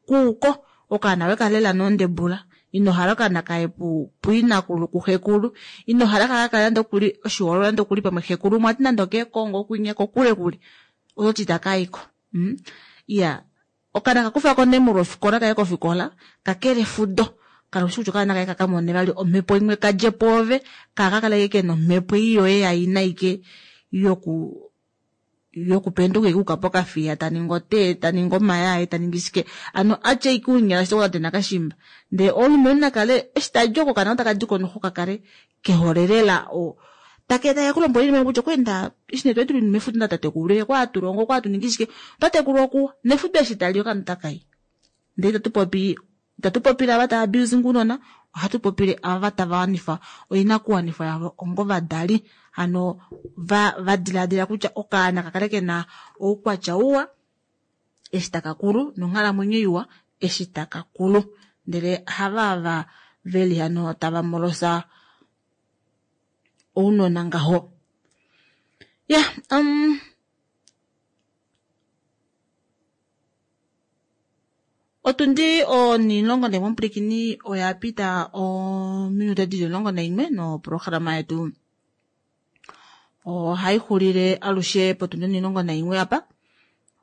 kuuko okaana wekalela nondebula. Ino hala okaana kaye puinakulu kuxekulu. Ino hala kaka kale nande okuli oshihoololwa nande okuli pamwe xekulu umwe ati nande okeekongo okwinya kokule kule. Ototi itaka i ko. Iya, okaana kakufako nee molwofikola kaye kofikola, kakele efudo. Kala ushi kutya okaana kaye kakamone vali omhepo imwe kadje pwoove, kaaka kale kena omhepo ei yoye yaina ike yokupenduka ike uka pokafiya taningi otee, taningi omayaye, taningi shike. Ano atye ike uunyala shito tate nakashimba. Ndele omulumenhu nakale eshi tadi oko okaana otaka diko noho kakale kehole lela take kulombwela oinima kutya okweenda eshi nee twali tuli mefudo natatekulu okwa atulongo okwa atuningi shike, tatekulu okuwa nefudo eshi tali okaana otakayi. Ndele itatu popile ava tava abusing ounona, ohatu popile ava tava wanifa oinakuwanifwa yavo ongovadali. Hano va diladila kutya okaana kakale kena oukwatya uwa eshi taka kulu nonghalamwenyo iwa eshi taka kulu. Ndele hava ava veli hano tava molosa ounona ngaho. Ya, otundi 11 omupulikini oya pita ominute dili 11 noprograma yetu ohai xulile alushe potundi 11 apa.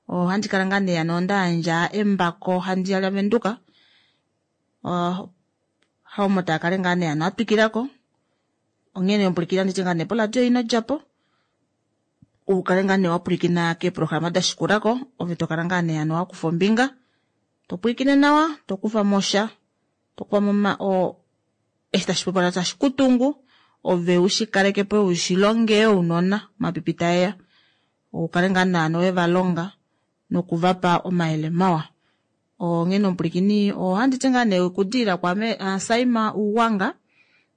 Ohandi kala ngaa nee hano nda yandja embako handi ya lavenduka. Haomo taa kale ngaa nee hano atwikilako. Onghene omupulikini anditi ngaa nee poradio ino djapo. Ukale ngaa nee wapulikina keeprograma da shikulako, ove tokala ngaa nee hano wakufa ombinga. Topwilikine nawa, tokufa mosha, tokufa mo eshi tashi popiwa tashi kutungu, ove ushikaleke po ushilonge ounona mapipi taeya. Ukale ngaa naano we va longa nokuvapa omayele mawa. Onghene omupulikini ohandi ti ngaa nee okudiilila kwaame Saima Uwanga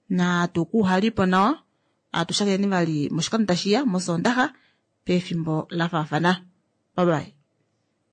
na tukuhalipo nawa. Atushakeni vali moshikando tashiya mOsoondaxa pefimbo la faafana. Bye bye.